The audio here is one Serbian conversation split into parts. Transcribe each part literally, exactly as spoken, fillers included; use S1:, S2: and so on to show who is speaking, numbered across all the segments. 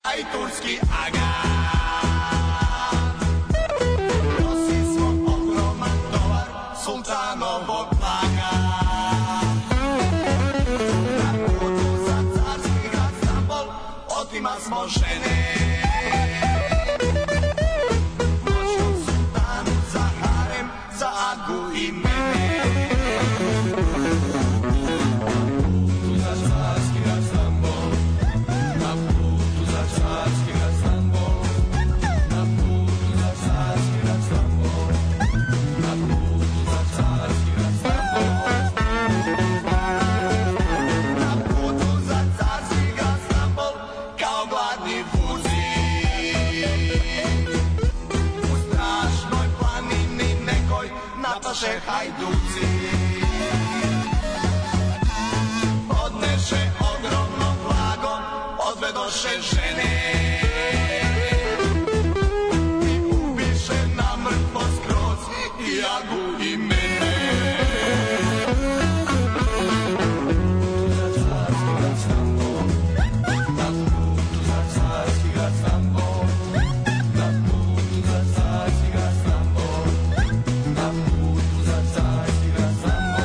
S1: Aj turski aga. Nosi smo ogroman tovar sultanovog blaga. Na putu za carski grad Stambol otima smo žene. Moćnom sultanu za harem, za Agu i mene. Napaše hajduci, odneše ogromno blago, odvedoše žene i ubiše na mrtvo skroz i Agu i mene. Na putu za carski grad Stambol, na putu za carski grad Stambol, na putu za carski grad Stambol.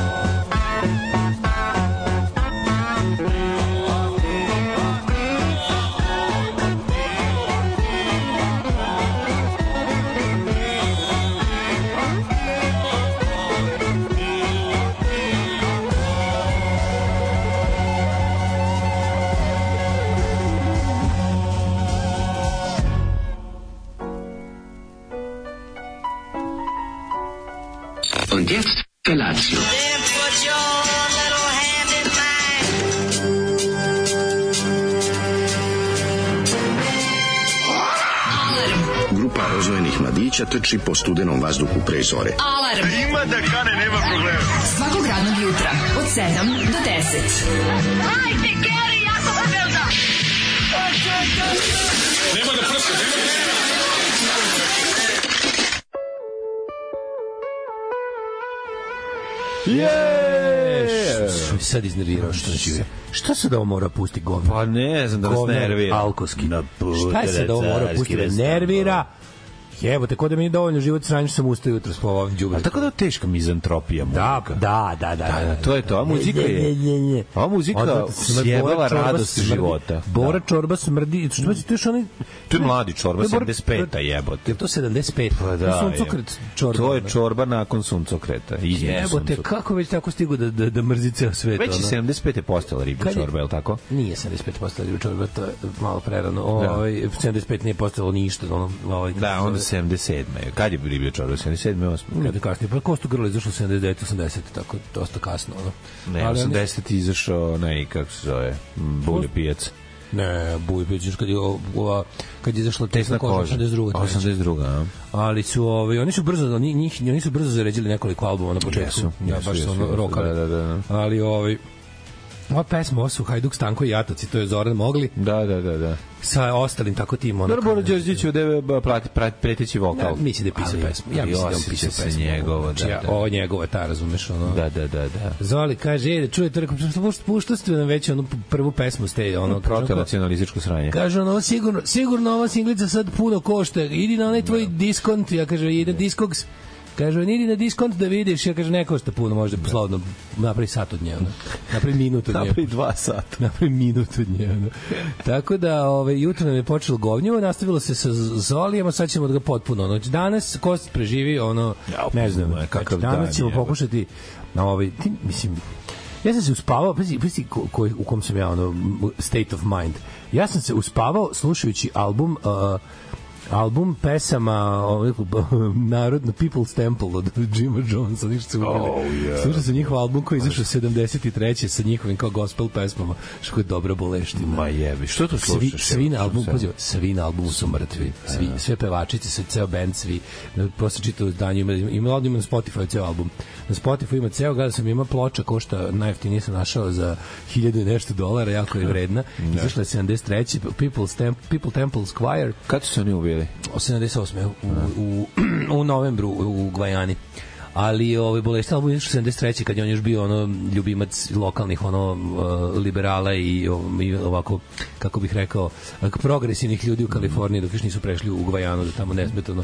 S2: Und jetzt Felatio.
S3: Then put your little hand in mine.
S2: Grupa rozvojenih mladića trči po studenom vazduhu pre zore.
S4: Alarm.
S5: Ima da kane, nema problema.
S4: Svakog radnog jutra od sedam do deset.
S3: Hajde, Geri, jako se velda.
S5: Nema da prska, nema da prska.
S6: Jeee! Sad iznervirao što će. Šta se da ovo mora pusti govno?
S7: Pa ne znam da vas nervira.
S6: Alkoski. Šta se da ovo mora pusti da nervira? Jebote, ko da mi je dovoljno život sranj što sam ustao jutro s ovom đubretom.
S7: A tako da je teška mizantropija muzika.
S6: Da, da, da, da.
S7: Da, to je to. A muzika je... A muzika sjebala radost života.
S6: Bora Čorba smrdi. To je što oni...
S7: To je mladi Čorba, sedamdeset peta jebote.
S6: Je to sedamdeset pet?
S7: Pa da.
S6: Suncokret Čorba.
S7: To je Čorba nakon suncokreta.
S6: Jebote, kako već tako stigu da, da, da mrzi ceo svet?
S7: Već je sedamdeset pet je postala riba Čorba, je li tako?
S6: Nije sedamdeset pet postala riba Čorba, to je malo prerano. Ovaj, sedamdeset pet nije postalo ništa. Ovaj,
S7: da, onda sedamdeset sedme. Kad je riba Čorba? sedamdeset sedme, osme?
S6: Ne, da kasnije. Pa Kostu Grlo izašlo sedamdeset devet osamdeset, tako dosta kasno. Ono.
S7: Ne, ali osamdeset izašao, ne, kako se zove, Bulje pijac.
S6: Ne, Bulje pijac, kad je, ova, kad je izašla Tesna koža, osamdeset druga
S7: osamdeset druga a?
S6: Ali su, ovaj, oni su brzo, oni, njih, oni su brzo zaređili nekoliko albuma na početku.
S7: Jesu,
S6: ja,
S7: jesu,
S6: baš
S7: jesu,
S6: su ono rokali.
S7: Da, da, da.
S6: Ali, ovaj, ova pesma, ovo su Hajduk, Stanko i Jataci, to je Zoran Mogli.
S7: Da, da, da, da.
S6: Sa ostalim tako tim.
S7: Dobro, Bora Đorđević je prati, prati, preteći vokal.
S6: Da, misli da je pisao pesmu. Ja mislim da je pisao pesmu.
S7: Njegovo, da, da.
S6: Ovo njegova, ta, razumeš, ono.
S7: Da, da, da, da.
S6: Zoli kaže, ej, da čujete, pušto ste nam već onu prvu pesmu ste, ono.
S7: Protonacionalističko sranje.
S6: Kaže, ono, sigurno, sigurno ova singlica sad puno košta. Idi na onaj tvoj diskont, ja kaže, ide Discogs. Kaže, idi na diskont da vidiš, ja kaže, ne košta puno, možda slobodno napravi sat od nje, ono. Napravi minut od nje.
S7: Napravi dva sata.
S6: Napravi minut od nje, ono. Tako da, ovaj, jutro nam je počelo govnjivo, nastavilo se sa Zolijem, a sad ćemo da ga potpuno, ono, danas Kost preživi, ono, ne znam, kakav dan, danas ćemo pokušati, na ovaj, ti, mislim, ja sam se uspavao, pazi, pazi ko, ko, u kom sam ja, ono, state of mind, ja sam se uspavao slušajući album, uh, album pesama Narodno People's Temple od Jima Jonesa, ništa se uvijek.
S7: Oh, yeah.
S6: Slušao sam njihov album koji je izašao sedamdeset treće sa njihovim kao gospel pesmama, što je dobra boleština.
S7: Ma jebi, što to slušaš?
S6: Svi, svi na albumu, poziva, svi na albumu su mrtvi. Svi, sve pevačice, sve, ceo band, svi. Posle čitao danju, ima, ima, ima na Spotify ceo album. Na Spotify ima ceo, gledao sam, ima ploča, košta, najjeftinije sam našao za hiljadu i nešto dolara, jako je vredna. Izašla je sedamdeset treće People's Temple, People Temple's Choir.
S7: Kad su se oni uvijeli?
S6: sedamdeset osme u, u, u novembru u Gvajani. ali ovaj bolesti album iz sedamdeset treće kad je on još bio ono ljubimac lokalnih ono liberala i, i ovako kako bih rekao progresivnih ljudi u Kaliforniji dok još nisu prešli u Gvajanu da tamo nesmetano.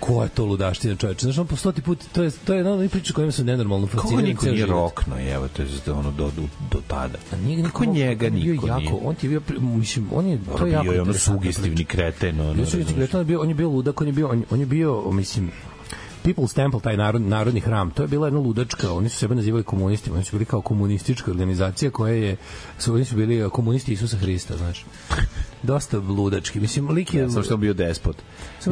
S6: Ko je to ludaština, čoveče? Znaš, on po stoti put, to je, to je jedna od priča kojima su nenormalno fascinirani.
S7: Kako niko nije rokno, evo, to je ono do, do, do tada. A nije, kako njega niko
S6: jako,
S7: nije?
S6: On ti je bio, mislim, on je, to je jako
S7: bio je ono sugestivni kreten. Ono,
S6: on, je bio, on je bio ludak, on je bio, on, on je bio, mislim, People's Temple, taj narod, narodni hram, to je bila jedna ludačka, oni su sebe nazivali komunistima, oni su bili kao komunistička organizacija koja je, su, oni su bili komunisti Isusa Hrista, znaš. Dosta ludački. Mislim, lik je...
S7: Ja, samo što on bio despot.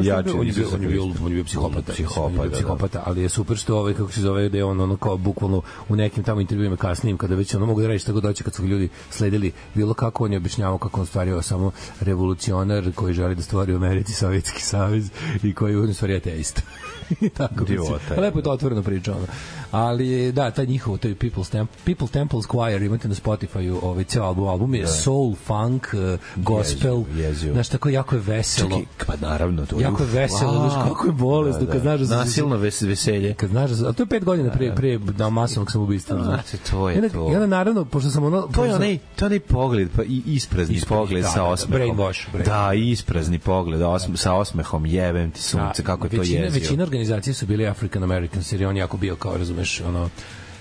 S6: Ja, on, on, je bio, on, je bio, on je bio psihopata. Psihopata, bio psihopata, ali je super što ovaj, kako se zove, da je on ono kao bukvalno u nekim tamo intervjuima kasnijim, kada već ono mogu da radiš tako doći kad su ljudi sledili bilo kako on je objašnjavao kako on stvario samo revolucionar koji želi da stvori u Americi Sovjetski savez i koji u stvari je ateista. Tako mislim. Lepo je to otvoreno priča ono. Ali da, taj njihov, to je People's Temple, People Temple's Choir, imate na Spotify-u ovaj ceo album, album je soul, funk, gospel, znaš, tako jako je veselo. Čaki,
S7: pa naravno, to je
S6: jako je veselo, znaš, kako je bolest, da, da. Kad znaš da
S7: nasilno ves, veselje.
S6: Kad znaš da, a to je pet godina pre, pre da, masovnog samoubistva.
S7: Znači, to je to.
S6: I onda, naravno, pošto sam ono...
S7: To je onaj, to je onaj pogled, pa i isprazni Ispred, pogled da, sa osmehom.
S6: Brainwash. Brain.
S7: Da, isprazni pogled osm, sa osmehom, jebem ti sunce, kako je to jezio.
S6: Većina organizacije su bili African Americans, jer on jako bio kao, razumeš, ono,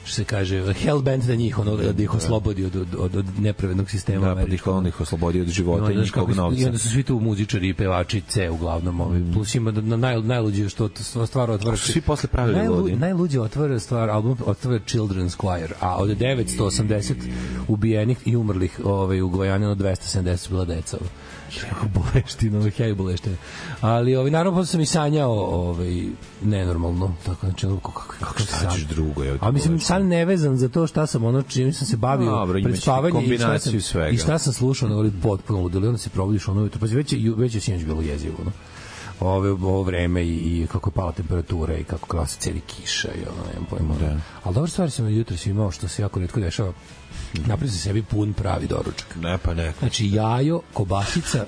S6: što se kaže, hellbent da njih, ono, da ih oslobodi od, od, od nepravednog sistema.
S7: Da, pa ih on ih oslobodi od života no, i njihovog novca.
S6: I onda su svi tu muzičari i pevači C uglavnom. Ovaj, mm. Plus ima na naj, najluđe što stvar otvara.
S7: Svi posle pravili najlu, ludi.
S6: Najluđe otvara stvar, album otvara Children's Choir, a od devetsto osamdeset ubijenih i umrlih ovaj, u Gvajani, od dvesta sedamdeset bila deca. Kako boleštino, ovaj heavy boleštine. Ali ovaj naravno posle sam i sanjao ovaj nenormalno, tako znači kako kako
S7: šta ćeš drugo je.
S6: A mislim san nevezan za to šta sam ono čim sam se bavio Dobro, pred spavanjem i šta sam svega. I šta sam slušao, nego potpuno ludilo, onda se probudiš ono jutro, pa već već je sinoć bilo jezivo, no. Ove ovo vreme i, i kako je pala temperatura i kako klasa celi kiša i ono nemam pojma. Da. Ali dobra stvar sam jutros imao što se jako retko dešava. Napravio sam sebi pun pravi doručak.
S7: Ne pa ne.
S6: Znači jajo, kobasica,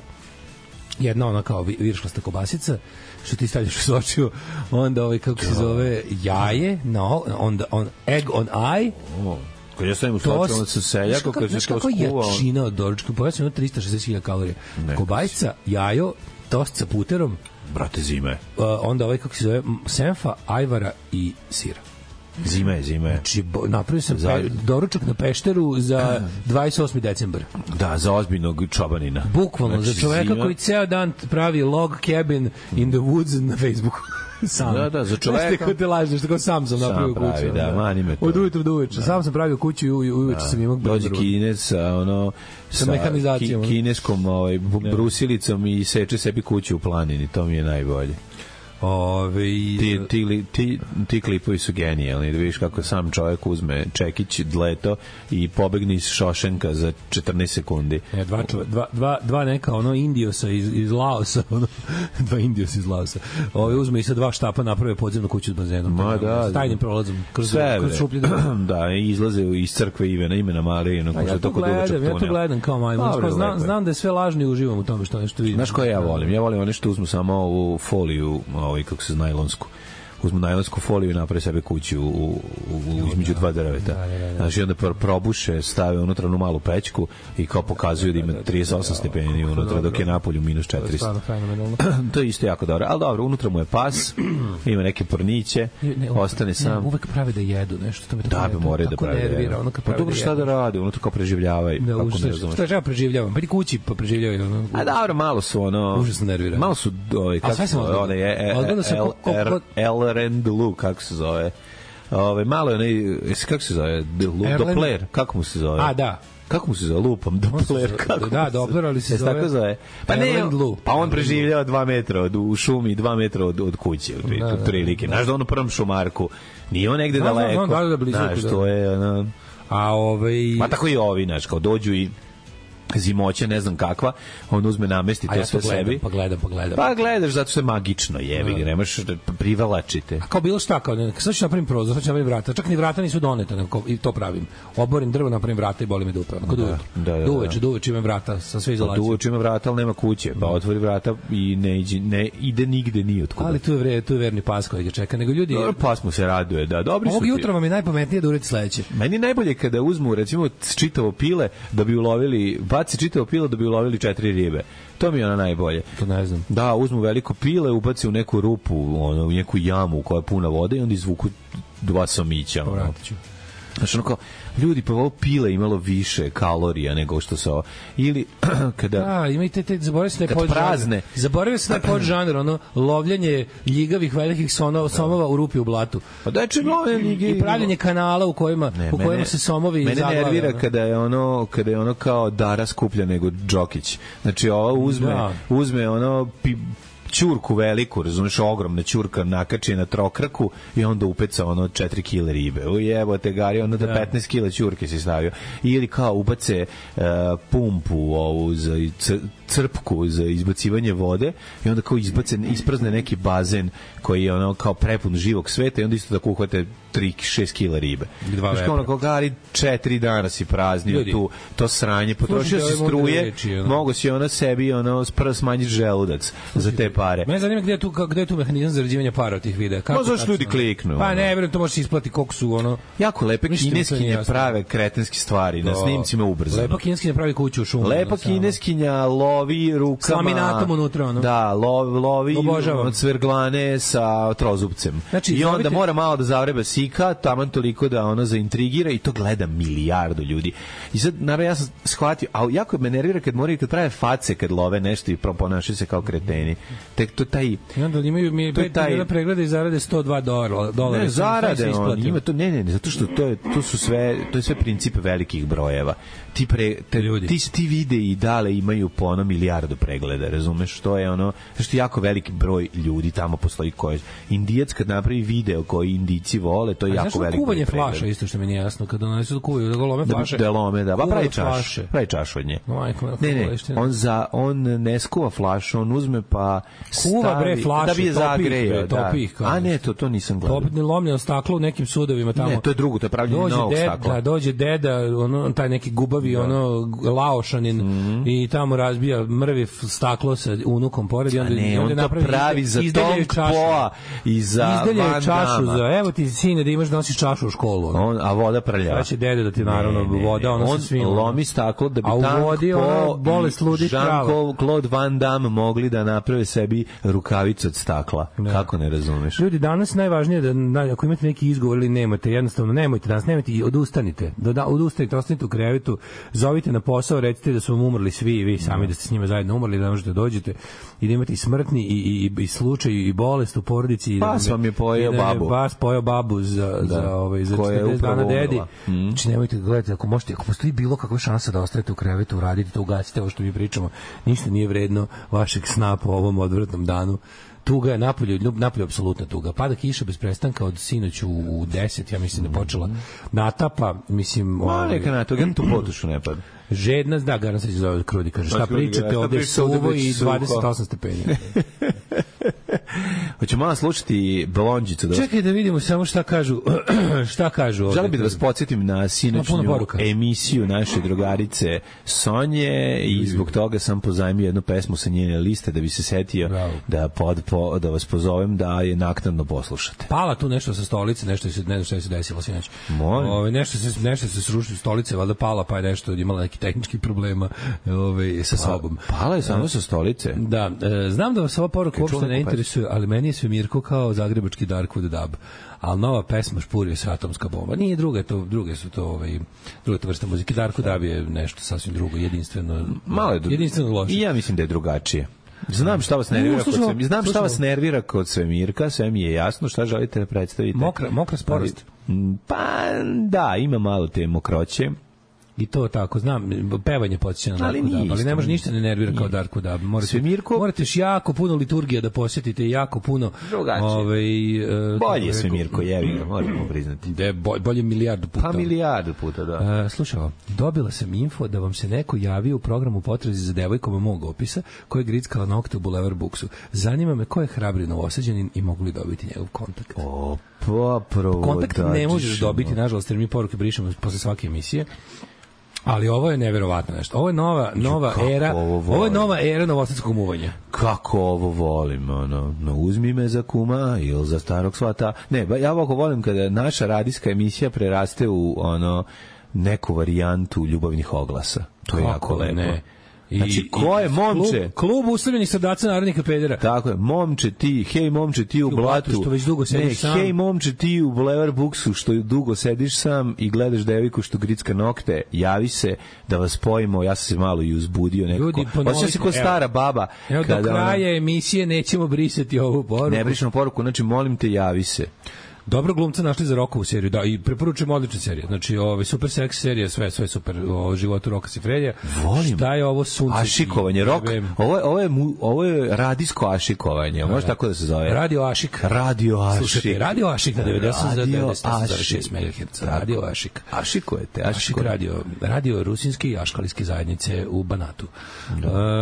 S6: jedna ona kao viršlasta kobasica, što ti stavljaš u sočiju, onda ovaj kako se zove jaje, no, onda on egg on eye. Oh.
S7: Kad ja stavim u sočiju, onda se selja, kako se to skuva.
S6: Kako je jačina od doručka? Pojasno ima trista šezdeset hiljada kalorija. Kobasica, jajo, tost sa puterom,
S7: brate zime.
S6: Uh, onda ovaj kako se zove senfa, ajvara i sira.
S7: Zima je, zima je.
S6: Znači, napravio sam za... pe, doručak na Pešteru za dvadeset osmi decembar.
S7: Da, za ozbiljnog čobanina.
S6: Bukvalno, znači, za čoveka zima... koji ceo dan pravi log cabin in the woods na Facebooku. Sam.
S7: Da, da, za čoveka.
S6: Znaš te ko te lažeš, tako sam sam napravio kuću.
S7: Pravi, da, mani me to.
S6: Od ujutru do uveče. Sam sam pravio kuću i uveče sam imao...
S7: Dođe Kinez sa, ono,
S6: sa, sa mehanizacijom.
S7: Ki, kineskom ovaj, brusilicom i seče sebi kuću u planini. To mi je najbolje.
S6: Ove,
S7: ti, ti, ti, ti klipovi su genijalni, da vidiš kako sam čovjek uzme čekić, dleto i pobegne iz Šošenka za četrnaest sekundi.
S6: E, dva, dva, dva, dva neka ono Indiosa iz, iz Laosa, ono, dva Indiosa iz Laosa. Ove uzme i sa dva štapa naprave podzemnu kuću s bazenom.
S7: Ma da,
S6: s tajnim prolazom kroz, kroz šuplje.
S7: Da, izlaze iz crkve Ivena, imena Marije. No,
S6: ja, to gledam, ja to gledam kao majmun. Znam, znam da je sve lažno i uživam u tome što nešto vidim.
S7: Znaš koje ja volim? Ja volim one što uzmu samo ovu foliju, ovaj kako se najlonsku uzmu najlonsku foliju i naprave sebe kuću u, u, u između dva drveta. Da, da, da. Znači onda probuše, stave unutra onu malu pećku i kao pokazuju da ima trideset osam stepeni unutra, dok je napolju minus četiristo. To je isto jako dobro. Ali dobro, unutra mu je pas, ima neke porniće, ne, ostane sam.
S6: Ne, uvek prave da jedu nešto. To me
S7: da, bi moraju da prave da jedu. Pa dobro, šta da rade? Unutra kao preživljavaju.
S6: Da, šta ja preživljavam? Pa i kući pa preživljavaju. Ono,
S7: a dobro, malo su ono...
S6: Užasno nervira.
S7: Malo su... Ovaj, kako se ono je... El Rendlu, kako se zove. Ove, malo je onaj, kako se zove? Doppler, kako mu se zove?
S6: A, da.
S7: Kako mu se zove? Lupam, Doppler. Kako
S6: da, Doppler, ali se zove...
S7: Tako zove. Pa ne, pa on preživljava dva metra od, u šumi, dva metra od, od kuće, od prilike. Znaš da on u prvom šumarku, nije on negde daleko.
S6: Da, da, blizu.
S7: Znaš, to je... Ono,
S6: a ovaj...
S7: Ma tako i ovi, znaš, kao dođu i zimoća, ne znam kakva, on uzme namesti to
S6: ja
S7: sve
S6: to gledam,
S7: sebi.
S6: Pa gledam, pa gledam.
S7: Pa gledaš, zato što je magično, jebi ga, nemaš privlačite.
S6: A kao bilo šta, kao ne, sad ću napravim prozor, sad ću napravim vrata, čak ni vrata nisu doneta, nego i to pravim. Oborim drvo, napravim vrata i boli me dupe. Kod uveče,
S7: da, da,
S6: duveče, duveče imam vrata sa sve izolacije.
S7: Duveče ima vrata, ali nema kuće, pa otvori vrata i ne, iđe, ne ide nigde ni otkuda.
S6: Ali tu je, vre, tu je verni pas koji ga čeka, nego ljudi...
S7: Dobro, pas mu se raduje, da, dobri su
S6: Ovog
S7: ti.
S6: jutra vam je najpametnije da uradite sledeće.
S7: Meni najbolje kada uzmu, recimo, čitavo pile da bi ulovili, baci čitavo pile da bi ulovili četiri ribe. To mi je ono najbolje.
S6: To ne znam.
S7: Da, uzmu veliko pile, ubaci u neku rupu, ono, u neku jamu koja je puna vode i onda izvuku dva somića. Ono. Znaš, ono kao, ljudi, pa ovo pile imalo više kalorija nego što se ovo. Ili, kada...
S6: Da, imajte te, zaboravio se da je
S7: kad
S6: podžanr.
S7: prazne.
S6: Zaboravio se da je podžanr, ono, lovljenje ljigavih velikih sonova, somova u rupi u blatu.
S7: Pa da je če love ljige...
S6: I pravljenje kanala u kojima, ne, u kojima mene, se somovi
S7: mene
S6: zaglave.
S7: Mene nervira
S6: ono.
S7: kada je ono, kada je ono kao Dara skuplja nego Đokić. Znači, ovo uzme, da. uzme ono... Pi, ćurku veliku, razumeš, ogromna ćurka nakači na trokraku i onda upeca ono četiri kile ribe. Ujebote gari, ono da petnaest kila ćurke si stavio. Ili kao ubace uh, pumpu ovu za crpku za izbacivanje vode i onda kao izbace, isprazne neki bazen koji je ono kao prepun živog sveta i onda isto tako uhvate tri šest kila ribe. Znaš kao ono kao gari četiri dana si praznio tu, to sranje, potrošio si struje, reči, ono. Mogo si ono sebi ono prvo smanjiti želudac za te pare.
S6: Mene zanima gde je tu, gde je tu mehanizam zarađivanja para od tih videa.
S7: Kako zašto ljudi kliknu?
S6: Pa ne, verujem, to može isplati koliko su ono...
S7: Jako lepe kineskinje prave kretenske stvari, na snimcima ubrzano.
S6: Lepa kineskinja pravi kuću u šumu.
S7: Lepa kineskinja lovi rukama... S laminatom
S6: unutra, ono.
S7: Da, lovi, lovi od cverglane sa trozubcem. Znači, i onda zovite... mora malo da zavreba sika, taman toliko da ono zaintrigira i to gleda milijardu ljudi. I sad, naravno, ja sam shvatio, a jako me nervira kad moraju, kad prave face kad love nešto i ponašaju se kao kreteni. Tek to taj...
S6: I onda imaju mi pet miliona pregleda i zarade sto dva dolara.
S7: Ne, zarade, on, ima to, ne, ne, ne, zato što to, je, to su sve, to je sve princip velikih brojeva. Ti, pre, te, ti, ti videi dale imaju po ono milijardu pregleda, razumeš, to je ono, što je jako veliki broj ljudi tamo postoji koji, Indijac kad napravi video koji Indijci vole, to je a jako veliki broj pregleda. Kuvanje flaša, isto što mi nije jasno, kada oni su kuvaju, da ga lome flaše. Da, da lome, da, pa pravi čaš, pravi čaš od nje.
S6: No,
S7: ne, ne, on, za, on ne skuva flašu, on uzme pa
S6: kuva bre flašu,
S7: da bi je zagrejo,
S6: da.
S7: A ne, to, to nisam gledao.
S6: Topne lomljeno staklo u nekim sudovima tamo.
S7: Ne, to je drugo, to je pravljenje novog stakla.
S6: Da, dođe deda, ono, taj neki gubavi, da. ono, laošanin, mm-hmm. i tamo razbija mrvi staklo sa unukom pored i onda,
S7: ne, on to pravi za Tong Poa i za
S6: izdelje čašu za, evo ti sine da imaš da nosiš čašu u školu.
S7: On, a voda prlja.
S6: Sad će dede da ti naravno ne, ne, voda, ono
S7: on
S6: sa svim.
S7: On lomi staklo da bi
S6: Tong
S7: Po i Jean-Claude Van Damme mogli da naprave sebi rukavicu od stakla. Ne. Kako ne razumeš?
S6: Ljudi, danas najvažnije da, da ako imate neki izgovor ili nemate, jednostavno nemojte danas, nemojte i odustanite. Da, da, odustanite, ostanite u krevetu, zovite na posao, recite da su vam umrli svi i vi sami, da ste s njima zajedno umrli, da ne možete dođete i da imate i smrtni i, i, i slučaj i bolest u porodici.
S7: Pas
S6: da
S7: vam je pojeo babu.
S6: Pas pojeo babu za, da. za, ovaj, za četrdeset dana dedi. Mm. Znači nemojte gledati, ako možete, ako postoji bilo kakva šansa da ostanete u krevetu, uradite to, ugasite ovo što mi pričamo, ništa nije vredno vašeg sna po ovom odvratnom danu. Tuga je napolju, napolju apsolutna tuga. Pada kiša bez prestanka od sinoć u deset, ja mislim da je počela natapa, mislim...
S7: Ma neka natapa, gledam tu potušu ne pada.
S6: Žedna, da, garant se zove Krudi, kaže, šta pričate, ovde je suvo i dvadeset osam stepeni.
S7: Hoćemo malo slušati Blondžicu. Da vas...
S6: Čekaj da vidimo samo šta kažu. šta kažu ovde.
S7: Želim bih da vas podsjetim na sinoćnju emisiju naše drugarice Sonje i zbog toga sam pozajmio jednu pesmu sa njene liste da bi se setio da, pod, po, da vas pozovem da je naknadno poslušate.
S6: Pala tu nešto sa stolice, nešto se, ne znam šta se desilo sinoć. Ove, nešto se, nešto se srušilo stolice, valjda pala, pa je nešto imala neki tehničkih problema ove, sa sobom.
S7: Pala je samo sa stolice?
S6: Da, e, znam da vas ova poruka uopšte ne interesuje, ali meni je Svemirko kao zagrebački Darkwood Dub. Ali nova pesma Špurio se atomska bomba. Nije druga, to, druge su to ovaj, druga to vrsta muzike. Darkwood Dub je nešto sasvim drugo, jedinstveno,
S7: malo je
S6: jedinstveno loše.
S7: I ja mislim da je drugačije. Znam šta vas nervira kod Svemirka. Znam šta vas nervira kod Svemirka, sve mi je jasno šta želite da predstavite.
S6: Mokra, mokra sporost.
S7: Pa da, ima malo te mokroće.
S6: I to tako, znam, pevanje podsjeća na Darku Dab, ali ne može ništa ne nervira kao Darku Dab. Morate,
S7: Svemirko?
S6: Morate još jako puno liturgija da posjetite, jako puno...
S7: Ovaj, uh, bolje je Svemirko, jevi ga, možemo priznati.
S6: De, bolje, bolje milijardu puta.
S7: Pa milijardu puta, da.
S6: Uh, slušaj, dobila sam info da vam se neko javio u programu Potrazi za devojkom mog opisa, koja je grickala nokte u Boulevard Booksu. Zanima me ko je hrabri Novosađanin i mogu li dobiti njegov kontakt.
S7: O, pa prvo
S6: kontakt ne možeš dobiti, nažalost, jer mi poruke brišemo posle svake emisije. Ali ovo je neverovatno nešto. Ovo je nova nova Kako era. Ovo, ovo je nova era novosadskog muvanja.
S7: Kako ovo volim, ono, no uzmi me za kuma ili za starog svata. Ne, ja ovako volim kada naša radijska emisija preraste u ono neku varijantu ljubavnih oglasa. To je Kako jako lepo. Ne. I, znači, ko je momče?
S6: Klub, klub ustavljenih srdaca narodnika pedera.
S7: Tako je, momče ti, hej momče ti u blatu,
S6: što već dugo sediš
S7: ne,
S6: sam.
S7: Hej momče ti u Boulevard Booksu, što dugo sediš sam i gledaš deviku što gricka nokte, javi se da vas spojimo, ja sam se malo i uzbudio nekako. Osjećam se ko stara baba.
S6: Evo, kada do kraja ona... emisije nećemo brisati ovu poruku.
S7: Ne brišemo poruku, znači molim te javi se.
S6: Dobro glumca našli za Rokovu seriju, da, i preporučujem odličnu seriju. Znači, ovaj super seks serija, sve sve super o životu Roka Sifredija.
S7: Volim.
S6: Šta je ovo sunce?
S7: Ašikovanje, Rok. Ovo je ovo je ovo je radijsko ašikovanje, može tako da se zove.
S6: Radio Ašik.
S7: Radio Ašik.
S6: Slušajte, Radio Ašik na devedeset zarez šest megaherca. Radio Ašik.
S7: Ašikujete,
S6: Ašik radio, radio rusinski i aškalijske zajednice u Banatu.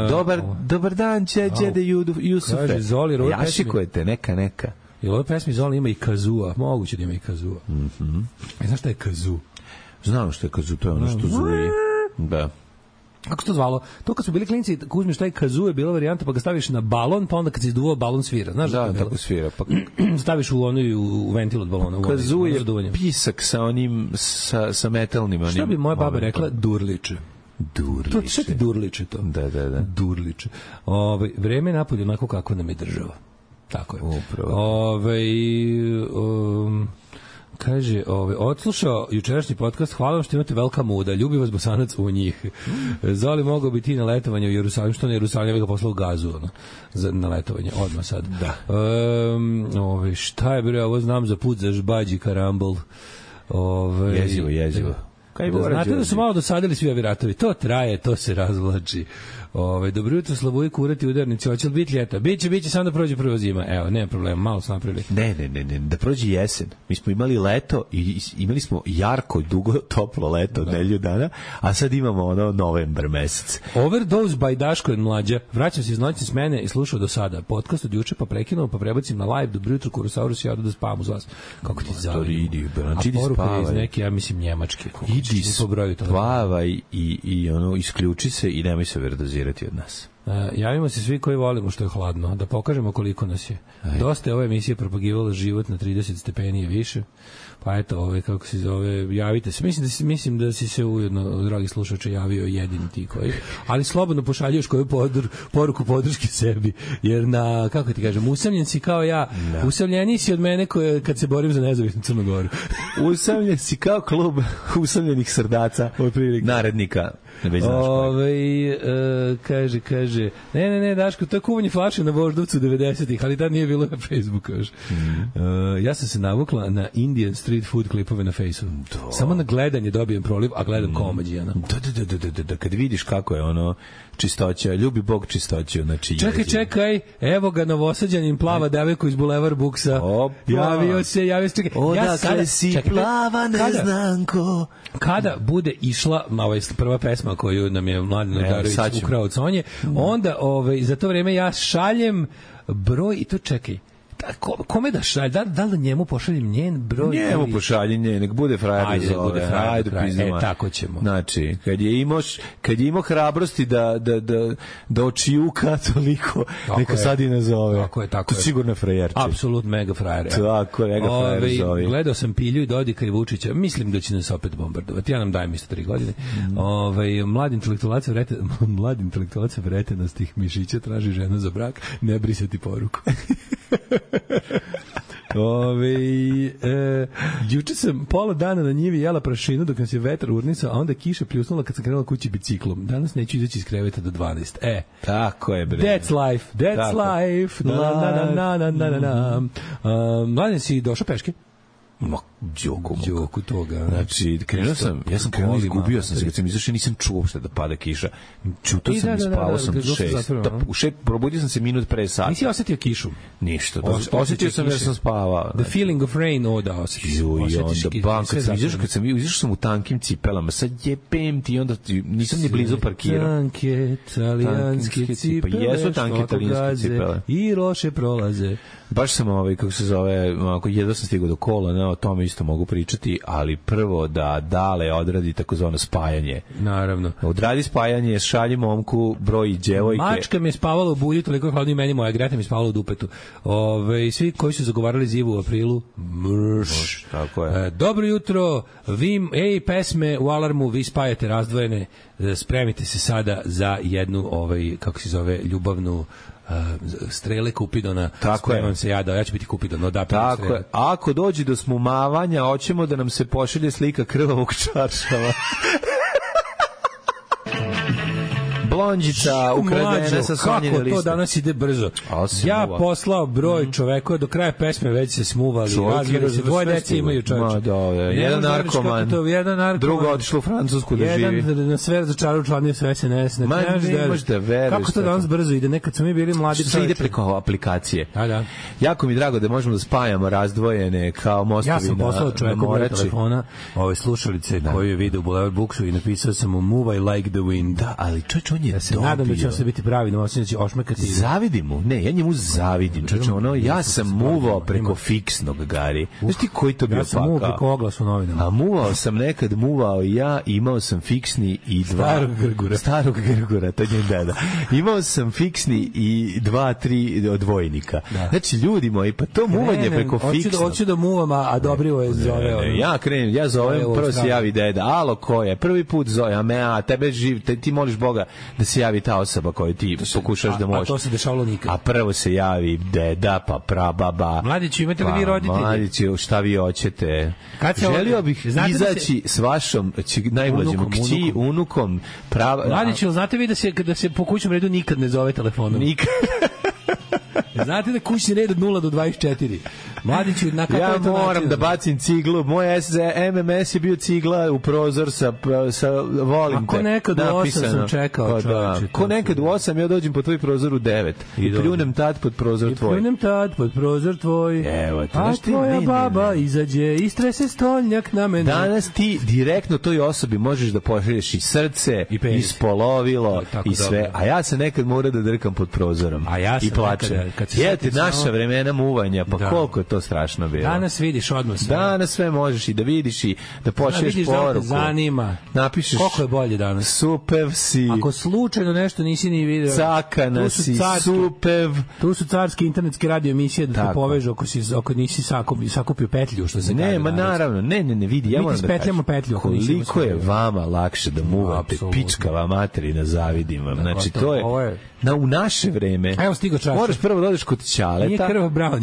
S7: Dobar dobar dan, Đede Jusufe.
S6: Kaže Zoli,
S7: Ašikujete, neka neka.
S6: I u ovoj pesmi Zola ima i kazua. Moguće da ima i kazua.
S7: Mm-hmm.
S6: E, znaš šta je kazu?
S7: Znam što je kazu, to je ono što zuje. Da.
S6: Kako se to zvalo? To kad smo bili klinici, ako uzmeš taj kazu je bila varijanta, pa ga staviš na balon, pa onda kad se izduvao balon svira. Znaš
S7: da, da tako svira. Pa...
S6: staviš u onu u ventil od balona.
S7: Kazu je pisak sa onim, sa, sa metalnim. Onim,
S6: šta bi moja baba rekla? Durliče.
S7: Durliče.
S6: To, šta ti durliče to?
S7: Da, da, da.
S6: Durliče. Ove, vreme je napolje onako kako nam je država. Tako je.
S7: Upravo.
S6: Ove, um, kaže, ove, odslušao jučerašnji podcast, hvala vam što imate velika muda, ljubi vas Bosanac u njih. Zoli mogao bi ti na letovanje u Jerusalim, što na Jerusalim, ja ga poslao gazu, ono, za, na letovanje, odmah sad.
S7: Da.
S6: Um, ove, šta je, bre, ovo znam za put za žbađi karambol. Ove,
S7: jezivo, jezivo.
S6: Kaj da, znate da su malo dosadili svi ovi ratovi. To traje, to se razvlači. Ove, dobro jutro, Slavuji, kurati, udarnici. Hoće li biti ljeta? Biće, biće, samo da prođe prva zima. Evo, nema problema, malo smo napravili.
S7: Ne, ne, ne, ne, da prođe jesen. Mi smo imali leto i imali smo jarko, dugo, toplo leto od nedelju dana, a sad imamo ono novembar mesec.
S6: Overdose by Daško and Mlađa. Vraćam se iz noći smene i slušao do sada. Podcast od juče, pa prekinuo, pa prebacim na live. Dobro jutro, Kurosaurus, ja da spavam uz vas. Kako ti zavim?
S7: A
S6: poruka je iz neke, ja mislim, njemačke.
S7: Idi spavaj i, i ono, isključi se i nemoj se verdozirati od nas.
S6: Uh, javimo se svi koji volimo što je hladno, da pokažemo koliko nas je. Ajde. Dosta je ove emisije propagivala život na trideset stepeni i više. Pa eto, ove, kako se zove, javite se. Mislim da si, mislim da si se ujedno, dragi slušače, javio jedini ti koji. Ali slobodno pošaljuješ koju podr, poruku podrške sebi. Jer na, kako ti kažem, usamljen si kao ja. No. Usamljeniji si od mene koje, kad se borim za nezavisnu Crnu Goru.
S7: Usamljen si kao klub usamljenih srdaca narednika.
S6: Ove, e, kaže, kaže, ne, ne, ne, Daško, to je kuvanje flaše na Voždovcu devedesetih, ali tad nije bilo na Facebooku još. Mm. E, ja sam se navukla na Indian street food klipove na Facebooku. Samo na gledanje dobijem proliv, a gledam mm. komađijana.
S7: Da, da, da, da, da, da, kad vidiš kako je ono čistoća, ljubi Bog čistoću, znači...
S6: Čekaj, čekaj, evo ga Novosađanin plava devojku iz Boulevard Booksa.
S7: Opa.
S6: Javio se, javio se.
S7: Odakle sada, si čekaj, plava neznanko.
S6: Kada bude išla, ovaj, prva pesma koju nam je Mladen Nodarović ukrao od Sonje, onda ovaj, za to vreme ja šaljem broj, i to čekaj, da, kome da šaljem, da, da li njemu pošaljem njen broj?
S7: Njemu
S6: ili...
S7: pošaljem njen, nek bude frajer.
S6: Ajde,
S7: zove,
S6: bude frajer,
S7: ajde,
S6: frajer. E, tako ćemo.
S7: Znači, kad je imao, kad je imao hrabrosti da, da, da, da očijuka toliko, tako neka je. Sad i nazove.
S6: Tako je, tako
S7: je. Sigurno frajerče.
S6: Apsolutno mega frajer.
S7: Tako je, mega frajer
S6: Ove,
S7: zove.
S6: Gledao sam Pilju i Dodika i Vučića, mislim da će nas opet bombardovati. Ja nam dajem isto tri godine. Mm. Ove, mladi intelektualac vrete, mladi intelektualac vretenastih mišića traži ženu za brak, ne brisati poruku. Ove, e, juče sam pola dana na njivi jela prašinu dok nas je vetar urnisao, a onda kiša pljusnula kad sam krenula kući biciklom. Danas neću izaći iz kreveta do dvanaest. E,
S7: tako je, bre.
S6: That's life, that's
S7: tako.
S6: Life. Na, na, na, na, na, na, na. Uh, Mladen, si došao peške?
S7: Ma, Đoku.
S6: Đoku toga.
S7: Znači, krenuo sam, ja sam krenuo, izgubio sam se, kad sam izašao, nisam čuo uopšte da pada kiša. Čutao sam i spavao sam šest. U šest, probudio sam se minut pre sata.
S6: Nisi osetio kišu?
S7: Ništa. Osetio sam jer sam spavao.
S6: The feeling of rain, o da, osjetiš.
S7: Ju, i onda, bam, kad sam izašao, kad sam izašao sam u tankim cipelama, sad jebem ti, onda nisam ni blizu parkirao.
S6: Tanke, talijanske cipele,
S7: pa jesu tanke talijanske cipele.
S6: I loše prolaze.
S7: Baš sam ovaj, kako se zove, ako jedva sam stigao do kola, ne, o tome isto mogu pričati, ali prvo da Dale odradi takozvano spajanje.
S6: Naravno.
S7: Odradi spajanje, šalji momku, broj djevojke.
S6: Mačka mi je spavala u bulji, toliko hladno i meni, moja Greta mi je spavala u dupetu. Ove, svi koji su zagovarali zivu u aprilu, mrš.
S7: Moš, tako je.
S6: E, dobro jutro, vi, ej, pesme u alarmu, vi spajate razdvojene, e, spremite se sada za jednu, ovaj, kako se zove, ljubavnu Uh, strele Kupidona.
S7: Tako
S6: Spremam
S7: je.
S6: se ja da ja ću biti Kupidon, no da.
S7: Tako je. Ako dođe do smumavanja, hoćemo da nam se pošalje slika krvavog čaršava. Blondjica ukradena sa Sonjine liste.
S6: Kako to danas ide brzo. Ja muva. Poslao broj čoveku, do kraja pesme već se smuvali. Razvili se, dvoje dece imaju čovječe.
S7: Da, jedan, jedan narkoman, to, jedan narkoman, drugo otišlo u Francusku da
S6: jedan
S7: živi.
S6: Jedan na sve začarao članio sve S N S. Ne,
S7: Ma, ne možeš da veruješ.
S6: Kako to danas brzo ide? Nekad smo mi bili mladi čovječe.
S7: Sve ide preko aplikacije.
S6: Da, da.
S7: Jako mi drago da možemo da spajamo razdvojene kao mostovi na
S6: Ja sam poslao čoveku broj telefona, ove slušalice koji je video u Boulevard Booksu i napisao sam mu Move I Like the Wind.
S7: Da, ali čovječ, on je
S6: ja se nadam da će se biti pravi, no osim da će ošmekati.
S7: Zavidim mu, ne, ja njemu zavidim. Čovječ, ono, ja sam muvao preko fiksnog, Gari. Znaš ti koji to bio pakao?
S6: Ja sam muvao preko oglasa u novinama.
S7: A muvao sam nekad, muvao i ja, imao sam fiksni i dva...
S6: Starog Grgura.
S7: Starog Grgura, to je njen deda. Imao sam fiksni i dva, tri odvojnika. Da. Znači, ljudi moji, pa to muvanje preko fiksnog.
S6: Hoću da muvam, a Dobrivo je zove.
S7: Ne, ne, ja krenem, ja zovem, prvo se javi deda. Alo, ko je? Prvi put zove, a me, a tebe živ, te, ti moliš Boga da se javi ta osoba koju ti se, pokušaš a, da možeš.
S6: A to se dešavalo nikad.
S7: A prvo se javi deda, pa prababa.
S6: Mladiću, imate li
S7: pa,
S6: vi roditelji?
S7: Mladiću, šta vi hoćete?
S6: Kad se
S7: želio bih izaći se... s vašom najmlađim kći, unukom. Prava...
S6: Mladiću, znate vi da se, da se po kućnom redu nikad ne zove telefonom?
S7: Nikad.
S6: Znate da kućni red od nula do dvadeset četiri. Mladiću, na kako
S7: ja
S6: je to
S7: moram
S6: način?
S7: Da bacim ciglu. Moj M M S je bio cigla u prozor sa, sa volim te.
S6: Ako nekad u osam sam čekao, čovječe.
S7: Ko nekad u osam, ja dođem po tvoj prozor u devet. I pljunem tad pod prozor tvoj. I
S6: pljunem tad pod prozor tvoj.
S7: Evo te.
S6: A tvoja baba izađe i strese stolnjak na mene.
S7: Danas ti direktno toj osobi možeš da pošalješ i srce, i, i spolovilo, i sve. Dobro. A ja se nekad mora da drkam pod prozorom.
S6: A ja
S7: i plačem. Jete, naša samo... vremena muvanja, pa da. Koliko je to strašno bilo.
S6: Danas vidiš odmah sve.
S7: Danas sve možeš i da vidiš i da pošalješ da poruku.
S6: Da zanima.
S7: Napišeš
S6: koliko je bolje danas.
S7: Supev si.
S6: Ako slučajno nešto nisi ni video.
S7: Cakana si, carski, supev.
S6: Tu su carske internetske radio emisije da tako. Te povežu ako, si, ako nisi sakupio, sakupio petlju, što se
S7: ne,
S6: kaže.
S7: Ne, ma naravno, ne, ne, ne, vidi, ja moram da kažem.
S6: Petlju,
S7: koliko je vama lakše da muvate pičkava materina, zavidim vam. Znači, to je... Na, u naše vreme
S6: evo stigo čas.
S7: Moraš prvo da odeš kod ćaleta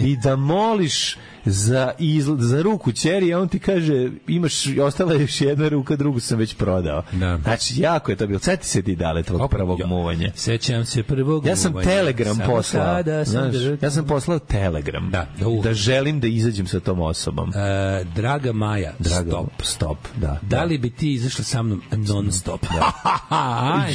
S7: i da moliš za, izl, za ruku ćeri, a on ti kaže imaš, ostala je još jedna ruka, drugu sam već prodao. Da. Znači, jako je to bilo. Sjeti se ti Dale tvog Opa, prvog jo. muvanja.
S6: Sećam se prvog
S7: ja sam
S6: muvanja.
S7: Telegram Samo poslao.
S6: Sam
S7: znaš, ja sam poslao Telegram. Da, da,
S6: da
S7: želim da izađem sa tom osobom.
S6: E, draga Maja, draga, stop.
S7: Stop, da.
S6: Da li bi ti izašla sa mnom non stop?
S7: Da.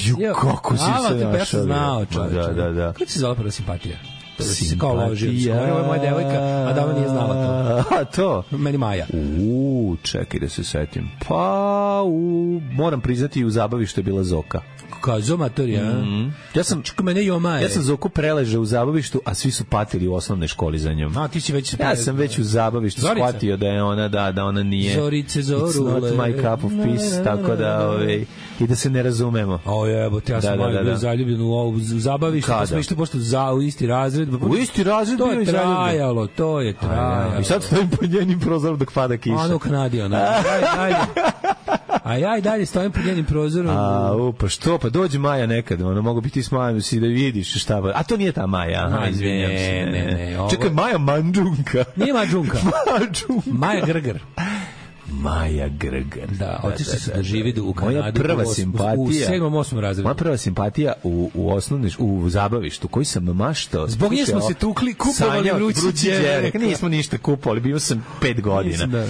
S7: Ju, kako si se našao.
S6: Znao, čovječe.
S7: Da, da, da.
S6: Kako si zvala prva simpatija? To da si se kao ložio. Ovo je moja devojka, a da ona nije znala to.
S7: A to?
S6: Meni Maja.
S7: Uuu, čekaj da se setim. Pa, u, moram priznati, u zabavištu je bila Zoka.
S6: Kao zomatorija.
S7: Mm. Ja sam
S6: Čekaj, mene Joma.
S7: Ja sam Zoku preležao u zabavištu, a svi su patili u osnovnoj školi za njom.
S6: A ti si već
S7: ja sam već u zabavištu Zorica. Shvatio da je ona da da ona nije.
S6: Zorice Zorule.
S7: It's not my cup of peace, tako da ovaj i da se ne razumemo.
S6: O jebote, ja sam da, da, da, da. zaljubljen u ovu zabavištu, pa smo išli pošto za u isti razred.
S7: U isti razred
S6: to je trajalo, to je trajalo.
S7: I sad stojim pod njenim prozorom dok pada kiša.
S6: Ono Kanadi, ona. Ajde, a ja i dalje stojim pod njenim prozorom.
S7: A, u, pa što, pa dođe Maja nekad, ono, mogu biti s Majom si da vidiš šta ba. A to nije ta Maja, aha, izvinjam se.
S6: Ne, ne, ne. Ovo...
S7: Čekaj, Maja Mandžunka.
S6: Nije Mandžunka.
S7: Mandžunka.
S6: Maja Grgar.
S7: Maja Grgar.
S6: Da, otišli su da živi u Kanadu.
S7: Moja prva
S6: u,
S7: simpatija.
S6: U sedmom, osmom razredu.
S7: Moja prva simpatija u, u osnovnoj, u zabavištu, koji sam maštao.
S6: Zbog nje smo se tukli, kupovali vrući đerek.
S7: Nismo ništa kupovali, bio sam pet godina.
S6: Da.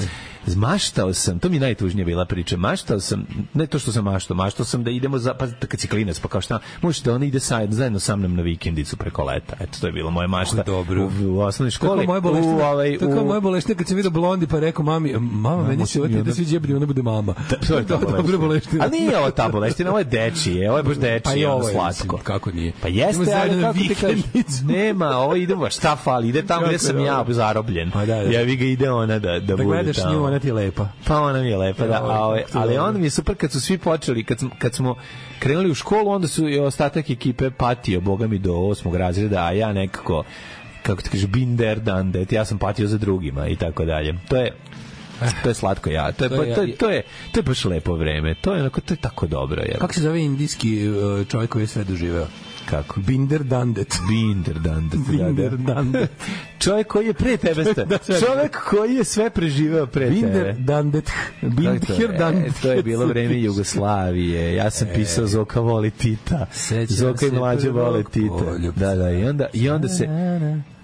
S7: Maštao sam, to mi najtužnije bila priča, maštao sam, ne to što sam maštao, maštao sam da idemo, za, pa kad si klinac, pa kao šta, možete da ona ide sa, zajedno sa mnom na vikendicu preko leta, eto, to je bilo moje mašta
S6: dobro.
S7: U, u osnovnoj školi.
S6: Tako moje boleštine,
S7: ovaj,
S6: tako moje boleštine, kad sam vidio Blondi, pa rekao mami, mama, meni se ovo da svi djebri, ona bude mama.
S7: Da, to je ta
S6: boleština.
S7: Ali nije ovo ta boleština, ovo je dečije, ovo je baš dečije, pa je ovo slatko.
S6: Mislim, kako nije?
S7: Pa jeste, ali kako ti kažeš, nema, ovo idemo, šta fali, ide tamo gde sam ja zarobljen. Ja vi ga ide ona da, da bude tamo. Da gledaš nju, ona ti je lepa. Pa ona mi je lepa, da, a ove, ali onda mi je super kad su svi počeli, kad, kad smo krenuli u školu, onda su i ostatak ekipe patio, boga mi, do osmog razreda, a ja nekako, kako ti kaže, binder dandet, ja sam patio za drugima i tako dalje. To je to je slatko, ja. To je to je to je, to je, to je baš lepo vreme. To je onako, to je tako dobro, je.
S6: Kako se zove indijski čovjek koji je sve doživeo?
S7: Kako?
S6: Binder Dandet.
S7: Binder Dandet.
S6: Binder Dandet.
S7: Čovjek koji je pre tebe sta. Čovjek koji je sve preživeo pre tebe.
S6: Binder Dandet. Binder Dandet.
S7: To je bilo vreme Jugoslavije. Ja sam pisao Zoka voli Tita. Zoka i mlađe vole Tita. Da, da, i onda, i onda se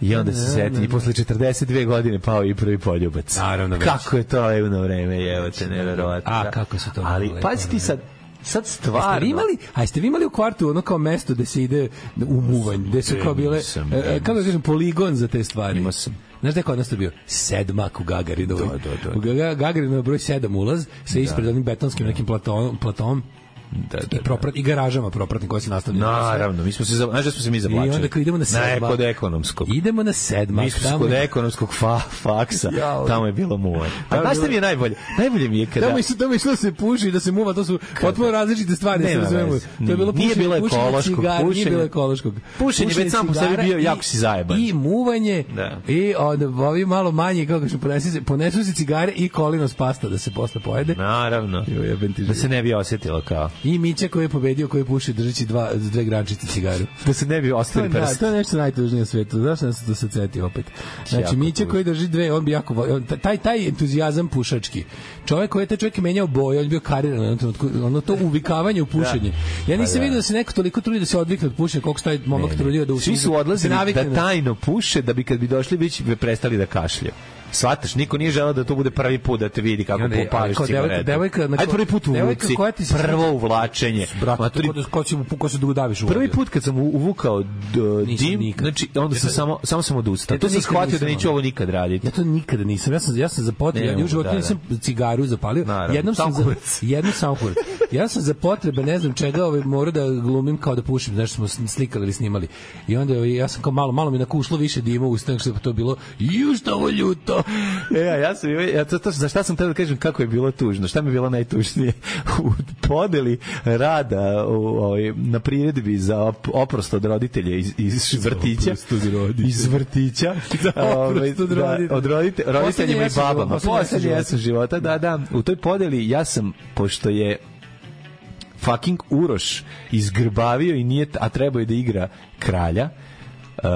S7: i onda se seti i posle četrdeset dve godine pao i prvi poljubac.
S6: Naravno.
S7: Kako je to levno vreme, evo te, neverovatno.
S6: A, kako se to...
S7: Ali, pazi ti sad, sad stvarno.
S6: Jeste vi imali, a jeste vi imali u kvartu ono kao mesto gde se ide u muvanj, gde su kao bile, e, kako da kažem, poligon za te stvari?
S7: Imao sam.
S6: Znaš da je kod nas to bio? Sedmak u Gagarinovoj.
S7: Da, da, da.
S6: U Gagarinov broj sedam ulaz, sa ispred onim betonskim nekim platom, platom
S7: da, da,
S6: i, proprat, i garažama propratnim koje se nastavljaju.
S7: Naravno, mi smo se, znaš da smo se mi zavlačili.
S6: I onda kad idemo na sedmak.
S7: Na kod ekonomskog.
S6: Idemo na sedmak.
S7: Mi smo se kod ekonomskog fa, faksa,
S6: ja,
S7: tamo je bilo muvaj. A znaš šta mi je najbolje? Najbolje mi je kada...
S6: Tamo je, tamo je išlo da se puši, da se muva, to su potpuno različite stvari.
S7: Nema veze.
S6: To je bilo pušenje,
S7: nije bilo ekološkog
S6: pušenje. Nije bilo ekološkog.
S7: Pušenje, već sam po sebi bio, jako si zajeban.
S6: I muvanje,
S7: da.
S6: I od, ovi malo manje, kako što ponesu se, ponesu se cigare i kolinos pasta da se posle pojede.
S7: Naravno. Da se ne bi osjetilo kao.
S6: I Mića koji je pobedio, koji puši držeći dva, dve grančice cigaru.
S7: Da se ne bi ostavili prst.
S6: Da, to je nešto najtužnije na svetu. Zašto nas to se ceti opet? Znači, Mića koji drži dve, on bi jako... On, taj, taj entuzijazam pušački. Čovjek koji je taj čovjek menjao boje, on bio kariran, ono to uvikavanje u pušenje. Ja nisam vidio da se neko toliko trudi da se odvikne od pušenja, koliko taj momak trudio da...
S7: Svi su odlazili da tajno puše, da bi kad bi došli već prestali da kašljaju. Svataš, niko nije želeo da to bude prvi put da te vidi kako popališ cigaretu. Ajde prvi put u uvuci, prvo uvlačenje.
S6: Ko si ko se dudaviš u
S7: prvi put kad sam uvukao dim, znači onda sam samo samo sam odustao. To sam shvatio da neću ovo nikad raditi.
S6: Ja to nikada nisam. Ja sam ja sam za potrebe, ja u životu nisam cigaru zapalio. Jednom sam za jednu samo kurac. Ja sam za potrebe, ne znam čega, ovaj morao da glumim kao da pušim, znači smo slikali ili snimali. I onda ja sam kao malo malo mi nakušlo više dima u usta, što je to bilo. Ju što ovo ljuto.
S7: E, ja, ja sam, ja, to, to, za šta sam tada da kažem kako je bilo tužno, šta mi je bilo najtužnije u podeli rada u, o, na priredbi za oprost od roditelja iz, iz vrtića iz vrtića ovaj, da, od rodite, roditeljima i babama poslednji jesen života, da, da, u toj podeli ja sam, pošto je fucking Uroš izgrbavio i nije, a trebao je da igra kralja, Uh,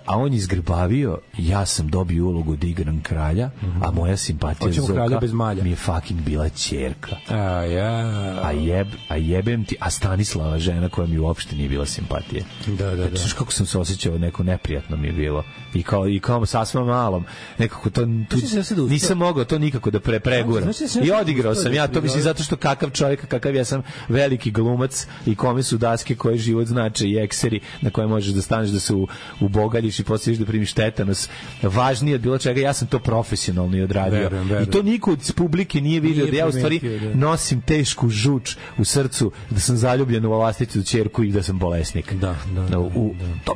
S7: a on izgrbavio, ja sam dobio ulogu da igram kralja, mm-hmm. a moja simpatija Zoka mi je fucking bila ćerka.
S6: A, ja.
S7: a, jeb, a jebem ti, a Stanislava žena koja mi uopšte nije bila simpatija.
S6: Da, da, da.
S7: Kako sam se osjećao, neko neprijatno mi je bilo. I kao, i kao sasvim malom. Nekako to, tu, nisam mogao to nikako da pre, preguram. I odigrao sam ja, to mislim zato što kakav čovjek, kakav ja sam veliki glumac i kome su daske koje život znače i ekseri na koje možeš da staneš da se u u bogaljiš i posliješ da primiš tetanos. Važnije od bilo čega, ja sam to profesionalno i odradio. Verujem, verujem. I to niko od publike nije vidio da ja u stvari da. nosim tešku žuč u srcu, da sam zaljubljen u vlastitu ćerku i da sam bolesnik.
S6: Da, da. da
S7: u, to,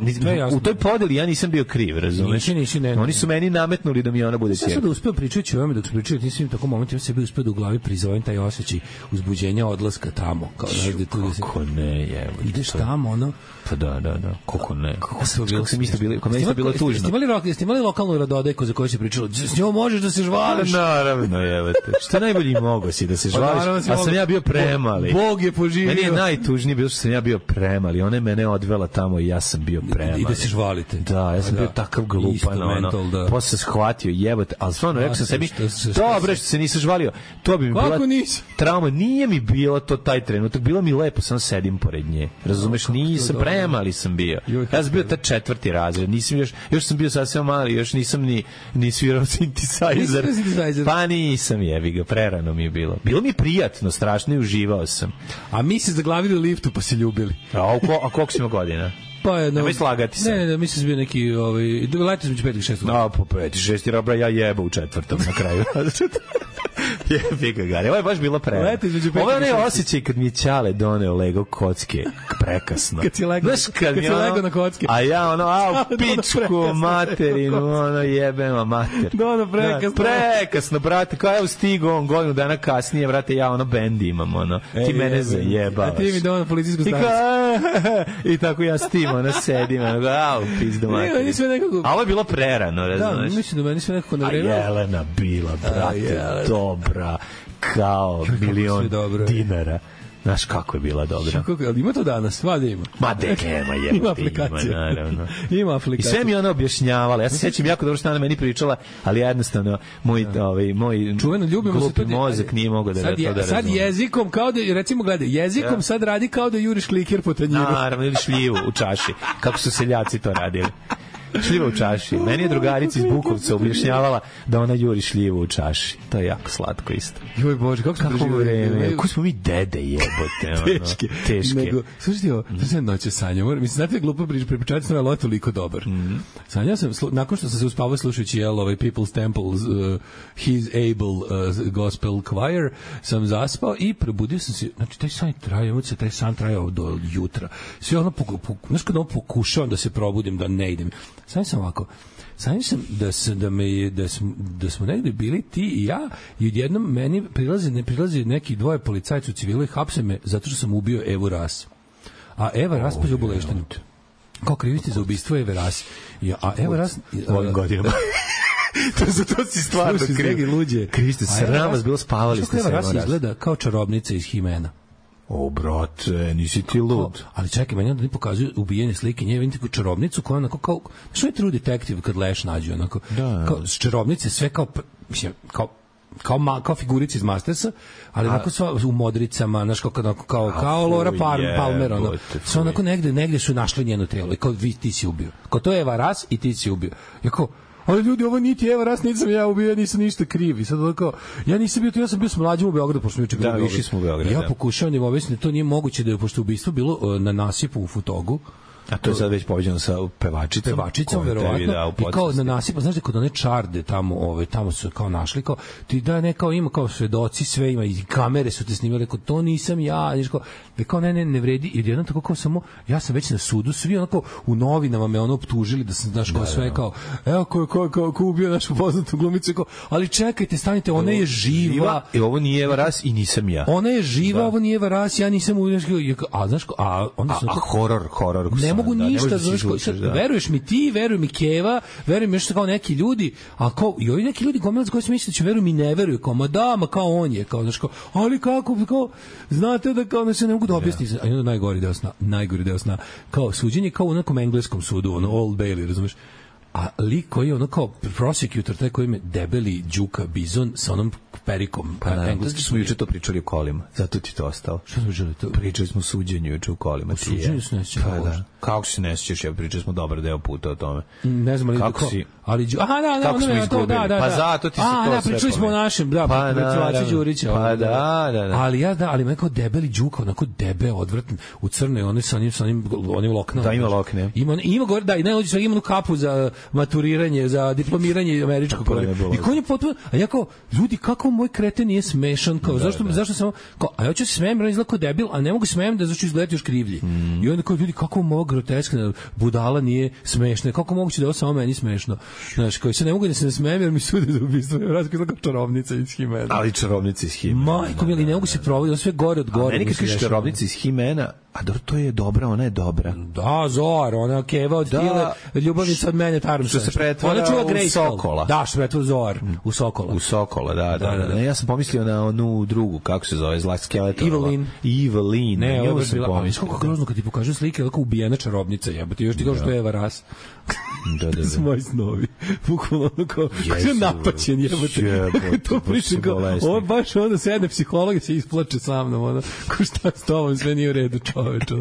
S7: to u toj podeli ja nisam bio kriv, razumeš?
S6: Nisi, nisi, ne,
S7: Oni su meni nametnuli da mi ona bude ćerka.
S6: Sad da uspeo pričajući o ovome, dok se pričaju, nisam im tako moment, ja sebi uspeo da u glavi prizovem taj osjećaj uzbuđenja odlaska tamo. Kao,
S7: Šu, kako ne, je.
S6: Ideš tamo, ono,
S7: pa da, da, da, kako ne.
S6: Kako, to bilo
S7: kog sam isto bilo, kod mene isto bilo tužno.
S6: Jeste imali, jeste imali lokalnu radodajku za koju se pričalo, s njom možeš da se žvališ?
S7: Naravno, jevate. Šta najbolji mogo si da se žvališ, a sam ja bio premali.
S6: Bog je poživio.
S7: Meni je najtužnije bilo što sam ja bio premali. Ona je mene odvela tamo i ja sam bio premali.
S6: I da se žvalite.
S7: Da, ja sam bio takav glupan. Ono, posle shvatio, jebote, ali stvarno rekao sam sebi, dobro što se nisam žvalio, to bi mi bila trauma. Nije mi bilo to taj trenutak, bilo mi lepo, samo sedim pored nje. Razumeš, nisam premali sam bio. Ja sam bio ta četvrti razred, nisam još, još sam bio sasvim mali, još nisam ni, ni svirao synthesizer. Pa nisam, jebi ga, prerano mi je bilo. Bilo mi prijatno, strašno i uživao sam.
S6: A mi se zaglavili u liftu pa se ljubili.
S7: A, a, ko, a koliko si imao godina?
S6: Pa je, no,
S7: nemoj slagati se.
S6: Ne, ne, mislim da bio neki, ovaj, leti smo među pet i šest.
S7: A, po pet i šest, robra, ja jeba u četvrtom na kraju. Jebi ga, Gari. Ovo je baš bilo prema. Ovo je onaj osjećaj kad mi je Ćale doneo Lego kocke prekasno.
S6: Kad si lego,
S7: znaš, kad
S6: kad si
S7: ono,
S6: lego na kocke.
S7: A ja ono, a u pičku materinu, ono jebema mater.
S6: Dono prekasno.
S7: Da, prekasno, brate, kao ja stigo on godinu dana kasnije, brate, ja ono bendi imam, ono. E, ti mene zajebavaš.
S6: A ti mi dono policijsku stanicu.
S7: I tako ja s tim, ono, sedim, ono, a u pizdu materinu. A ovo je bilo prerano, razumeš?
S6: Da, mislim da meni sve nekako na
S7: vreme. A Jelena bila, brate, dobra, kao milion dinara. Znaš kako je bila dobra.
S6: Kako, ali ima to danas, sva da ima.
S7: Ma de nema je.
S6: Ima aplikacija.
S7: Ima, naravno.
S6: Ima aplikacija.
S7: I sve mi ona objašnjavala. Ja se sećam jako dobro što ona meni pričala, ali jednostavno moj, ovaj, moj
S6: čuveno ljubimo se to
S7: mozak nije mogao da
S6: sad,
S7: to da razume.
S6: Sad jezikom, kao da, recimo gledaj, jezikom ja. Sad radi kao da juriš kliker po tanjiru.
S7: Naravno, ili šljivu u čaši. Kako su seljaci to radili. Šljiva u čaši. Meni je drugarica iz Bukovca objašnjavala da ona juri šljivu u čaši. To je jako slatko isto.
S6: Joj Bože, kako smo
S7: preživjeli? Kako smo mi dede jebote.
S6: Teške.
S7: Teške.
S6: Nego, slušajte ovo, to sam noće sanjao. Mislim, znate je glupo prič, prepričavati sam, ali je toliko dobar. Mm. Sanjao sam, slu, nakon što sam se uspavao slušajući jel, ovaj People's Temple, uh, His Able uh, Gospel Choir, sam zaspao i probudio sam se, znači taj san trajao, taj san trajao do jutra. Sve ono, znaš kada ono pokušavam da se probudim, da ne idem. Sanjao sam ovako, sanjao sam da, sam, da, me, da, smo, da smo negde bili ti i ja i odjednom meni prilazi, ne prilazi neki dvoje policajci u civilu i hapse me zato što sam ubio Evu Ras. A Eva Ras pa je boleštenju. Kao krivici za ubistvo Eve Ras. I, a Eva Ras...
S7: Ovim godinama. to, za to si stvarno kriv. Kriste, sram vas bilo spavali ste se.
S6: Eva Ras izgleda kao čarobnica iz Himena.
S7: O, brate, nisi ti lud.
S6: Ali čekaj, meni onda ne pokazuju ubijene slike nje, vidite kao čarobnicu koja onako kao, što je True Detective kad Leš nađe, onako, da, kao, s čarobnice, sve kao, mislim, kao, kao, ma, kao figurice iz Mastersa, ali a, onako sva u modricama, znaš, kao, kao, kao, kao Laura Palmer, Palmer ono, sve onako negde, negde su našli njeno telo i kao, vi, ti si ubio. Kao, to je Eva Ras i ti si ubio. Ja kao, ali ljudi, ovo niti Eva Ras, nisam ja ubio, ja nisam ništa kriv. I sad kao, ja nisam bio tu, ja sam bio s mlađim u Beogradu, pošto mi juče
S7: da, išli smo u Beograd.
S6: Ja pokušavam da im objasnim da to nije moguće da je, pošto ubistvo bilo na nasipu u Futogu.
S7: A to je sad već poveđano sa pevačicom.
S6: Pevačicom, verovatno. I kao na nasipu, znaš da kod one čarde tamo, ove, tamo su kao našli, kao, ti da ne, kao ima kao svedoci, sve ima, i kamere su te snimali, kao, to nisam ja, znaš, kao, da kao, ne, ne, ne vredi, i jedno tako kao samo, ja sam već na sudu, svi onako u novinama me ono optužili da sam, znaš, kao, sve kao, evo, ko, ko, ko, ko ubio našu poznatu glumicu, kao, ali čekajte, stanite, ona je živa.
S7: I ovo nije Eva Ras i nisam ja.
S6: Ona je živa, ovo nije Eva Ras, ja nisam ubio, a, znaš, a, onda sam...
S7: A, a horor, horor,
S6: mogu
S7: da,
S6: ništa,
S7: da
S6: znaš, sad, da. Veruješ mi ti, veruj mi Keva, veruj mi još kao neki ljudi, a kao, i ovi neki ljudi gomilac koji se misle da će veruj mi ne veruju, kao, ma da, ma kao on je, kao, znaš, kao, ali kako, kao, znate da kao, ne se ne mogu da objasni, a onda najgori deo sna, najgori deo sna, kao, suđenje kao u nekom engleskom sudu, ono, Old Bailey, razumeš, a lik koji je ono kao prosecutor, taj koji ima debeli Đuka Bizon sa onom perikom.
S7: Pa na engleski smo juče to pričali u kolima, zato ti to ostalo.
S6: Što smo pričali to?
S7: Pričali smo o suđenju juče u kolima.
S6: O suđenju se ne sjećam.
S7: Pa da. Kako se ne sjećaš, ja pričali smo dobar deo puta o tome.
S6: Ne znam, ali
S7: kako si...
S6: Ali, aha, da, da,
S7: kako smo izgubili?
S6: Da, da,
S7: pa zato ti se
S6: a,
S7: to
S6: da,
S7: sve
S6: pričali smo o našem, da,
S7: pa
S6: da, Đurića.
S7: Pa da, da, da.
S6: Ali ja, da, ali me kao debeli Đuka, onako debe, odvrtan, u crnoj, oni sa onim, sa onim, onim loknom.
S7: Da, ima lokne.
S6: Ima, ima gore, da, i ne, sve ima kapu za maturiranje, za diplomiranje američkog. I ko je potpuno, a ja kao, ljudi, kako moj kreten nije smešan, kao, zašto, zašto samo, kao, a ja ću se smejem, on izgleda kao debil, a ne mogu smejem da zašto izgledati još krivlji. I onda kao, ljudi, kako ovo groteskna budala nije smešna, kako moguće da ovo samo meni smešno. Znaš, koji se ne mogu da se ne smejem jer mi sude za ubistvo. Razko kao čarobnica iz Himena.
S7: Ali čarobnica iz Himena.
S6: Majko, ili ne mogu se provoditi, sve gore od gore.
S7: A meni kad kažeš čarobnica iz Himena, A dobro, to je dobra, ona je dobra.
S6: Da, Zor, ona Keva od
S7: Da.
S6: Tile, ljubavnica od mene Tarmsa.
S7: Što se pretvara
S6: Ona čuva
S7: u
S6: Grayskull.
S7: Sokola.
S6: Da, što se pretvara u Zor, u Sokola.
S7: U Sokola, da, da,
S6: Da,
S7: da.
S6: da, da.
S7: Ne, ja sam pomislio na onu drugu, kako se zove, zla skeletor.
S6: Evelyn.
S7: Evelyn.
S6: Ne,
S7: na
S6: ovo
S7: nju
S6: je
S7: sam
S6: bila, a
S7: pomislio.
S6: kako grozno kad ti pokažu slike, kako ubijena čarobnica, jebote, još ti kao što je Eva Ras.
S7: Da, da,
S6: To su
S7: da.
S6: moji snovi. Bukvalno ono kao,
S7: Jesu,
S6: kao napaćen, jebote.
S7: jebote,
S6: To
S7: baš
S6: pričam
S7: su
S6: kao,
S7: bolesni.
S6: ovo baš onda sedne psiholog i se isplače sa mnom, ono, ko šta s tobom, sve nije u redu, čoveče.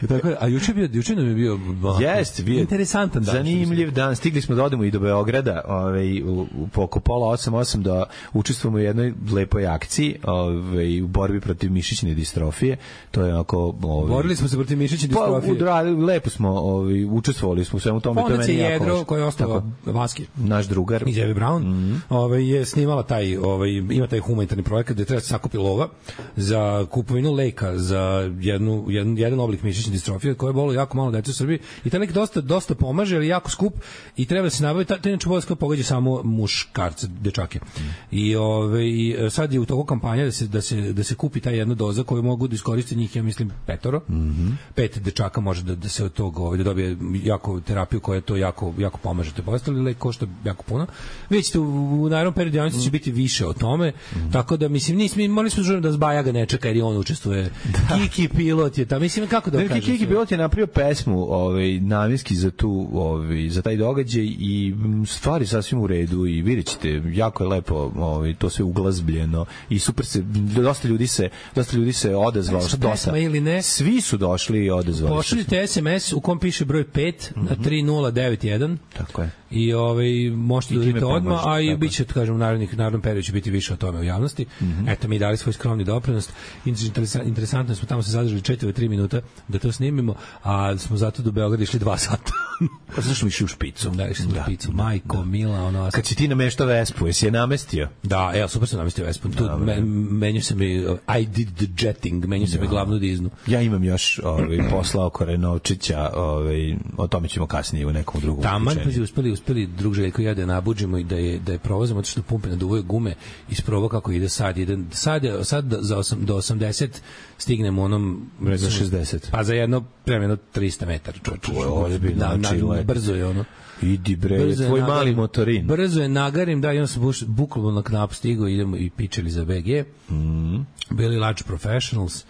S6: Tako, a juče bio, juče nam je bio onako,
S7: Jeste, bio je
S6: interesantan dan.
S7: zanimljiv dan. Stigli smo da odemo i do Beograda, ovaj u, u po oko pola osam osam da učestvujemo u jednoj lepoj akciji, ovaj u borbi protiv mišićne distrofije. To je onako, ovaj
S6: Borili smo se protiv mišićne
S7: pa,
S6: distrofije.
S7: udra- lepo smo, ovaj učestvovali smo u svemu tome, to je
S6: Fondacija
S7: meni jako
S6: Jedro,
S7: važno.
S6: koji je ostao
S7: Tako,
S6: Vaski
S7: naš drugar.
S6: iz Evi Brown, mm-hmm. ovaj, je snimala taj, ovaj, ima taj humanitarni projekat gde treba se sakupi lova za kupovinu leka za jednu, jedan, jedan oblik mišićne distrofije koja je bolo jako malo dece u Srbiji i taj lek dosta, dosta pomaže, ali je jako skup i treba da se nabavi, ta, ta inače bolest koja pogađa samo muškarce, dečake. Mm. I ovaj, sad je u toku kampanja da se, da, se, da se kupi ta jedna doza koju mogu da iskoriste njih, ja mislim, petoro. Mm-hmm. Pet dečaka može da, da se od tog, ovaj, da dobije jako terapiju koja to jako, jako pomaže. To je postali lek, košta jako puno. Vidjet ćete, u, u narednom periodu javnosti će biti više o tome, mm. tako da, mislim, nismo, morali smo žurno da Zbaja ga ne čeka jer i on učestvuje. Da. Kiki pilot je tamo, mislim, kako da
S7: Ne,
S6: kažem?
S7: Kiki pilot je napravio pesmu ovaj, namjenski za, tu, ovaj, za taj događaj i m, stvari sasvim u redu i vidjet ćete, jako je lepo ovaj, to sve uglazbljeno i super se, dosta ljudi se, dosta ljudi se odazvalo.
S6: Što pesma ili ne?
S7: Svi su došli i odazvali.
S6: Pošaljite es em es u kom piše broj pet mm-hmm. na tri nula devet jedan.
S7: Tako je.
S6: I ovaj možete da vidite odmah, a i biće, kažem, u narednih narednom periodu će biti više o tome u javnosti. Mm-hmm. Eto, mi dali svoj skromni doprinos. Interesantno smo tamo se zadržali četiri do tri minuta da to snimimo, a smo zato do Beograda išli dva sata.
S7: Pa zašto išli u špicu?
S6: Da, išli smo da, u špicu. Majko, da. Mila, ono...
S7: Kad si ti namešta Vespu, jesi je namestio?
S6: Da, evo, super sam namestio Vespu. Tu me, menju se mi, I did the jetting, menju se mi glavnu diznu.
S7: Ja imam još ovaj, posla oko Renovčića, ovaj, o tome ćemo kasnije u nekom drugom.
S6: Taman, pa si uspeli, uspeli drug Željko i ja da je nabuđimo i da je, da je provozimo, zato što pumpe naduvaju gume, isprobao kako ide sad. Ide, sad, je, sad za osam, do osamdeset stignemo onom...
S7: Za šezdeset.
S6: Pa za jedno, prema jedno trista metara.
S7: To je ozbiljno, znači let.
S6: Brzo je ono.
S7: Idi bre, tvoj mali motorin.
S6: Brzo je nagarim, da, i on se bukvalno na knap stigo, idemo i pičeli za be ge.
S7: Mm.
S6: Bili Large Professionals.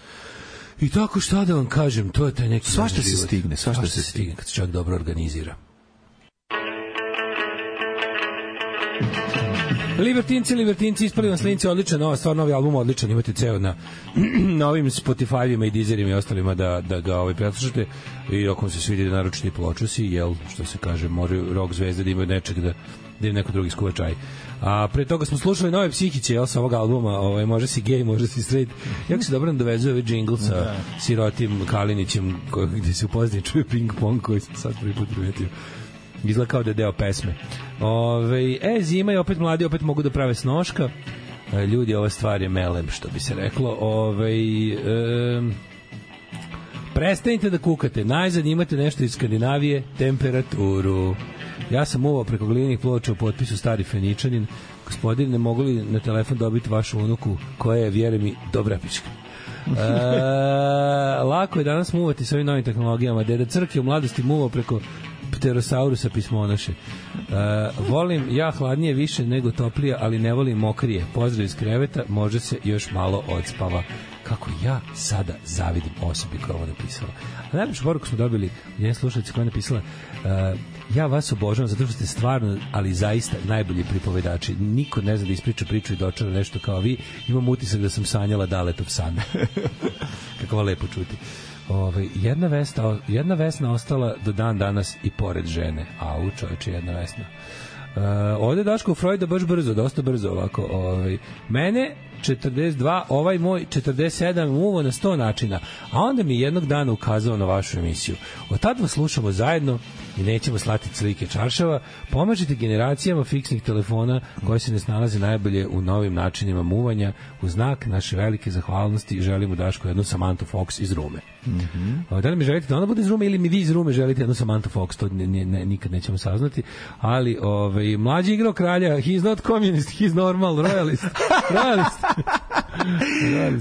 S6: I tako, šta da vam kažem, to je taj neki...
S7: Svašta se stigne, svašta se stigne.
S6: Kad se čovjek dobro organizira. Libertinci, Libertinci, ispali vam slinci, odličan, ova stvar, novi album odličan, imate ceo na, na ovim Spotify-ima i Deezerima i ostalima da, da ga ovaj, preslušate i ako vam se svidi da naručite i pločusi, jel, što se kaže, moraju rock zvezde da imaju nečeg da, da im neko drugi skuva čaj. A pre toga smo slušali nove Psihiće, jel, sa ovog albuma, ovaj, može si gay, može si straight. Jako se dobro dovezuje ovaj džingl sa da. Sirotim Kalinićem, koji, gde se u pozadini čuje ping pong koji sam sad prvi put primetio. Izgleda kao da je deo pesme. Ove, e, zima je opet mladi, opet mogu da prave snoška. E, ljudi, ova stvar je melem, što bi se reklo. Ove, e, prestanite da kukate. Najzad imate nešto iz Skandinavije, temperaturu. Ja sam uvao preko glinih ploča u potpisu Stari Feničanin. Gospodine, mogu li na telefon dobiti vašu unuku koja je, vjeruj mi, dobra pička. E, lako je danas muvati s ovim novim tehnologijama. Deda Crk je u mladosti muvao preko Pterosaurusa pismonoše. Uh, volim ja hladnije više nego toplije, ali ne volim mokrije. Pozdrav iz kreveta, može se još malo odspava. Kako ja sada zavidim osobi koja ovo napisala. A najlepšu poruku smo dobili jedan slušalac koja je napisala uh, ja vas obožavam zato što ste stvarno, ali zaista najbolji pripovedači. Niko ne zna da ispriča priču i dočara nešto kao vi. Imam utisak da sam sanjala Daletov san. Kako va lepo čuti. Ove, jedna, vesta, jedna Vesna ostala do dan danas i pored žene. Au, čovječe, jedna Vesna. Uh, ovde Daško Freuda baš brzo, dosta brzo ovako. Ove, mene četrdeset dva, ovaj moj četrdeset sedam uvo na sto načina, a onda mi jednog dana ukazao na vašu emisiju. Od tad vas slušamo zajedno i nećemo slati slike čaršava. Pomažite generacijama fiksnih telefona koji se ne snalaze najbolje u novim načinima muvanja. U znak naše velike zahvalnosti želimo Daško jednu Samantha Fox iz Rume. Mm-hmm. Da li mi želite da ona bude iz Rume ili mi vi iz Rume želite jednu Samantha Fox, to ne, ne, nikad nećemo saznati, ali ovaj, mlađi igrao kralja, he's not communist, he's normal, royalist. Royalist.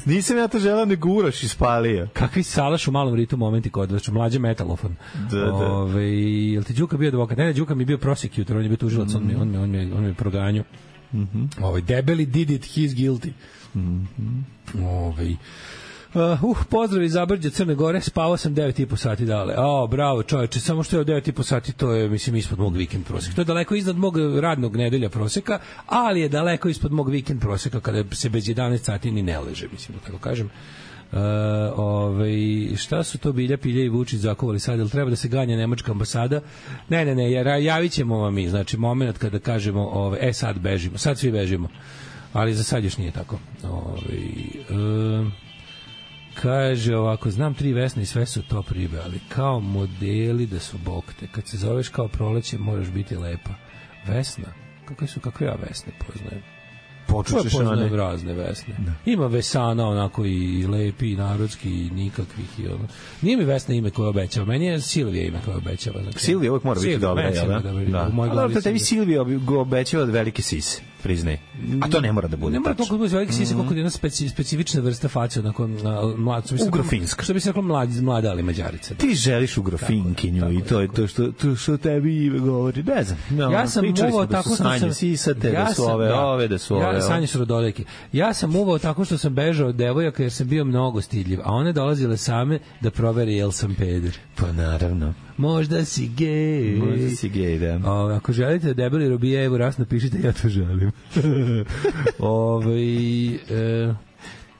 S7: Nisam ja to želeo, nego Uroš ispalio.
S6: Kakvi salaš u malom ritu momenti kod vas, mlađe metalofon.
S7: Da, da.
S6: Ove, jel ti Đuka bio advokat? Ne, ne, Đuka mi je bio prosecutor, on je bio tužilac, on mi on me on me on me proganjao. Mhm. Ovaj debeli did it, he's guilty. Mhm. Ovaj Uh, uh, pozdrav iz Zabrđa Crne Gore, spavao sam devet i po sati dale. O, bravo čoveče, samo što je devet i po sati, to je, mislim, ispod mog vikend proseka. To je daleko iznad mog radnog nedelja proseka, ali je daleko ispod mog vikend proseka kada se bez jedanaest sati ni ne leže, mislim, da tako kažem. Uh, ovaj, šta su to Bilja, Pilja i Vučić zakovali sad, ili treba da se ganja nemačka ambasada? Ne, ne, ne, jer javit ćemo vam mi, znači, moment kada kažemo, ovaj, e, sad bežimo, sad svi bežimo, ali za sad još nije tako. Ovaj, uh, kaže ovako, znam tri Vesne i sve su top ribe, ali kao modeli da su bokte. Kad se zoveš kao Proleće, moraš biti lepa. Vesna? Kakve su, kakve ja Vesne poznajem?
S7: Počućeš
S6: poznajem razne Vesne. Da. Ima Vesana onako i lepi, i narodski, i nikakvih. I ono. Nije mi Vesna ime koje obećava. Meni je Silvija ime koje obećava. Znači,
S7: Silvija uvijek mora biti dobra, jel da? Da. Ali da tebi Silvija obećava od velike sise, priznaj. A to ne mora da bude tačno. Ne mora toliko da bude velike sise, koliko je jedna speci, specifična vrsta face, onako mlad, ugrofinska. Što bi se reklo mladi, mlada ali mađarica. Ti želiš ugrofinkinju tako, i to je to što, to što tebi ime govori. Ne znam. No,
S6: ja sam uvao tako što sam...
S7: Sisate, da su ove, ove, da su ove.
S6: Sanje su rodoleki. Ja sam uvao tako što sam bežao od devojaka jer sam bio mnogo stidljiv, a one dolazile same da provere jel sam peder.
S7: Pa naravno.
S6: Možda si gej.
S7: Možda si gej, da.
S6: O, ako želite da debeli robije, evo raz napišite, ja to želim. Ove, e,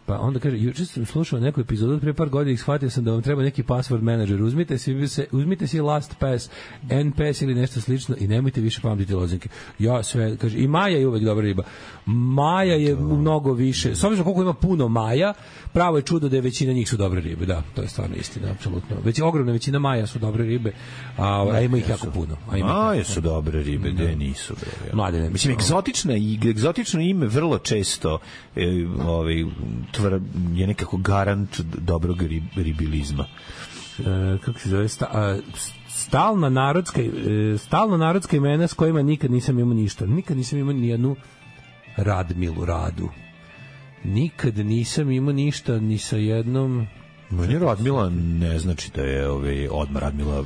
S6: pa onda kaže, juče sam slušao neku epizodu od pre par godina i shvatio sam da vam treba neki password manager. Uzmite si, se, uzmite si LastPass, N P S ili nešto slično i nemojte više pamtiti lozinke. Ja sve, kaže, i Maja je uvek dobra riba. Maja je to... mnogo više. S obzirom koliko ima puno Maja, pravo je čudo da je većina njih su dobre ribe. Da, to je stvarno istina, apsolutno. Već ogromna većina Maja su dobre ribe, a, a ima ih jako puno.
S7: A ima Maja su dobre ribe, da nisu. Bre,
S6: mlade ne.
S7: Mislim, egzotična i egzotično ime vrlo često e, ovaj tvr, je nekako garant dobrog rib, ribilizma.
S6: E, kako se zove? Sta, a, stalna narodska e, stalna narodska imena s kojima nikad nisam imao ništa. Nikad nisam imao ni jednu Radmilu Radu. Nikad nisam imao ništa ni sa jednom...
S7: Meni Radmila ne znači da je ovaj, odmah Radmila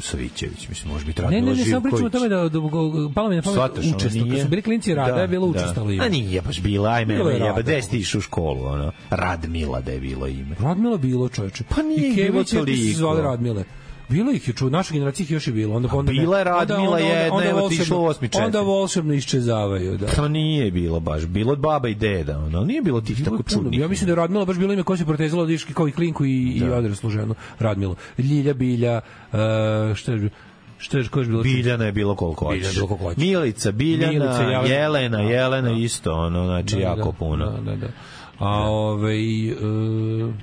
S7: Savićević, mislim, može biti Radmila Živković.
S6: Ne, ne, ne, samo pričamo o tome da, da, da palo mi na pamet učestalo. Kad su bili klinci Rada, da, je bilo učestalo ime.
S7: A nije baš bila, ajme, jeba, gde si ti išao u školu, ono? Radmila da je bilo ime.
S6: Radmila bilo, čoveče.
S7: Pa nije bilo toliko.
S6: I se zvali Radmile. Bilo ih je, ču, naša generacija ih još je bilo. Onda, onda,
S7: bila je Radmila jedna, evo ti išlo u osmi četiri.
S6: Onda volšebno iščezavaju. Da.
S7: To nije bilo baš, bilo od baba i deda, ono, nije bilo tih tako čudnih.
S6: Ja mislim da je Radmila baš bilo ime koje se protezalo od iški kao i klinku i, da. i odraslu ženu. Radmilo. Ljilja, Bilja, uh, što je... Što je koš bilo?
S7: Biljana je bilo koliko hoćeš. Milica, Biljana, Milica, Jelena, Jelena, Jelena da, isto, ono, znači da, jako
S6: da,
S7: puno.
S6: Da, da, da. A ovaj uh,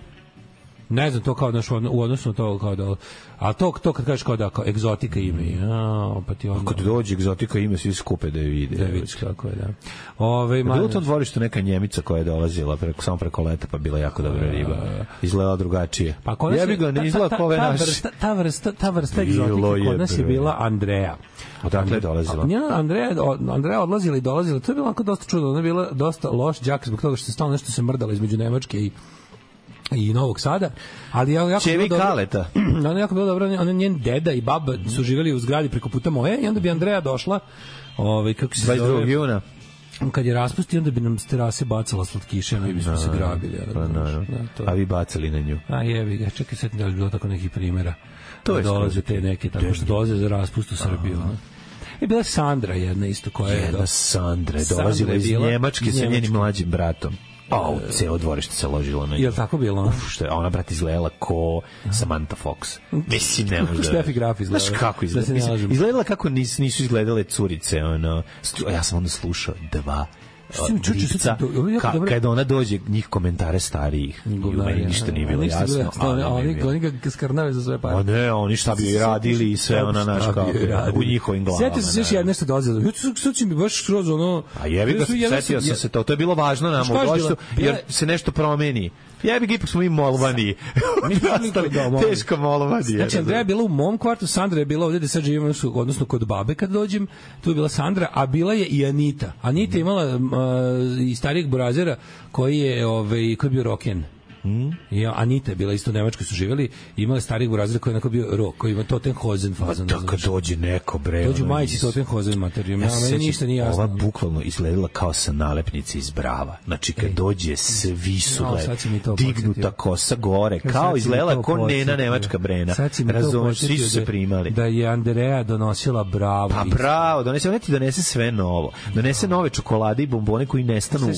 S6: ne znam, to kao naš u odnosu na to kao da, a to to kad kažeš kao da kao egzotika ime, a pa ti onda
S7: kad dođe egzotika ime svi skupe da je vide.
S6: Da vidiš kako je, da. Ovaj
S7: ma bilo to dvorište neka Njemica koja je dolazila preko samo preko leta, pa bila jako dobra riba. Izgledala drugačije.
S6: Pa kod nas
S7: ja bih ga ne izgleda kao naš.
S6: Ta vrsta, ta vrsta egzotike kod nas je bila Andreja.
S7: Odakle je dolazila?
S6: Ja, Andreja, Andreja odlazila i dolazila. To je bilo onako dosta čudno, ona je bila dosta loš đak zbog toga što se stalno nešto se mrdalo između Nemačke i i Novog Sada, ali ja jako
S7: Čevi Kaleta.
S6: Ona jako bilo dobro, ona njen deda i baba su živeli u zgradi preko puta moje i onda bi Andreja došla, ovaj kako se
S7: dvadeset drugog juna
S6: kad je raspustio, onda bi nam s terase bacala slatkiše, mi bismo no, se grabili.
S7: Pa, no, no. Da, to... A vi bacali na nju.
S6: A jebi ga, čekaj, sad da li bilo tako nekih primjera. To je dolaze te neke, tako što dolaze za raspust u Srbiju. I bila Sandra jedna isto koja je...
S7: Jedna Sandra je dolazila iz Njemačke sa njenim mlađim bratom. A, ceo dvorište se ložilo na nju.
S6: Je li tako bilo?
S7: Uf, što je, ona, brat, izgledala ko Samantha Fox. Mislim, ne može da...
S6: Steffi Graf izgledala.
S7: Znaš kako izgledala? Da izgledala kako nis, nisu izgledale curice, ono... Ja sam onda slušao dva lica, ka, kada ona dođe, njih komentare starijih. I u meni ništa nije bilo jasno.
S6: Oni, oni ga skarnave za sve pare.
S7: A ne, oni šta bi radili i sve ona naš kako u njihovim glavama.
S6: Sjetio se još jedno nešto dolazilo. Sad će mi baš skroz ono...
S7: A jebi ga, setio sam se to. To je bilo važno nam u doštu, jer se nešto promeni. Jebi ga, ipak smo mi molvani. Teško molvani.
S6: Znači, Andreja je bila u mom kvartu, Sandra je bila ovdje da sad živimo, odnosno kod babe kad dođem, tu je bila Sandra, a bila je i Anita. Anita je imala i starijeg burazera koji je, ovaj, koji je bio roken. Mm. Ja, Anita je bila isto u Nemačkoj, su živjeli, imala starih burazira koji je onako bio rok, koji ima Tottenhausen fazon.
S7: Pa kad dođe neko, bre.
S6: Dođu majici Tottenhausen materijom. Ja, meni ništa nije jasno.
S7: Ova bukvalno izgledala kao sa nalepnice iz Brava. Znači kad Ej. dođe, svi su no, dignuta kosa gore, kao izgledala ko Nena nemačka Brena. Razumeš, svi su se primali.
S6: Da je Andrea donosila Bravo.
S7: Pa Bravo, donese, ona ti donese sve novo. Donese nove čokolade i bombone koji nestanu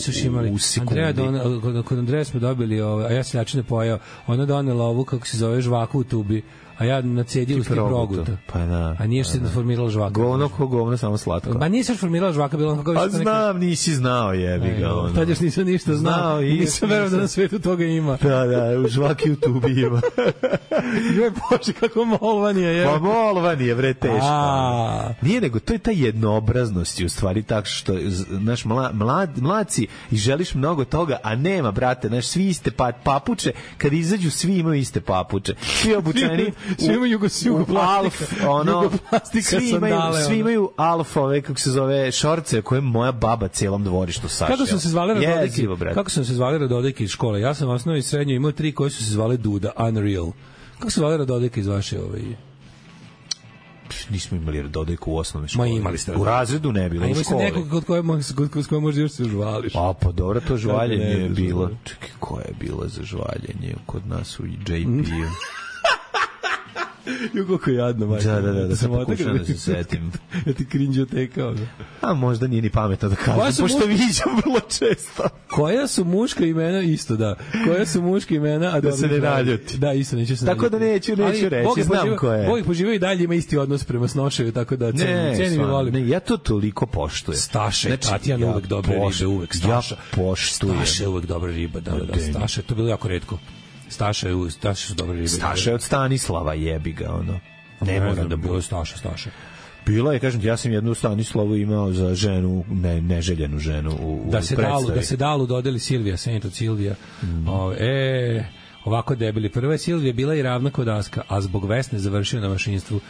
S7: u sekundi.
S6: Andrea, kod Andreja smo dobili, ja se načine pojao, ona donela ovu, kako se zove, žvaku u tubi, a ja nacedio uz proguta.
S7: Pa da.
S6: A nije što
S7: pa
S6: se formirala žvaka.
S7: Govno ko govno, samo slatko.
S6: Ma nije se formirala žvaka, bilo kako...
S7: A znam, nisi znao, jebi ga. Ono.
S6: Tad još nisam ništa znao. znao i nisam verovao da na svetu toga ima.
S7: Da, da, u žvaki u tubi ima.
S6: Joj, Bože, kako molvanije je.
S7: Pa molvanije, bre, teško. Nije nego, to je ta jednoobraznost u stvari tako što, naš mla, mlad, mladci i želiš mnogo toga, a nema, brate, naš, svi iste pa, papuče, kad izađu, svi imaju iste papuče. Svi obučeni
S6: svi imaju jugoplastika,
S7: ono,
S6: jugoplastika
S7: svi imaju, sandale, svi imaju alfove, kako se zove, šorce koje moja baba celom dvorištu sašla.
S6: Kako su se zvali Radodejki? Kako su se zvali Radodejki iz škole? Ja sam u osnovnoj i srednjoj imao tri koji su se zvali Duda, Unreal. Kako se zvali Radodejki iz vaše ovaj...
S7: Nismo imali Radodejku u osnovnoj školi.
S6: Ma imali ste.
S7: U razredu ne bilo, u školi.
S6: A nekog kod koje, kod koje možda još se žvališ.
S7: A pa dobro, to žvaljenje je bilo. Čekaj, koja je bila za žvaljenje kod nas u J P-u?
S6: Jo, kako je jadno, majka.
S7: Da, da, da, da se pokušam da se setim.
S6: Ja ti krinđotekao.
S7: A možda nije ni pametno da kažem, pošto muška... viđam vrlo često.
S6: Koja su muška imena, isto da. Koja su muška imena, a
S7: da se ne naljuti.
S6: Da, isto neću se
S7: tako naljutiti. Da neću, neću ali, reći, znam poživa, ko je.
S6: Bog ih poživao i dalje ima isti odnos prema Snošeju, tako da cenim, cenim i volim.
S7: Ne, ja to toliko poštujem.
S6: Staše, znači, Tatjana ja uvek dobre poš... ribe, uvek Staša.
S7: Ja poštujem.
S6: Staše uvek dobre ribe, da, da, da, Staše, to je bilo jako retko. Staša je, Staša su dobre ribe.
S7: Staša je od Stanislava, jebi ga, ono. Ne mora da bude
S6: Staša, Staša.
S7: Bilo je, kažem ti, ja sam jednu Stanislavu imao za ženu, ne, neželjenu ženu u,
S6: da se
S7: u predstavi.
S6: Dalu, da se Dalu dodeli Silvija, Saint od Silvija. Mm. O, e, ovako debeli. Prva je Silvija bila i ravna kod Aska, a zbog Vesne završio na mašinstvu.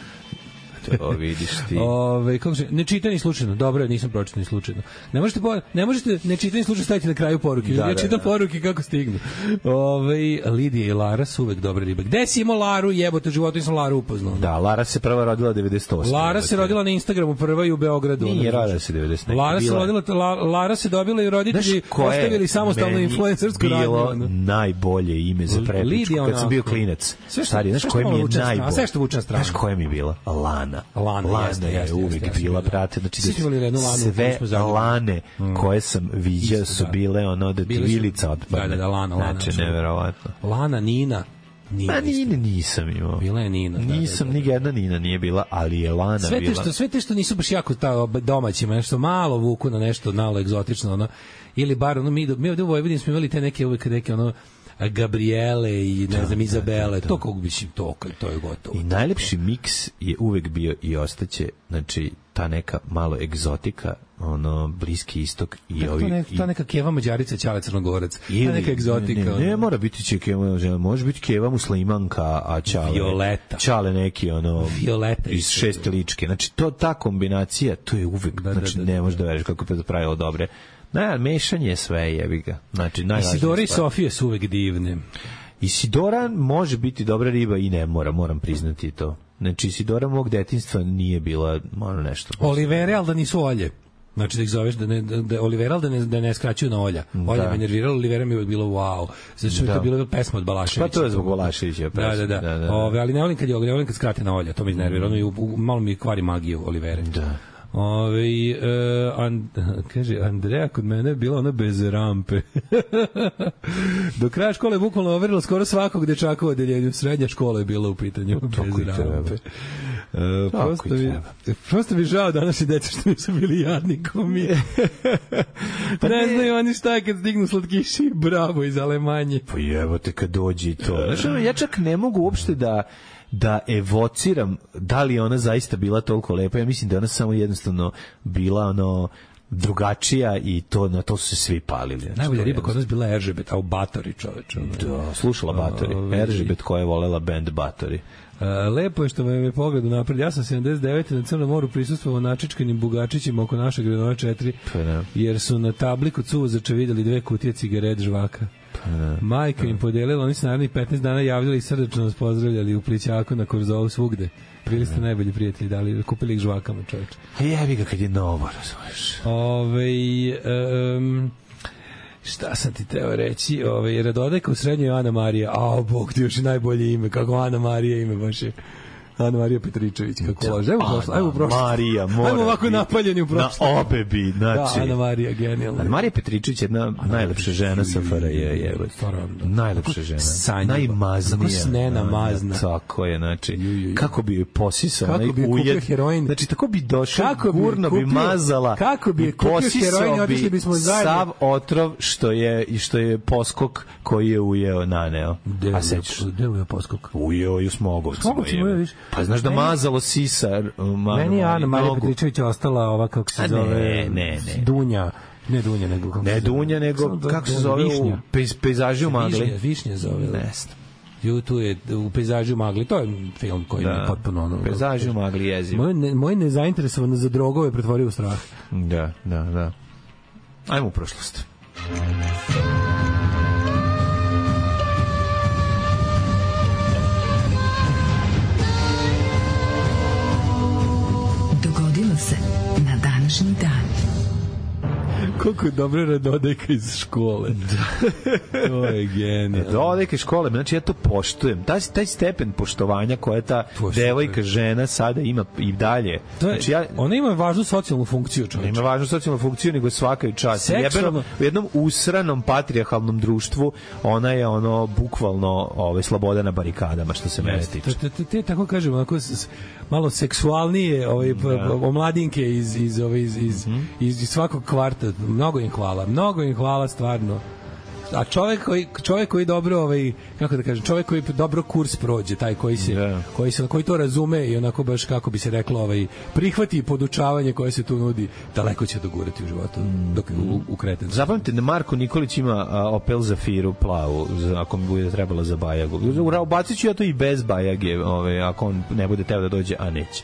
S7: To vidiš ti.
S6: Ove, kako se, ne čitani slučajno. Dobro, nisam pročitani slučajno. Ne možete po, ne možete ne čitani slučajno staviti na kraju poruke. Da, ja čitam da, da. poruke kako stignu. Ove, Lidija i Lara su uvek dobre ribe. Gde si imao Laru? Jebote, u životu nisam Laru upoznao.
S7: Da, Lara se prva rodila devedeset osme.
S6: Lara se rodila na Instagramu prva i u Beogradu.
S7: Nije rodila se devedeset osme.
S6: Lara se rodila, La, Lara se dobila i roditelji ostavili samostalnu influencersku radnju.
S7: Bilo najbolje ime za prepičku kad sam bio klinac. Stari, znaš koje mi je najbolje?
S6: Sve što vuče na stranu.
S7: Znaš koje mi je bila? Lana.
S6: Lana,
S7: Lana
S6: jeste,
S7: je
S6: jeste,
S7: uvijek
S6: jeste,
S7: bila,
S6: jeste,
S7: brate, znači
S6: da
S7: sve Lane mm. koje sam viđao su
S6: da.
S7: bile ono da ti vilica odpadne.
S6: Da, da, da, Lana, Lana.
S7: Znači, neverovatno.
S6: Lana, Nina.
S7: Nina Ma Nina nisam imao.
S6: Bila je Nina.
S7: Nisam, da, da, da. ni jedna Nina nije bila, ali je Lana
S6: sve
S7: bila.
S6: Te što, sve te što nisu baš jako ta domaćima, nešto malo vuku na nešto malo egzotično, ono, ili bar, ono, mi, mi ovdje u Vojvodini smo imali te neke uvek neke, ono, Gabriele i ne da, znam Izabele, da, da, to kako mislim to, to je gotovo.
S7: I najlepši miks je uvek bio i ostaće, znači ta neka malo egzotika, ono Bliski istok i
S6: tako
S7: ovi
S6: to, ne, to neka Keva Mađarica, Ćale Crnogorac,
S7: ili,
S6: ta neka egzotika.
S7: Ne, ne, ne mora biti će Keva, može biti Keva Muslimanka, a Ćale
S6: Violeta.
S7: Ćale neki ono
S6: Violeta
S7: iz Šeste ličke. Znači to ta kombinacija, to je uvek, da, znači da, da, ne možeš da veriš kako je to pravilo dobre. Na, mešanje sve jebi ga. Znači,
S6: Isidora i Sofije su uvek divne.
S7: Isidora može biti dobra riba i ne mora, moram priznati to. Znači, Isidora mog detinjstva nije bila ono nešto.
S6: Olivere, ali da nisu olje. Znači da ih zoveš da ne da Olivera da ne da ne skraćuju na Olja. Olja da. Me nervirala, Olivera mi je uvijek bilo wow. Zato što da. Je to bila pesma od Balaševića.
S7: Pa to je zbog Balaševića pesma.
S6: Da, da, da. da, da. Ove, ali ne volim kad je ne volim kad skrate na Olja, to me iznervira. Ono malo mi kvari magiju Olivere.
S7: Da.
S6: Ove, uh, and, kaže, Andreja kod mene je bila ona bez rampe. Do kraja škole je bukvalno overilo skoro svakog dečaka u odeljenju. Srednja škola je bila u pitanju bez rampe. Uh, prosto, mi, prosto mi žao današnji deca što nisu bili jadni ko mi. Pa ne, ne znaju oni šta je kad stignu slatkiši bravo iz Alemanje.
S7: Pa jevo te kad dođi to. Znaš, ono, ja čak ne mogu uopšte da da evociram da li je ona zaista bila toliko lepa. Ja mislim da je ona samo jednostavno bila ono drugačija i to na to su se svi palili. Znači,
S6: najbolja riba kod nas bila Eržebet, a u Batori, čoveče.
S7: Da, slušala Batori. Eržebet koja je volela band Batori.
S6: Uh, lepo je što me je pogled napred. Ja sam sedamdeset devete na Crnom moru prisustvovao načičkanim bugačićima oko našeg Grenova četiri,
S7: pa,
S6: jer su na tabli kod suvozača videli dve kutije cigaret žvaka. Pa, majka pa, im podelila, oni su naravno petnaest dana javljali i srdečno nas pozdravljali u Plićaku, na Korzovu, svugde. Bili ste najbolji prijatelji, dali, kupili ih žvakama, čovječ.
S7: A jebi ga kad je novo, razumiješ.
S6: Ove, um, šta sam ti teo reći? Ove, Radodeka u srednjoj Ana Marija. A, Bog ti još i najbolje ime. Kako Ana Marija ime baš je. Ana Marija Petričević, kako lože. Ajmo prošlo, ajmo prošlo.
S7: Marija, mora.
S6: Ajmo ovako napaljeni u prošlo.
S7: Na obe bi, znači.
S6: Da, Ana Marija, genijalna.
S7: Ana Marija Petričević je jedna najlepša žena sa F R J, je. Najlepša žena. Najmaznija.
S6: Kako snena mazna.
S7: Tako je, znači. Kako bi joj posisao.
S6: Kako bi kupio heroin.
S7: Znači, tako bi došao, gurno bi mazala.
S6: Kako bi kupio heroin, otišli bismo zajedno.
S7: Sav otrov što je, i što je poskok koji je ujeo naneo. A sećaš?
S6: Gde je ujeo poskok?
S7: Ujeo i u Smogovcima.
S6: Smogovcima ujeo, viš?
S7: Pa znaš da mazalo sisa.
S6: Meni je Ana Marija Petričević ostala ova, kako se zove,
S7: ne, ne, ne.
S6: Dunja. Ne Dunja, nego kako
S7: ne
S6: se zove.
S7: Dunja, nego kako se zove u pejz, pejzaži u magli.
S6: Višnja, Višnja zove.
S7: Ne
S6: znam. Tu je u Pejzaži u magli, to je film koji da, je potpuno ono.
S7: Pejzaži u magli jezivo.
S6: Moj, ne, moj nezainteresovan za drogove pretvorio u strah.
S7: Da, da, da. Ajmo u prošlost.
S4: Dogodilo se na današnji dan.
S6: Koliko je dobra Radodeka iz škole. To je genijalno.
S7: Radodeka iz škole, znači ja to poštujem. Taj, taj stepen poštovanja koja ta Poštujem. devojka, žena sada ima i dalje.
S6: Je,
S7: znači ja,
S6: ona ima važnu socijalnu funkciju, čovječe.
S7: Ima važnu socijalnu funkciju, nego svaka i čast. Seksualno... U jednom usranom patrijarhalnom društvu ona je ono bukvalno ove, sloboda na barikadama, što se mene tiče.
S6: Te, te, te, tako kažem, onako, malo seksualnije ove, da. omladinke iz, iz, ove, iz, iz, mm-hmm. iz, iz svakog kvarta. Mnogo im hvala, mnogo im hvala stvarno. A čovjek koji čovjek koji dobro ovaj kako da kažem, čovjek koji dobro kurs prođe, taj koji se yeah. koji se koji to razume i onako baš kako bi se reklo, ovaj prihvati podučavanje koje se tu nudi, daleko će dogurati u životu dok u, u kreten.
S7: Zapamtite da Marko Nikolić ima a, Opel Zafiru plavu, za, ako mi bude trebala za Bajagu. Ubaciću ja to i bez Bajage, ovaj ako on ne bude teo da dođe, a neće.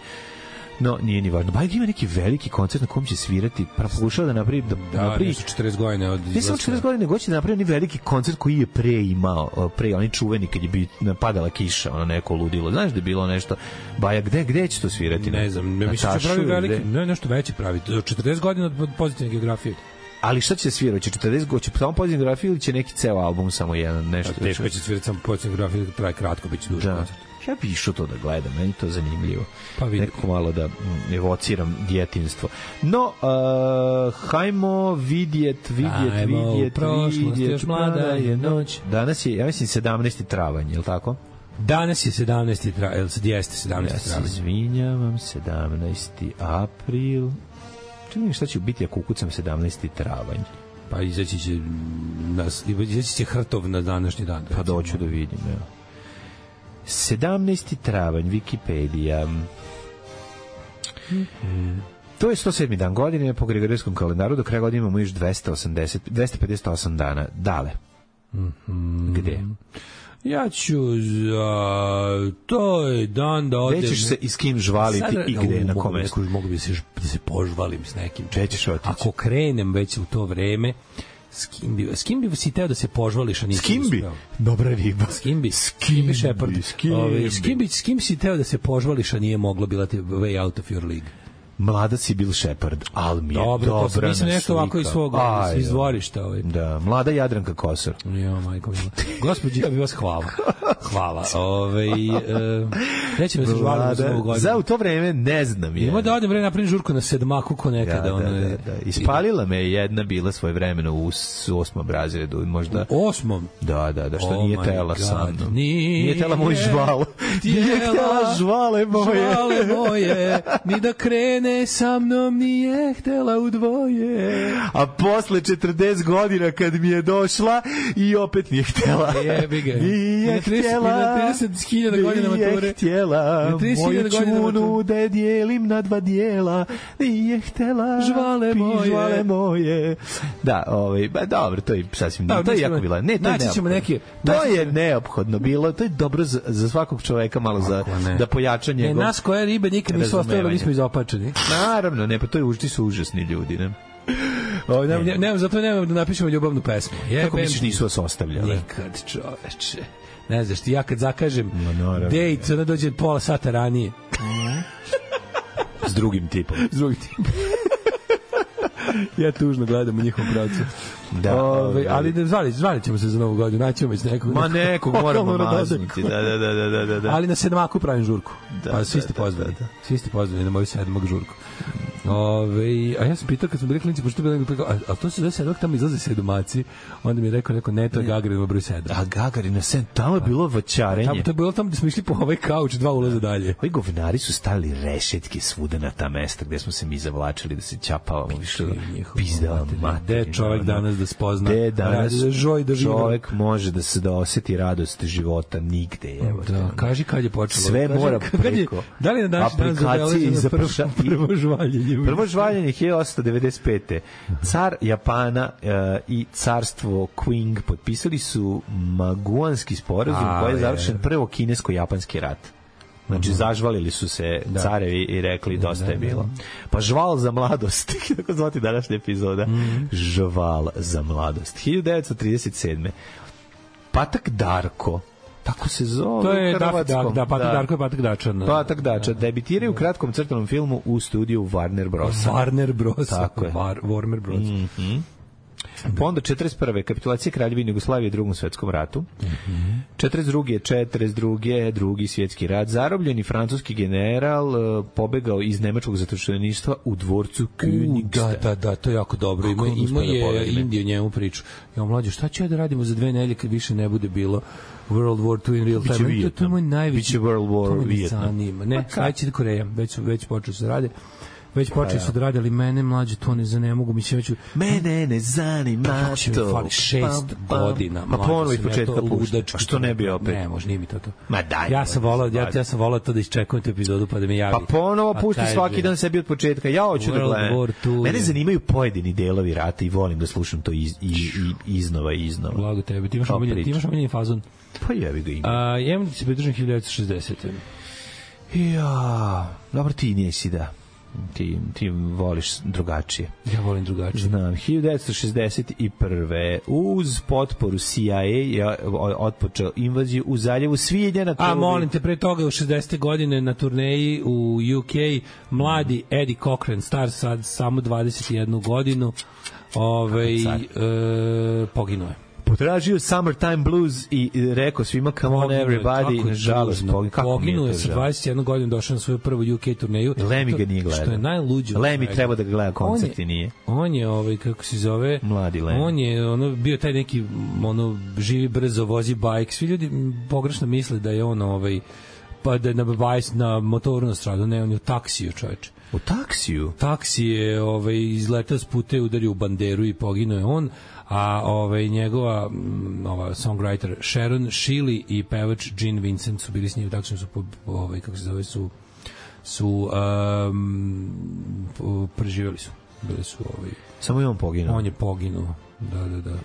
S7: No, nije ni važno. Bajeg ima neki veliki koncert na kom će svirati, pa pokušava da napravi da,
S6: da napravi četrdeset godina od izlaska. Ne samo četrdeset
S7: godina, nego će da napravi neki veliki koncert koji je pre imao, pre oni čuveni kad je bi padala kiša, ono neko ludilo. Znaš da je bilo nešto Bajeg, gde gde će to svirati?
S6: Ne znam, ne mislim da pravi veliki, ne nešto veće pravi. četrdeset godina od Pozitivne geografije.
S7: Ali šta će svirati? Će četrdeset godina, će samo Pozitivna geografija ili će neki ceo album samo jedan, nešto?
S6: A teško će svirati samo Pozitivna geografija, traje kratko, biće duži koncert.
S7: Ja bi išao to da gledam, meni to zanimljivo. Pa nekako malo da evociram djetinjstvo. No, uh, hajmo vidjet, vidjet,
S6: hajmo
S7: vidjet,
S6: vidjet, još mlada je noć.
S7: Danas je, ja mislim, sedamnaesti travanj, je li tako?
S6: Danas je sedamnaesti travanj, jeste sedamnaesti travanj.
S7: Ja se izvinjavam, sedamnaesti april. Čujem šta će biti ako ukucam sedamnaesti travanj.
S6: Pa izaći će, nas, izaći će Hrtov na današnji dan.
S7: Pa doću da vidim, evo. sedamnaesti travanj, Wikipedija. Mm-hmm. To je sto sedmi dan godine po Gregorijskom kalendaru, do kraja godine imamo još dvesta osamdeset, dvesta pedeset osam dana. Dale.
S6: Mm-hmm.
S7: Gde?
S6: Ja ću za... To je dan da odem...
S7: Gde ćeš se i s kim žvaliti sada, i gde, na kom mestu?
S6: Mogu bi se, da se požvalim s nekim.
S7: Gde ćeš otići?
S6: Ako krenem već u to vreme... S kim bi, s kim bi si teo da se požvališ, a nisi
S7: s kim bi? Dobra riba.
S6: S kim bi? S kim bi Shepard? S kim, Ove, s kim bi? S kim si teo da se požvališ, a nije moglo, bila ti way out of your league?
S7: Mlada si Bil Shepard, ali mi je
S6: dobro,
S7: dobra
S6: to mislim nešto ovako iz svog
S7: Aj,
S6: iz dvorišta. Ovaj.
S7: Da, mlada Jadranka Kosor.
S6: Jo, majko mila. Gospođi, ja bih vas hvala. Hvala. Ove, e, neće me se žvaliti za ovu godinu.
S7: Za u to vreme ne znam je.
S6: Ima da odem vreme napravim žurku na sedmaku ko nekada.
S7: Ja, da, da, da, da. Ispalila me jedna bila svoje vremeno u osmom razredu. Možda...
S6: U osmom?
S7: Da, da, da, što
S6: oh
S7: nije tela sa mnom.
S6: Nije,
S7: nije tela moj žval. Nije tela žvale moje.
S6: Žvale moje, ni da krene mene sa mnom nije htela u dvoje.
S7: A posle četrdeset godina kad mi je došla i opet nije htjela.
S6: Jebi ga.
S7: Nije htjela.
S6: trideset hiljada godina mature.
S7: Nije htjela. Moju čunu da je dijelim na dva dijela. Nije htjela.
S6: Žvale moje.
S7: Žvale moje. Da, ovaj, ba, dobro, to je sasvim, da, to je jako bilo. Ne, to je
S6: neophodno. Neke,
S7: to je neophodno bilo. To je dobro za, za svakog čoveka malo za, da pojača njegov.
S6: Ne, nas koje ribe nikad nisu ostavili, mi smo izopačeni.
S7: Naravno, ne, pa to je užti su užasni ljudi, ne?
S6: O, ne, ne, ne, zato nemam da napišemo ljubavnu pesmu.
S7: Je, kako misliš nisu vas ostavljali?
S6: Nikad, čoveče. Ne znaš ti, ja kad zakažem no, date, ona dođe pola sata ranije.
S7: S drugim tipom.
S6: S drugim tipom. Ja tužno gledam u njihovom pravcu.
S7: Da,
S6: Ove, ali da zvali, zvali ćemo se za novu godinu, naćemo već nekog.
S7: Ma nekog moramo mazniti. Da, da, da, da, da, da.
S6: Ali na sedmaku pravim žurku.
S7: Da,
S6: pa svi ste pozvani. Da, da. Svi ste pozvani na moju sedmak žurku. Ove, a ja sam pitao kad smo bili klinci, pošto je bilo, a, a to se zove sedmak, tamo izlaze sedomaci, onda mi je rekao, neko, ne, to je Gagarin broj sedam.
S7: A Gagarin na sedam, tamo je bilo vaćarenje.
S6: Tamo, to je bilo tamo gde smo išli po ovaj kauč, dva ulaza dalje.
S7: Ovi govnari su stavili rešetke svuda na ta mesta gde smo se mi zavlačili da se čapavamo. Više pizdala materina.
S6: Gde čovek danas da spozna,
S7: gde danas
S6: da žoj da živa.
S7: Čovek može da se da oseti radost života nigde. Evo,
S6: da, kaži kad je počelo.
S7: Sve
S6: kaži,
S7: mora preko.
S6: Je, da li na naš dan
S7: aplikacije za
S6: prvo, prvo žvaljenje?
S7: Prvo žvaljenje hiljadu osamsto devedeset pete. Car Japana uh, i carstvo Qing potpisali su Maguanski sporazum koji je završen prvo kinesko-japanski rat. Znači, mm-hmm. zažvalili su se da. carevi i rekli dosta da, je bilo. Da. Pa žval za mladost, kako zvati današnja epizoda. Mm-hmm. Žval za mladost. hiljadu devetsto trideset sedme. Patak Darko, tako se zove.
S6: To je da, da, da, Patak da. Darko je Patak Dačan.
S7: Patak Dačan. Debitiraju u kratkom crtanom filmu u studiju Warner Bros.
S6: Warner Bros.
S7: Tako je.
S6: War, Warner Bros.
S7: Mm-hmm. Pa onda četrdeset prve kapitulacija Kraljevine Jugoslavije u Drugom svetskom ratu.
S6: Mm-hmm.
S7: četrdeset druge četrdeset druge Drugi svjetski rat. Zarobljeni francuski general uh, pobegao iz nemačkog zatočeništva u dvorcu Königstein.
S6: Da, da, da, to je jako dobro. Ima, ima je Indija njemu priču. Ja mlađe, šta ću ja da radimo za dve nedelje kad više ne bude bilo World War two in real time? To, to je moj najveći...
S7: Biće World War Vietnam.
S6: Ne, sledeće Koreja. Već, već počeo se rade. Već počeli su da rade, ali mene mlađe to ne, ne mogu, mislim, već...
S7: Mene ne zanima to.
S6: Fali šest pam, pam. godina.
S7: Pa ponovo iz početka pušta. A što ne bi opet?
S6: Ne, može, nije mi to to.
S7: Ma daj.
S6: Ja sam volao, ja, ja sam volao to da iščekujem tu epizodu pa da mi javi.
S7: Pa ponovo pušti svaki dan sebi od početka. Ja hoću da gledam. Mene zanimaju pojedini delovi rata i volim da slušam to iz, i, i, iznova i iznova.
S6: Blago tebe. Ti imaš omiljeni, ti imaš omiljeni fazon.
S7: Pa jevi ga ima.
S6: A, ja imam da se pridružim hiljadu devetsto šezdesete.
S7: Ja, dobro ti nisi da. Ti, ti voliš drugačije.
S6: Ja volim drugačije.
S7: Znam, hiljadu devetsto šezdeset prve uz potporu C I A je otpočeo invaziju u zaljevu Svilja.
S6: A molim te, pre toga u šezdesete godine na turneji u U K mladi Eddie Cochran, star sad samo dvadeset jednu godinu, ovaj, e, poginuo je.
S7: Potražio Summertime Blues i rekao svima come on everybody, nažalost
S6: poginuo je sa dvadeset jednom godinom, došao na svoju prvu U K turneju.
S7: Lemi ga nije gledao.
S6: Što je najluđe.
S7: Lemi treba da ga gleda koncert i nije.
S6: On je, ovaj, kako se zove,
S7: mladi Lemi.
S6: On je ono, bio taj neki, ono, živi brzo, vozi bajk. Svi ljudi pogrešno misle da je on, ovaj, pa da je na, bajs, na motoru na stradu. Ne, on je u taksiju, čoveče.
S7: U taksiju?
S6: Taksi je, ovaj, izletao s puta i udario u banderu i poginuo je on. A ovaj njegova ova songwriter Sharon Shealy i pevač Gene Vincent su bili s njim, tako su po, ovaj kako se zove su su um, preživeli su. Bili su ovaj
S7: samo je on poginuo.
S6: On je poginuo. Da, da, da.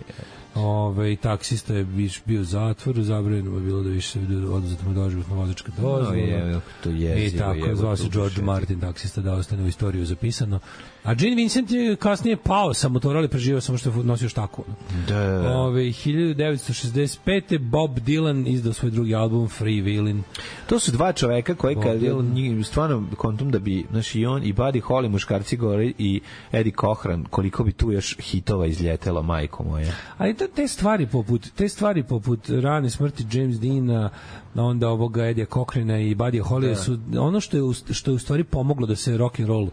S6: Ove, taksista je bio u zatvoru, zabranjeno je bilo da više se oduzeti mu doživotna vozačka dozvola.
S7: No, je, to je,
S6: I tako, zvao se George Martin, taksista, da ostane u istoriju zapisano. A Gene Vincent je kasnije pao sa motora, ali preživao samo što je nosio štaku.
S7: Da.
S6: Ove, hiljadu devetsto šezdeset pete Bob Dylan izdao svoj drugi album Free Willin'.
S7: To su dva čoveka koji kad njih stvarno kontum da bi, znaš, i on i Buddy Holly, muškarci gore, i Eddie Cochran, koliko bi tu još hitova izljetelo, majko moja.
S6: Ali to, te stvari poput te stvari poput rane smrti James Deana, onda ovoga Eddie Cochrana i Buddy Holly su ono što je što je u stvari pomoglo da se rock and roll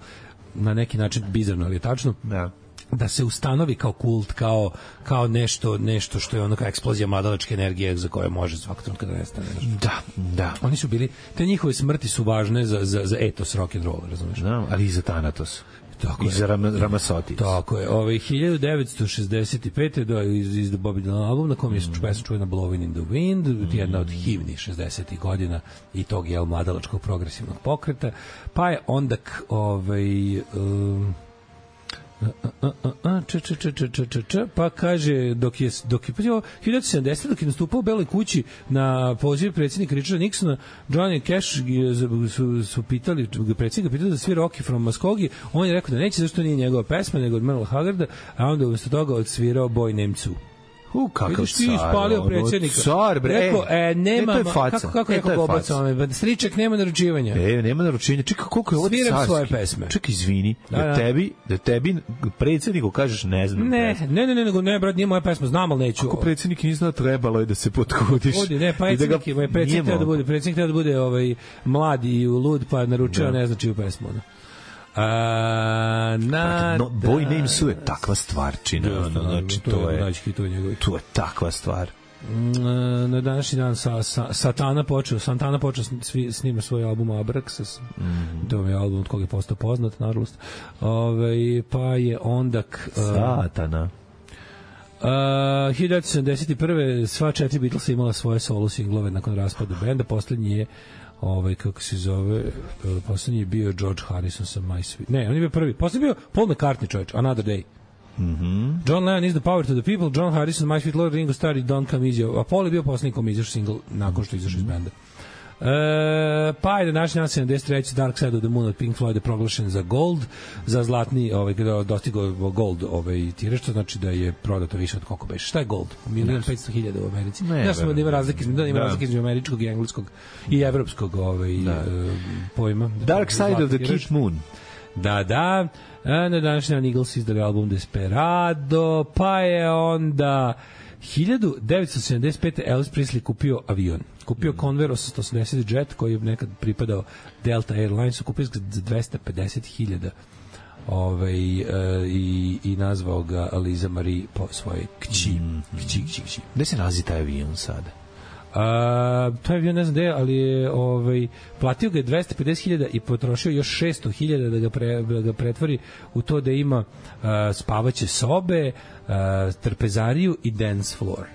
S6: na neki način bizarno, ali je tačno.
S7: Da.
S6: da se ustanovi kao kult, kao, kao nešto, nešto što je ono kao eksplozija mladalačke energije za koje može svakog trenutka da nestane.
S7: Da, da.
S6: Oni su bili, te njihove smrti su važne za, za, za etos rock and roll, razumiješ?
S7: Da, ali i za Thanatos.
S6: Tako
S7: I
S6: je.
S7: za Ram, Ramasotis.
S6: Tako je. Ove, hiljadu devetsto šezdeset pete do, iz, iz The Bobby Dylan album na kom je mm. pesma čuvena Blowing in the Wind, mm. jedna od hivnih šezdesetih godina i tog je mladalačkog progresivnog pokreta. Pa je onda k, ovaj... Um, č, č, č, č, č, č, č, pa kaže dok je dok je hiljadu devetsto sedamdesete dok je nastupao u Beloj kući na poziv predsjednika Richarda Nixona, Johnny Cash su, su pitali predsjednika pitali da svira Rocky from Muskogee, on je rekao da neće zašto nije njegova pesma nego od Merle Haggarda, a onda umesto toga odsvirao Boy Named Sue.
S7: U, kakav
S6: vidiš ti
S7: car,
S6: ispalio
S7: ono,
S6: predsjednika.
S7: Car, bre.
S6: Rekao, e, nema,
S7: e, to je faca.
S6: kako, kako
S7: e,
S6: rekao Gobac, striček nema naručivanja.
S7: E, nema naručivanja. Čekaj, koliko je ovo
S6: Sviram
S7: carski.
S6: svoje pesme.
S7: Čekaj, izvini, da,
S6: Da,
S7: da.
S6: da.
S7: tebi, da tebi predsjedniku kažeš ne znam.
S6: Ne, ne, ne, ne, nego ne, brat, nije moja pesma, znam, ali neću.
S7: Kako predsjednik nije znao, trebalo je da se potkudiš.
S6: Odi, ne, pa predsjednik, da predsjednik treba da bude, predsjednik treba da bude ovaj, mlad i lud, pa naručio, ne znači u pesmu. No. A, na,
S7: no, Boy Named Sue je takva stvarčina.
S6: Da,
S7: ono, znači,
S6: to,
S7: to
S6: je,
S7: je,
S6: to je,
S7: to je takva stvar.
S6: Na današnji dan sa, sa, Satana počeo, Santana počeo svi, snima svoj album Abraxas. Mm. To je album od koga je postao poznat, nažalost. Ove, pa je onda...
S7: Satana.
S6: Uh, hiljadu devetsto sedamdeset prve sva četiri Beatlesa imala svoje solo singlove nakon raspada benda. Poslednji je ovaj kako se zove, poslednji je bio George Harrison sa My Sweet. Ne, on je bio prvi. Poslednji je bio Paul McCartney, čovječ, Another Day.
S7: Mhm.
S6: John Lennon is the power to the people, John Harrison, My Sweet Lord, Ringo Starr i Don't Come Easy. A Paul je bio poslednji kom izašao single nakon što izašao iz benda. E, pa je današnji dan sedamdeset treće Dark Side of the Moon od Pink Floyd je proglašen za gold, za zlatni, ovaj, kada dostigao gold ovaj, tiraž, što znači da je prodato više od koliko beše. Šta je gold? milion petsto hiljada u Americi. Ne, ja sam da ima razlike, da ima razlike između američkog i engleskog i evropskog ovaj, da. uh, pojma.
S7: Dark Side of the Keep Moon.
S6: Da, da. A na današnji dan Eagles izdali album Desperado, pa je onda hiljadu devetsto sedamdeset pete Elvis Presley kupio avion. Kupio mm. Convair osamsto osamdeset Jet koji je nekad pripadao Delta Airlinesu, kupio ga za dvesta pedeset hiljada ovaj, e, i, i nazvao ga Liza Marie po svojoj kći. Mm. Kći, kći, kći.
S7: Gde se nalazi taj avion sada?
S6: A, taj avion ne znam gde, ali je ovaj, platio ga je dvesta pedeset hiljada i potrošio još šesto hiljada da ga, pre, da ga pretvori u to da ima a, spavaće sobe, a, trpezariju i dance floor.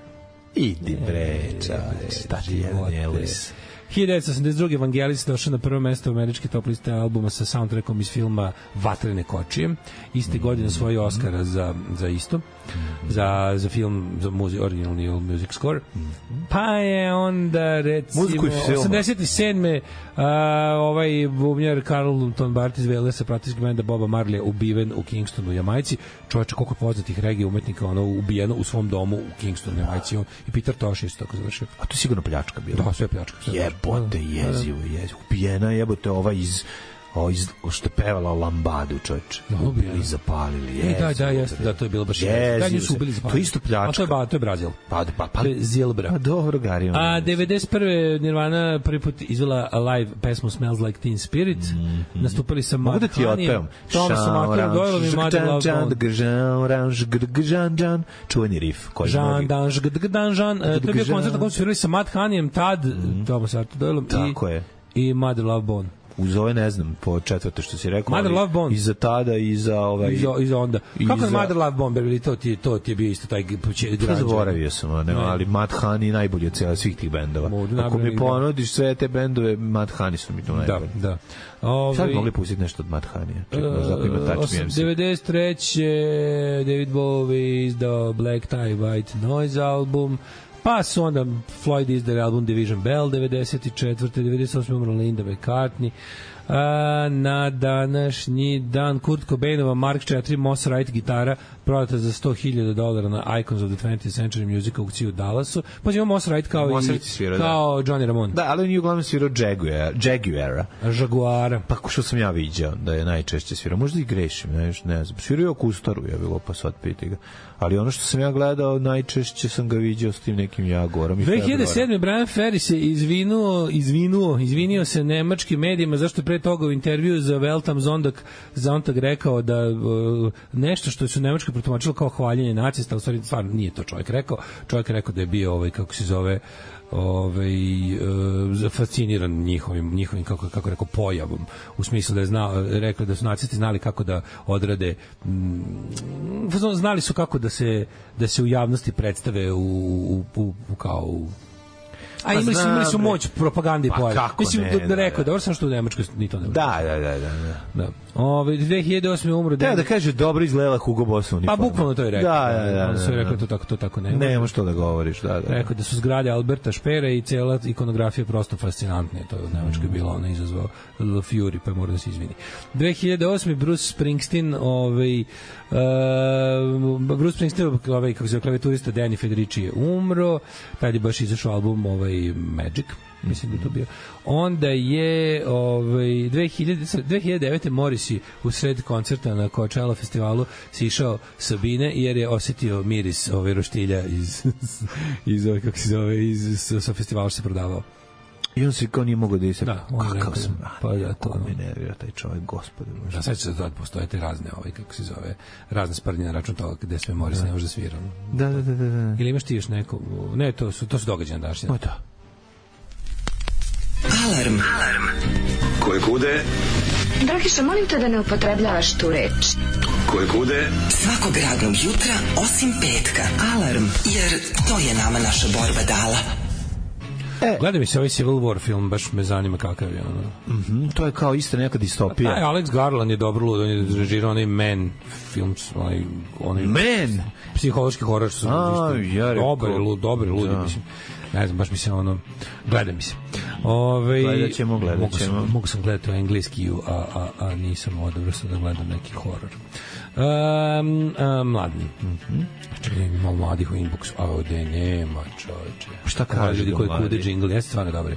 S7: Idi bre, čač, tači jedan Elvis.
S6: hiljadu devetsto osamdeset druge Vangelis došao na prvo mesto američke top liste albuma sa soundtrackom iz filma Vatrene kočije. Iste mm-hmm. godine osvojio Oscara za, za isto. Mm-hmm. Za, za film, za muzi, originalni music score. Mm-hmm. Pa je onda, recimo, osamdeset sedme Uh, ovaj bubnjar Carlton Bart iz Velesa pratinskog benda Boba Marleya ubiven u Kingstonu u Jamajci. Čovječe, koliko poznatih regija umetnika ono ubijeno u svom domu u Kingstonu u Jamajci. On, i Peter Tosh isto tako završio.
S7: A to je sigurno pljačka bila.
S6: Da, sve pljačka. Sve
S7: jebote, jezivo, jezivo. Ubijena jebote ova iz o, iz, što je pevala o Lambadu, čovječe.
S6: No,
S7: ubili, zapalili, jezivo.
S6: Da, da, jeste, da, to je bilo baš
S7: jezivo.
S6: Da, nju su ubili, zapalili.
S7: To je isto pljačka.
S6: A to je, ba, to je Brazil.
S7: Pa, pa, pa.
S6: To je Zilbra.
S7: Pa dobro, Gari.
S6: A devedeset prve Nirvana prvi put izvela live pesmu Smells Like Teen Spirit. Mm-hmm. Nastupali sa Mad Honeyem, Thomasom Markom Doyleom i Mother Love Bone.
S7: Čuveni riff.
S6: Jean Dan Žgdgdan Jean. To je bio koncert na kojem su svirali sa Mad Honeyem, tad Thomas Markom Doyleom i Mother Love Bone.
S7: Uz ove, ne znam, po četvrte što si rekao.
S6: Mother Love Bone.
S7: I za tada, i za ovaj...
S6: I za, i za onda. Kako je Mother Love Bone, bili to ti, to ti je bio isto taj građan.
S7: Zaboravio sam, ne, ali Mad Honey najbolji od cijela svih tih bendova. Modu, ako mi ponudiš sve te bendove, Mad Honey su mi to najbolji.
S6: Da, da. Ove,
S7: sad bi mogli pustiti nešto od Mad Honey. Uh,
S6: devedeset treće David Bowie izdao Black Tie White Noise album. Pa su onda Floyd izdali album Division Bell devedeset četvrte devedeset osme umrla Linda McCartney. A, na današnji dan Kurt Cobainova Mark četiri Moss Wright gitara prodata za sto hiljada dolara na Icons of the twentieth Century Music aukciju u Dallasu. Pa ima Moss Wright kao, i, svirao, kao da. Johnny Ramone.
S7: Da, ali on je uglavnom svirao Jaguar, Jaguara.
S6: Jaguara.
S7: Pa što sam ja viđao da je najčešće svirao. Možda i grešim, ne, ne znam. Svirao je Akustaru, je bilo, pa sad piti ga. Ali ono što sam ja gledao, najčešće sam ga viđao s tim nekim Jaguarom.
S6: dve hiljade sedme Brian Ferry se izvinuo, izvinuo, izvinio se nemačkim medijima zašto je pre toga u intervju za Welt am Sonntag Sonntag rekao da uh, nešto što su Nemačka protumačila kao hvaljenje nacista, u stvari stvarno nije to čovjek rekao. Čovjek je rekao da je bio ovaj, kako se zove, ovaj uh, fasciniran njihovim njihovim kako kako rekao pojavom, u smislu da je znao, rekao da su nacisti znali kako da odrade, mm, znali su kako da se da se u javnosti predstave u, u, u, u kao u A imali su, imali su moć propagande i pojave. Mislim, ne, da rekao, dobro sam što u Nemačkoj ni to ne može.
S7: Da, da, da, da.
S6: da. Ove, dve hiljade osme umro...
S7: Da, da kaže, dobro izgledala Hugo Boss uniforma.
S6: Pa bukvalno to je rekao.
S7: Da, da, da.
S6: On se je rekao, to tako, to tako ne.
S7: Nemo što da govoriš, da, da.
S6: Rekao da su zgrade Alberta Špera i cela ikonografija prosto fascinantne. To je u Nemačkoj bilo, ona izazvao Le Fury, pa mora da se izvini. dve hiljade osme Bruce Springsteen, ovaj... Uh, Bruce Springsteen, ovaj, kako se zove, klavijaturista Danny Federici je umro, tad je baš izašao album ovaj, Magic, mislim da je to bio. Onda je ovaj, dve hiljade devete Morrissey u sred koncerta na Coachella festivalu si išao Sabine jer je osetio miris ovaj, roštilja iz, iz, iz, kako se zove, iz, sa festivala što se prodavao.
S7: I on se kao nije mogo da je se...
S6: Da,
S7: kakav sam...
S6: Pa ja to...
S7: Ko mi nervira taj čovjek, gospode.
S6: Da, sad će se da postoje te razne, ovaj, kako se zove, razne sprdnje na račun toga gde sve Morris ne može da svira.
S7: Da, da, da, da.
S6: Ili imaš ti još neko... Ne, to su, to su događaje na današnje.
S7: O, da.
S8: Alarm. Alarm.
S2: Koje kude?
S9: Dragiša, molim te da ne upotrebljavaš tu reč.
S2: Koje kude?
S8: Svakog radnog jutra, osim petka. Alarm, jer to je nama naša borba dala.
S6: E. Gledaj mi se ovaj Civil War film, baš me zanima kakav je ono.
S7: Mm-hmm, to je kao isto neka distopija.
S6: Da, Alex Garland je dobro lud, on je režirao onaj Man film, onaj, onaj
S7: Man?
S6: Psihološki horor, što
S7: A, ja
S6: dobar, lud, dobar, ludi, da. Mislim. Ne znam, baš mi se ono, gledaj mi se. Ove,
S7: gledat ćemo, gledat ćemo.
S6: Mogu sam, mogu sam gledati u engleski, a, a, a nisam odobro sam da gledam neki horor. Um, um, mladni. Mm-hmm. Čekaj, malo mladih u inboxu. A ovde nema, čoveče.
S7: Šta kaže
S6: ljudi koji kude džingl, jeste stvarno dobri.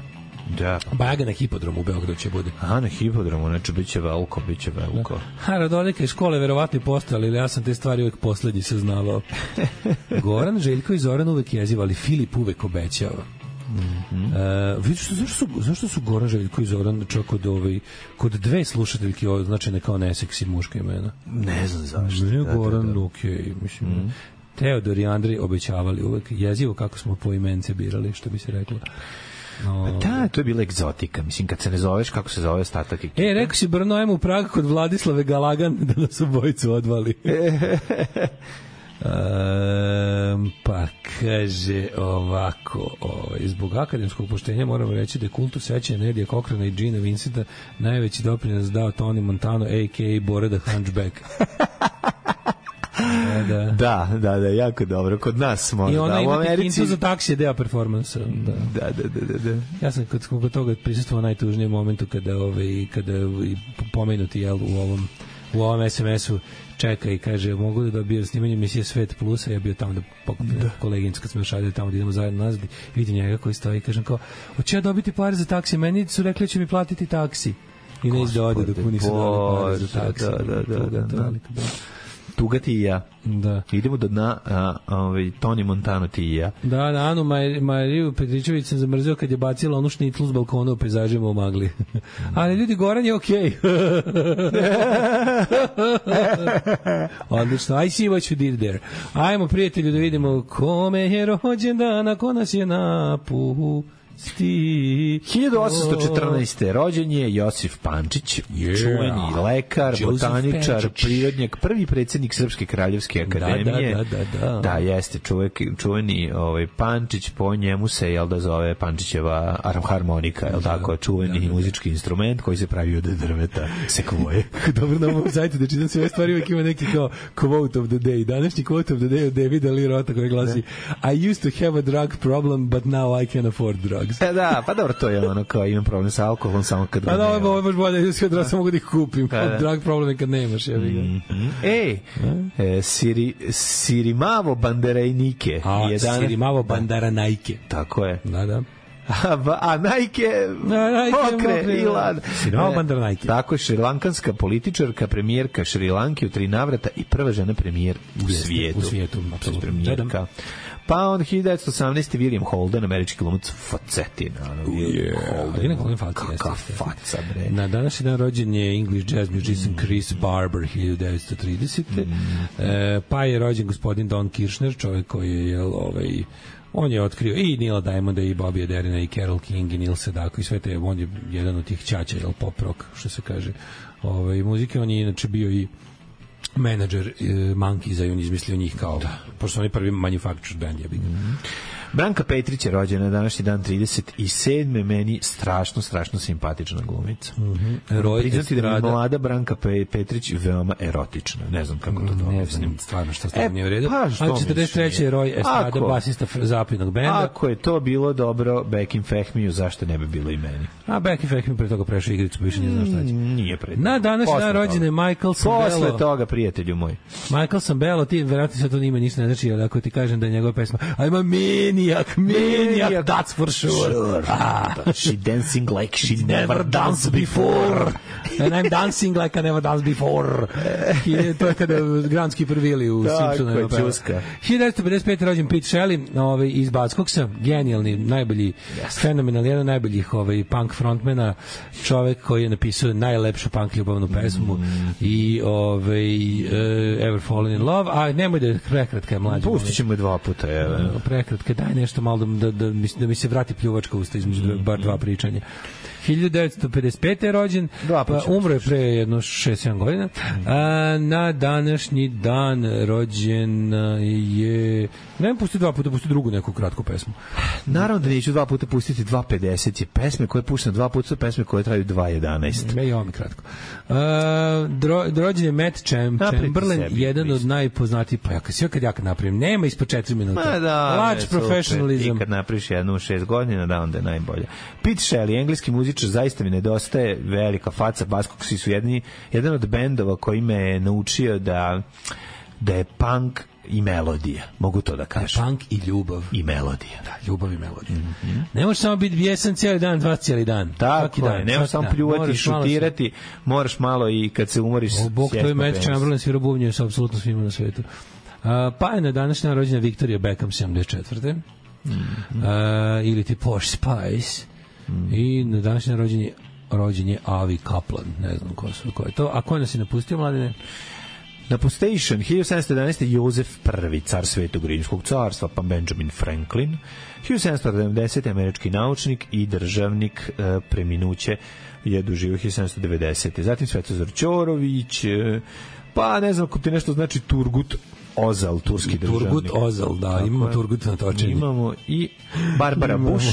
S7: Da.
S6: Baga na hipodromu u Beogradu će bude.
S7: Aha, na hipodromu, znači bit će veliko, bit će veliko.
S6: Ha, Radodeka iz škole verovatno i postojali, ali ja sam te stvari uvek poslednji saznavao. Goran, Željko i Zoran uvek jezivali, Filip uvek obećava. Mm-hmm. Uh, vidiš, zašto su, zašto su Goran, Željko i Zoran čak kod, ovaj, kod dve slušateljke označene kao neseksi muška imena?
S7: Ne znam zašto.
S6: Ne, da, Goran, da, da. Ok, mislim. Mm-hmm. Teodor i Andrej obećavali uvek, jezivo kako smo po imence birali, što bi se reklo. No,
S7: da, to je bila egzotika. Mislim, kad se ne zoveš, kako se zove ostatak ekipe?
S6: E, rekao si Brno, ajmo u Prag kod Vladislave Galagan da nas obojicu odvali. Um, pa kaže ovako, ovaj, zbog akademskog poštenja moramo reći da je kultu sećanja Nedija Cochrana i Gina Vincenta najveći doprinos dao Tony Montano, a k a. Bora the Hunchback. Da.
S7: da, da, da, jako dobro. Kod nas možda.
S6: I ona
S7: da,
S6: ima
S7: Americi...
S6: kintu za taksi, deo performansa. Da.
S7: Da, da, da, da, da.
S6: Ja sam kod, kod toga prisustvovao najtužnijem momentu kada, ovaj, kada pomenuti jel, u ovom u ovom es em esu čeka i kaže mogu da dobiju snimanje emisije Svet Plusa, ja bio tamo da pokupim da. koleginicu kad smo još radili tamo da idemo zajedno nazad, vidim njega koji stoji i kažem kao, hoće ja dobiti pare za taksi, meni su rekli će mi platiti taksi i ne izde ode dok mu nisu dali pare za taksi.
S7: Da, da, da, da, da, da. Tuga ti i ja.
S6: Da.
S7: Idemo do dna, a, a, ovaj, Toni Montano ti i ja.
S6: Da, da, Anu Maj, Mariju Petričević sam zamrzio kad je bacila onu šnitlu s balkona u pejzažima u magli. Ali ljudi, Goran je okej. Okay. Odlično. I see what you did there. Ajmo, prijatelju, da vidimo kome je rođendan, a ko nas je napu.
S7: hiljadu osamsto četrnaeste. rođen je Josif Pančić, yeah. čuveni lekar, Joseph botaničar, Pančić. Prirodnjak, prvi predsjednik Srpske kraljevske akademije.
S6: Da, da, da, da, da.
S7: Da, jeste čovjek, čuveni ovaj, Pančić, po njemu se, jel da zove Pančićeva harmonika, jel da, tako, čuveni da, da, da. muzički instrument koji se pravi od drveta, sekvoje.
S6: Dobro, na ovom sajtu da čitam sve stvari, uvijek ima neki kao quote of the day. Današnji quote of the day od Davida Lee Rotha koji glasi da. I used to have a drug problem, but now I can afford drugs.
S7: E, da, pa dobro, to je ono kao imam problem sa alkoholom samo kad ga
S6: pa
S7: nema.
S6: Pa da, ovo je baš bolje, da samo mogu da ih kupim. Pa da. Drug problem je kad nemaš. Ja
S7: mm-hmm. Ej, e, Siri, Sirimavo Banderajnike.
S6: A, jedana... Sirimavo Bandaranajke.
S7: Tako je.
S6: Da, da.
S7: A, a Nike,
S6: A, Nike
S7: mokre,
S6: mokre,
S7: i lad.
S6: Sinova bandar Nike.
S7: Tako je šrilankanska političarka, premijerka Šrilanke u tri navrata i prva žena premijer u
S6: Jeste,
S7: svijetu.
S6: u svijetu, apsolutno.
S7: Premijerka. Pa on hiljadu devetsto osamnaeste. William Holden, američki glumac facetin.
S6: Yeah. Holden, Holden faca.
S7: Kaka faca, bre.
S6: Na današnji dan rođen je English jazz musician Chris Barber, hiljadu devetsto tridesete. Mm. E, pa je rođen gospodin Don Kirshner, čovjek koji je, jel, ovaj, on je otkrio i Neila Diamonda i Bobby Derina i Carole King i Neil Sedaka i sve te, on je jedan od tih ćaća, jel, pop rock, što se kaže, ovaj, muzike. On je inače bio i menadžer e, Monkeys, i on izmislio njih kao, da. Pošto on je prvi manufactured band, ja bih. Mm.
S7: Branka Petrić je rođena današnji dan trideset sedme. Meni strašno, strašno simpatična glumica.
S6: Mm-hmm. Roj
S7: priznati da mi mlada Branka Pe- Petrić veoma erotična. Ne znam kako to dobro.
S6: Ne znam stvarno šta stavno
S7: e,
S6: nije u redu.
S7: Pa,
S6: ali četrdeset treće je Roy Estrada, basista zapadnog benda.
S7: Ako je to bilo dobro Bekim Fehmiju, zašto ne bi bilo i meni?
S6: A Bekim Fehmiju pre toga prešao igricu, pa više ne znam šta će.
S7: Nije pre
S6: Na današnji dan rođen je Michael Sambello.
S7: Posle toga, prijatelju moj.
S6: Michael Sambello, ti verovatno sad to ime ništa ne znači, ali ako ti kažem da je njegova pesma I'm a maniac, maniac, that's for sure.
S7: sure. Ah. She dancing like she never danced before.
S6: And I'm dancing like I never danced before. I to je kada Granski prvili u Simpsonu.
S7: Tako je, čuska.
S6: hiljadu devetsto pedeset pete rođen Pete Shelley, ovaj, iz Backskoksa, genijalni, najbolji, yes. fenomenalni, jedan najboljih ovaj, punk frontmena, čovek koji je napisao najlepšu punk ljubavnu pesmu mm. i ovaj, uh, Ever Fallen in Love, a nemoj da je prekratka je mlađa.
S7: Pustit ćemo je dva puta, evo.
S6: Prekratka, daj nešto malo da, da, da, mi, da mi se vrati pljuvačka usta između mm. bar dva pričanja. hiljadu devetsto pedeset pete je rođen, pa umro je pre jedno šest sedam godina. A, na današnji dan rođen je... Ne pusti dva puta, pusti drugu neku kratku pesmu.
S7: Naravno da neću dva puta pustiti dva pedeset je pesme koje puštam dva puta, su pesme koje traju dva jedanaest.
S6: Me i ovo mi kratko. A, dro, rođen je Matt Cham, Chamberlain, jedan od najpoznatijih, pa ja kad si kad ja kad napravim, nema ispod četiri minuta.
S7: Ma da,
S6: Large professionalism.
S7: I kad napraviš jednu u šest godina, da onda je najbolje. Pete Shelley, engleski muzičar, zaista mi nedostaje, velika faca, Baskokси su jedni, jedan od bendova koji me je naučio da da je punk i melodija, mogu to da kažem.
S6: Punk i ljubav.
S7: I melodija.
S6: Da, ljubav i melodija. Mm-hmm. Ne možeš samo biti bijesan cijeli dan, dva cijeli dan.
S7: Tako je, ne možeš samo pljuvati, šutirati, moraš malo i kad se umoriš...
S6: O, Bog, to je Matt Chamberlain, svira bubnje sa apsolutno svima na svetu. Uh, pa je na današnja rođena Victoria Beckham, sedamdeset četvrte. Mm-hmm. Uh, ili ti Posh Spice. Mm. I na današnji rođenje rođenje Avi Kaplan, ne znam ko, su, ko je to. A ko nas je napustio, mladine?
S7: Napustation, hiljadu sedamsto jedanaeste. Jozef prvi, car Svetog rimskog carstva, pa Benjamin Franklin. hiljadu sedamsto sedamdesete. američki naučnik i državnik, e, preminuće je doživio hiljadu sedamsto devedesete. Zatim Svetozar Ćorović, e, pa ne znam ko ti nešto znači Turgut Ozal, turski državnik.
S6: Turgut Ozal, da, tako imamo Turgut na točenju.
S7: Imamo i Barbara Bush,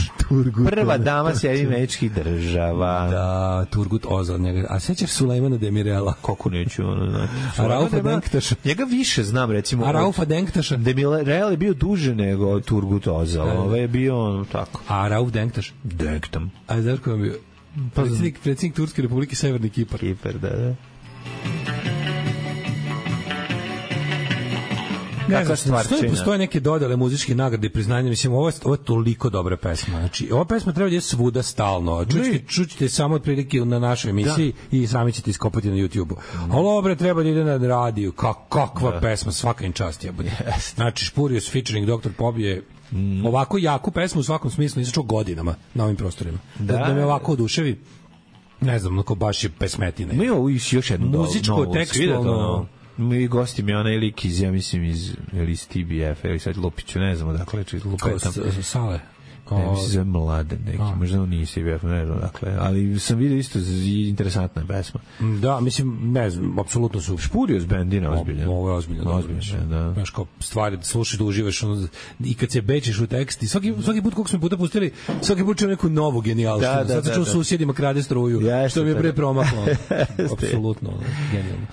S7: prva dama Sjedinjenih Američkih Država.
S6: Da, Turgut Ozal. Njega. A sećaš Sulejmana Demirela?
S7: Kako neću, ono, znači.
S6: A Raufa Denktaša?
S7: Njega više znam, recimo.
S6: A Raufa Denktaša?
S7: Demirel je bio duže nego Turgut Ozal. Da, da. Ovo je bio ono tako.
S6: A Rauf Denktaš?
S7: Denktam.
S6: A znaš ko je bio? Predsjednik, predsjednik Turske republike Severni Kipar.
S7: Kipar, da, da.
S6: Ne znam, stoji, postoje neke dodale muzičke nagrade i priznanja, mislim, ovo je, ovo je toliko dobra pesma. Znači, ova pesma treba da je svuda stalno. Čućete, čućete samo od prilike na našoj emisiji da. I sami ćete iskopati na YouTube-u. Mm. Ali ovo treba da ide na radiju. Kak, kakva da. Pesma, svaka im čast je. Yes. Znači, Spurious featuring doktor Pop je mm. ovako jaku pesmu u svakom smislu nisam čuo godinama na ovim prostorima. Da, da, da me ovako oduševi. Ne znam, onako baš je pesmetina.
S7: Mi ovo još jednu
S6: muzičko, tekstualno.
S7: Mi gosti mi onaj lik iz, ja mislim, iz, iz T B F, ili sad Lupiću, ne znamo, dakle, či Lupao tam.
S6: Sale?
S7: Ne, mislim, zove Mladen neki, a. možda on nije T B F, ne znam, dakle, ali sam vidio isto interesantna pesma.
S6: Da, mislim, ne znam, apsolutno su...
S7: Špurios bendina, ozbiljno.
S6: Ovo je ozbiljno, ozbiljno, da. Znaš, kao stvari, slušaš da uživaš, ono, i kad se bečiš u tekst, i svaki, svaki put, koliko smo puta pustili, svaki put čuo neku novu genijalštinu. Da, da, sad se čuo da, susjedima krade struju, ja, što mi je pre promaklo. Apsolutno, genijalno.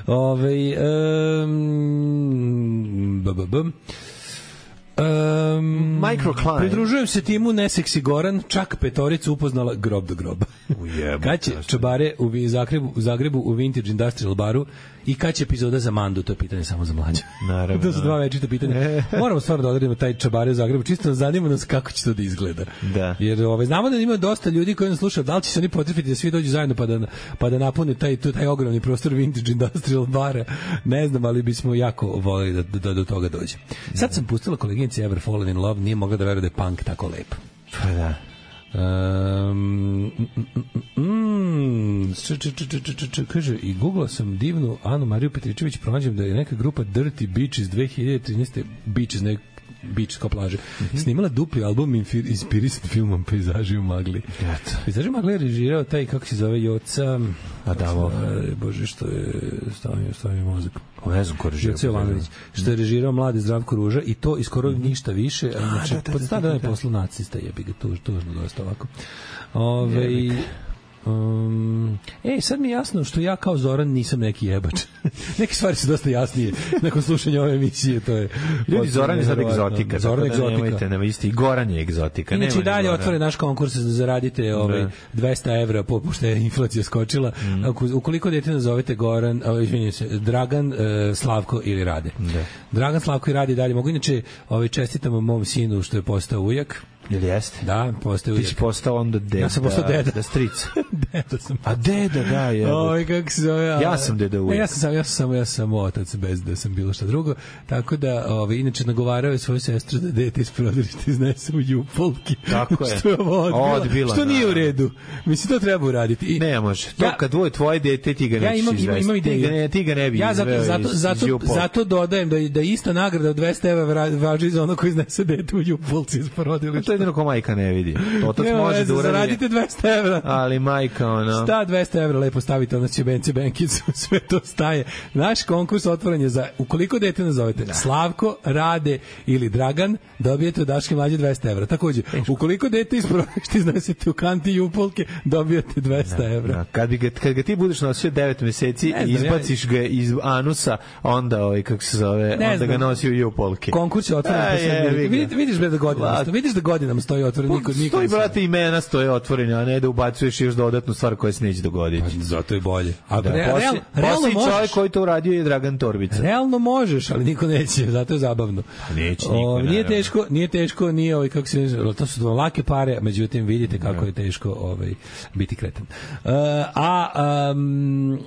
S6: Ove, um, b, b, b. Um,
S7: Microclimb.
S6: Pridružujem se timu Neseksi Goran, čak petoricu upoznala grob do groba. Kad će čabare u Zagrebu, u Zagrebu u Vintage Industrial baru I kad će epizoda za Mandu, to je pitanje samo za mlađe.
S7: Naravno.
S6: To su dva večita pitanja. Moramo stvarno da odredimo taj čabare u Zagrebu, čisto zanima nas kako će to da izgleda.
S7: Da.
S6: Jer ovaj, znamo da ima dosta ljudi koji nas slušaju, da li će se oni potrefiti da svi dođu zajedno pa da, pa da napune taj, taj ogromni prostor Vintage Industrial bara. Ne znam, ali bismo jako voleli da, da, da do toga dođe. Sad sam pustila koleginici Ever Fallen in Love, nije mogla da veruje da je punk tako lep.
S7: Pa da.
S6: Um, mm, mm, č, č, č, č, č, č, kaže, i googlao sam divnu Anu Mariju Petričević, pronađem da je neka grupa Dirty Beaches dve hiljade trinaeste Beaches, ne Beach kao plaže, mm-hmm. snimala dupli album inspirisan filmom Pejzaži u magli.
S7: Eto.
S6: Pejzaži u magli je režirao taj, kako se zove, Joca
S7: Adamo.
S6: Bože, što je stavio, stavio mozak.
S7: O, ne znam ko režirao.
S6: Joca Jovanović, što je režirao Mladi Zdravko Ruža i to i skoro mm-hmm. ništa više. A, znači, da, da, pod stara da je poslu nacista, jebi ga, tuž, tužno dosta ovako. Ove, Um, ej, sad mi je jasno što ja kao Zoran nisam neki jebač. Neke stvari su dosta jasnije nakon slušanja ove emisije, to je.
S7: Ljudi, Zoran je sad egzotika.
S6: Zoran je egzotika.
S7: Nemojte, nema isti, i Goran je egzotika.
S6: Inače i dalje otvore naš konkurs da zaradite ovaj dvesta evra pošto je inflacija skočila. Mm. Ukoliko dete nazovete Goran, izvinite se, Dragan, uh, Slavko ili Rade.
S7: Da.
S6: Dragan, Slavko i Rade dalje mogu. Inače, ovaj čestitamo mom sinu što je postao ujak.
S7: Jel jeste?
S6: Da, postao ujak.
S7: Ti si postao onda deda.
S6: Ja sam postao deda.
S7: Da stric.
S6: Deda sam.
S7: A deda, da, je.
S6: Oj, kako se zove.
S7: Ja sam deda ujak.
S6: Ne, ja sam samo, ja sam samo, ja sam samo otac bez da sam bilo šta drugo. Tako da, ovaj, inače nagovarao je svoju sestru da dete iz porodilišta iznese u Jupolki.
S7: Tako je.
S6: Što je ovo odbila.
S7: Odbila,
S6: što nije
S7: da.
S6: u redu. Mislim, to treba uraditi. I,
S7: ne može. To
S6: ja,
S7: kad dvoje tvoje dete, ti ga nećeš
S6: ja imam,
S7: izvesti.
S6: Imam ideju.
S7: Ti ga ne, ti ga ne bi
S6: ja zato,
S7: izveo
S6: zato,
S7: iz,
S6: zato,
S7: iz
S6: zato dodajem da, da ista nagrada od dvesta evra važi za ono koji iznese dete u Jupolci iz porodilišta.
S7: To je jedino ko majka ne vidi. Otac
S6: ne,
S7: može
S6: ne,
S7: da uradi.
S6: Zaradite dvesta evra.
S7: Ali majka, ono.
S6: Šta dvesta evra lepo stavite, ono će Bence Benkicu, sve to staje. Naš konkurs otvoren je za, ukoliko dete nazovete da. Slavko, Rade ili Dragan, dobijete od Daške mlađe dvesta evra. Takođe, ukoliko dete iz porodilišta iznesete u kanti Jupolke, dobijete dvesta evra.
S7: Da. Kad, bi ga, kad ga ti budeš nosio devet meseci i izbaciš ja... ga iz anusa, onda, ovaj, kako se zove, ne onda znam. Ga nosi u Jupolke.
S6: Konkurs je otvoren. A, je, vidiš, vidiš da godinama, vidiš da godinama stoji otvoren. Niko, niko
S7: stoji, brate, imena stoje otvorene, a ne da ubacuješ još dodatnu stvar koja se neće dogoditi.
S6: Pa, zato je bolje. A
S7: da, real, poslije, realno poslije možeš. Čovjek koji to uradio je Dragan Torbica.
S6: Realno možeš, ali niko neće, zato je zabavno.
S7: Pa neće niko,
S6: o, nije teško, nije teško, nije ovaj, kako se to su dva lake pare, međutim vidite kako da. Je teško ovaj, biti kretan. Uh, a um,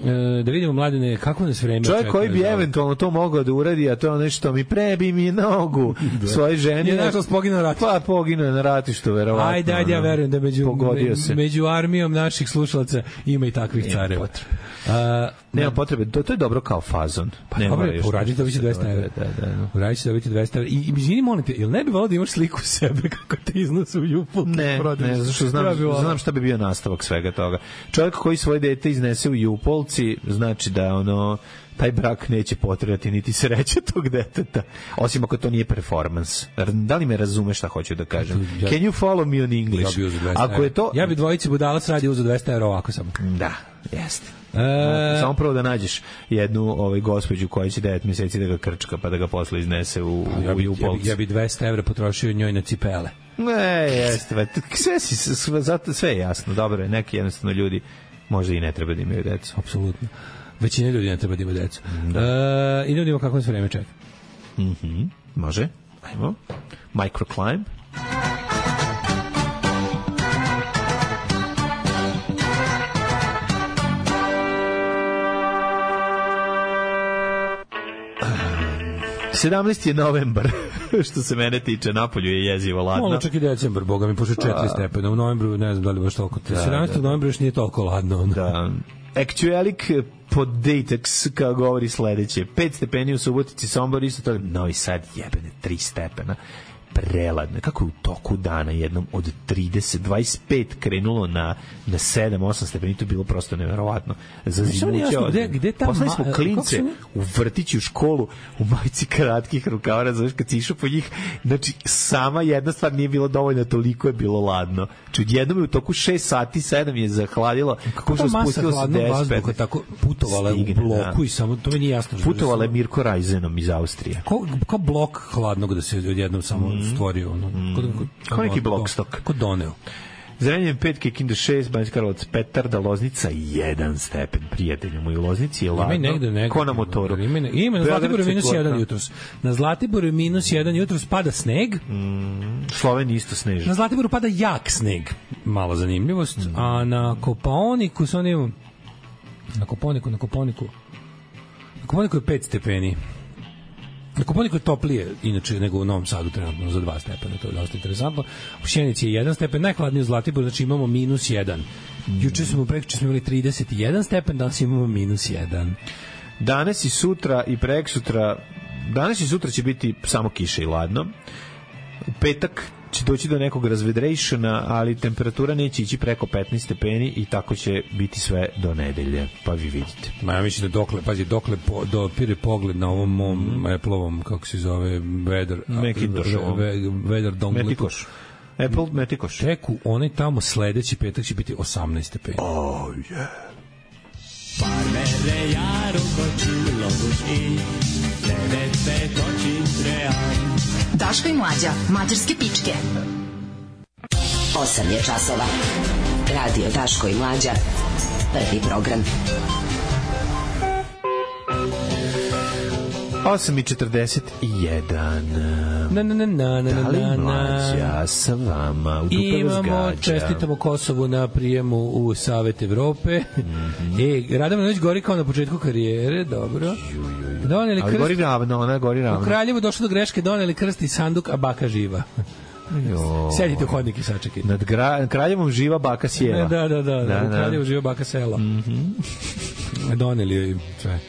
S6: da vidimo, Mladene, kako nas vreme
S7: čovjek
S6: čeka,
S7: koji bi
S6: da,
S7: eventualno to mogao da uradi, a to je nešto mi prebi mi nogu da. Svoje ženi.
S6: Je nažalost poginuo na ratištu.
S7: Pa poginuo na ratištu, verovatno.
S6: Ajde, ajde, ja verujem da među, me, među armijom naših slušalaca ima i takvih nema careva.
S7: Potrebe. A, nema potrebe, to, to je dobro kao fazon.
S6: Pa dobro, uradite da biće dvesta evra.
S7: Da, da, da.
S6: Uradite da biće dvesta evra. I, i izvini, molim te, jel ne bi volao da imaš sliku sebe kako te iznose u Jupolke?
S7: Ne, ne, zato što znam, znam šta bi bio nastavak svega toga. Čovjek koji svoje dete iznese u Jupolci, znači da ono taj brak neće potrebati niti sreće tog deteta, osim ako to nije performans. Da li me razumeš šta hoću da kažem? Ja, can you follow me on English?
S6: Ja
S7: ako je to...
S6: Ja bi dvojici budalac radi uzeo dvesta evra ovako samo.
S7: Da, jeste. E... Samo prvo da nađeš jednu ovaj gospođu koja će devet mjeseci da ga krčka pa da ga posle iznese u,
S6: ja bi,
S7: u Jupolci.
S6: Ja bi dvesta evra potrošio njoj na cipele.
S7: Ne, jeste. Sve, sve, sve je jasno. Dobro je, neki jednostavno ljudi možda i ne treba da imaju decu.
S6: Apsolutno. Većina ljudi ne treba da ima decu.
S7: Da.
S6: E, I da vidimo kako se vreme čeka.
S7: Mm-hmm. Može. Ajmo. Microclimb. sedamnaesti je novembar, što se mene tiče, napolju je jezivo ladno.
S6: Malo čak i decembar, boga mi, pošto četiri stepena. U novembru, ne znam da li baš toliko. Da, sedamnaestog Da, novembra još nije toliko ladno.
S7: Da. Actualic Podatex, kao govori sledeće. pet stepeni u Subotici, Sombor, isto to. Novi Sad, jebene, tri stepena. Preladno. Kako je u toku dana jednom od trideset, dvadeset pet krenulo na, na sedam, osam stepeni, to je bilo prosto neverovatno. Za zimuće od...
S6: Gde, gde ta
S7: poslali smo klince u vrtići, u školu, u majici kratkih rukava, znaš, kad si išao po njih, znači, sama jedna stvar nije bilo dovoljna, toliko je bilo ladno. Znači, jednom je u toku šest sati, sedam je zahladilo, kako što spustilo se deset pet.
S6: Tako putovala u bloku i samo, to mi nije jasno.
S7: Putovala je Mirko Rajzenom iz Austrije.
S6: Ko, ko blok hladnog da se odjednom samo stvorio ono,
S7: mm. kod, kod, kao neki blokstok
S6: kod doneo.
S7: Zrenjanin pet, Kikinda šest, Banjska Karlovac Petarda, Loznica jedan stepen, prijatelji moji. U Loznici je ladno, negde, negde, ko na motoru.
S6: Ima, ima na Zlatiboru minus jedan jutros. Na Zlatiboru minus jedan jutros pada sneg.
S7: Mm, Slovenija isto sneži.
S6: Na Zlatiboru pada jak sneg. Malo zanimljivost. Mm. A na Kopaoniku su oni... Na Koponiku, na Koponiku... Na Koponiku je pet stepeni. Na Koponiku je toplije, inače, nego u Novom Sadu trenutno za dva stepena, to je dosta interesantno. U Sjenici je jedan stepen, najhladnije u Zlatiboru, znači imamo minus jedan. Juče smo, prekjuče smo imali trideset jedan stepen, danas imamo minus jedan.
S7: Danas i sutra i preksutra, danas i sutra će biti samo kiša i ladno. U petak će doći do nekog razvedrejšana, ali temperatura neće ići preko petnaest stepeni i tako će biti sve do nedelje, pa vi vidite.
S6: Ma ja mislim da dokle, pazi, dokle po, dopire pogled na ovom mom mm. Apple-ovom, kako se zove, Weather, Weather Dongle.
S7: Metikoš. Apple Metikoš.
S6: Tek u onaj tamo sledeći petak će biti osamnaest stepeni.
S7: Oh, yeah.
S1: Parmele jaro kočilo i devet oči trean.
S4: Daško i Mlađa, mađarske pičke.
S8: osam je časova. Radio Daško i Mlađa. Prvi program.
S7: osam i četrdeset jedan.
S6: Na, na, na, na, na,
S7: da li
S6: na,
S7: Mlađa sa vama u dupe
S6: imamo, čestitamo Kosovu na prijemu u Savet Evrope. Mm-hmm. E, Radovan gori kao na početku karijere, dobro. Doneli
S7: ali
S6: krst,
S7: gori ravno, ona gori ravno.
S6: U Kraljevu došlo do greške, doneli krst i sanduk, a baka živa. Jo. Sedite u hodnik i sačekajte.
S7: Nad gra, Kraljevom živa baka sjela.
S6: Da, da, da, da,
S7: da,
S6: u Kraljevu živa baka sela.
S7: Mm-hmm.
S6: Doneli joj sve.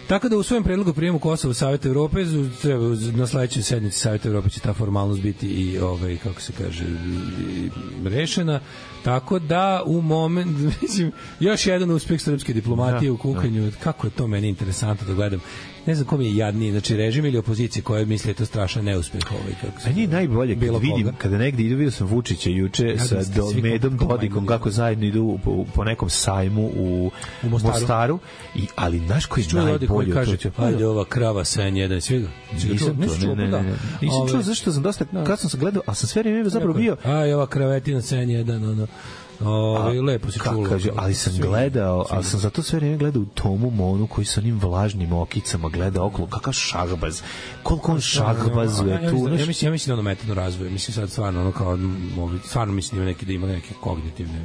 S6: Tako da u svojem predlogu prijemu Kosova u Savet Evrope treba na sledećoj sednici Saveta Evrope će ta formalnost biti i ovaj kako se kaže i, i rešena. Tako da u moment mislim još jedan uspeh srpske diplomatije da, u kukanju. Da. Kako je to meni interesantno da gledam. Ne znam kom je jadniji, znači režim ili opozicija koja misli da je to strašan neuspeh ovaj kako se.
S7: Meni je najbolje kad vidim koga. Kada negde idu, vidio sam Vučića juče ja, sa do, Medom Dodikom kako zajedno idu po, po nekom sajmu u, u Mostaru. Mostaru i ali znaš koji je najbolje
S6: kaže ajde ova krava sen jedan sviga.
S7: Nisam to, ne, ne, ne. Nisam čuo zašto sam dosta kad sam se gledao, a sam sve vreme zapravo bio.
S6: Aj ova kravetina sen jedan ono. Ove, lepo se čulo.
S7: Kaže, ali sam gledao, ali sam zato sve vreme gledao u Tomu Monu koji sa onim vlažnim okicama gleda okolo, kakav šahbaz. Koliko on šahbazuje tu.
S6: Ja, ja mislim, ja mislim da ono metodno razvoje. Mislim sad stvarno ono kao, stvarno mislim da ima neki, da ima neke kognitivne,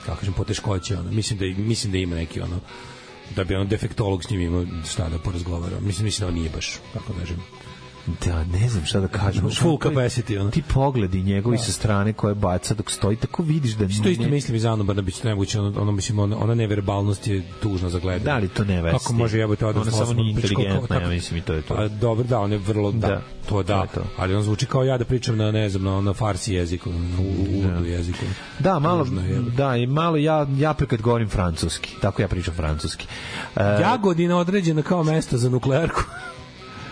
S6: kako kažem, poteškoće. Ono. Mislim, da, mislim da ima neki ono, da bi ono defektolog s njim imao šta da porazgovara. Mislim, mislim da on nije baš, kako kažem.
S7: Da, ne znam šta da kažem.
S6: Full capacity, ono.
S7: Ti pogledi njegovi sa strane koje baca dok stoji, tako vidiš da...
S6: Što isto mislim iz Anu Brnabić, to nemoguće, ono, ono, mislim, ona, ona neverbalnost je tužna za gledanje.
S7: Da li to ne vesti?
S6: Kako može jebati odnos?
S7: Ona samo nije inteligentna, ja mislim i to je to.
S6: A, dobro, da, on je vrlo, da, da to da, to je to. Ali on zvuči kao ja da pričam na, ne znam, na, na farsi jeziku, na urdu jeziku.
S7: Da, malo, da, i malo ja, ja kad govorim francuski, tako ja pričam francuski. Uh,
S6: Jagodina određena kao mesto za nuklearku.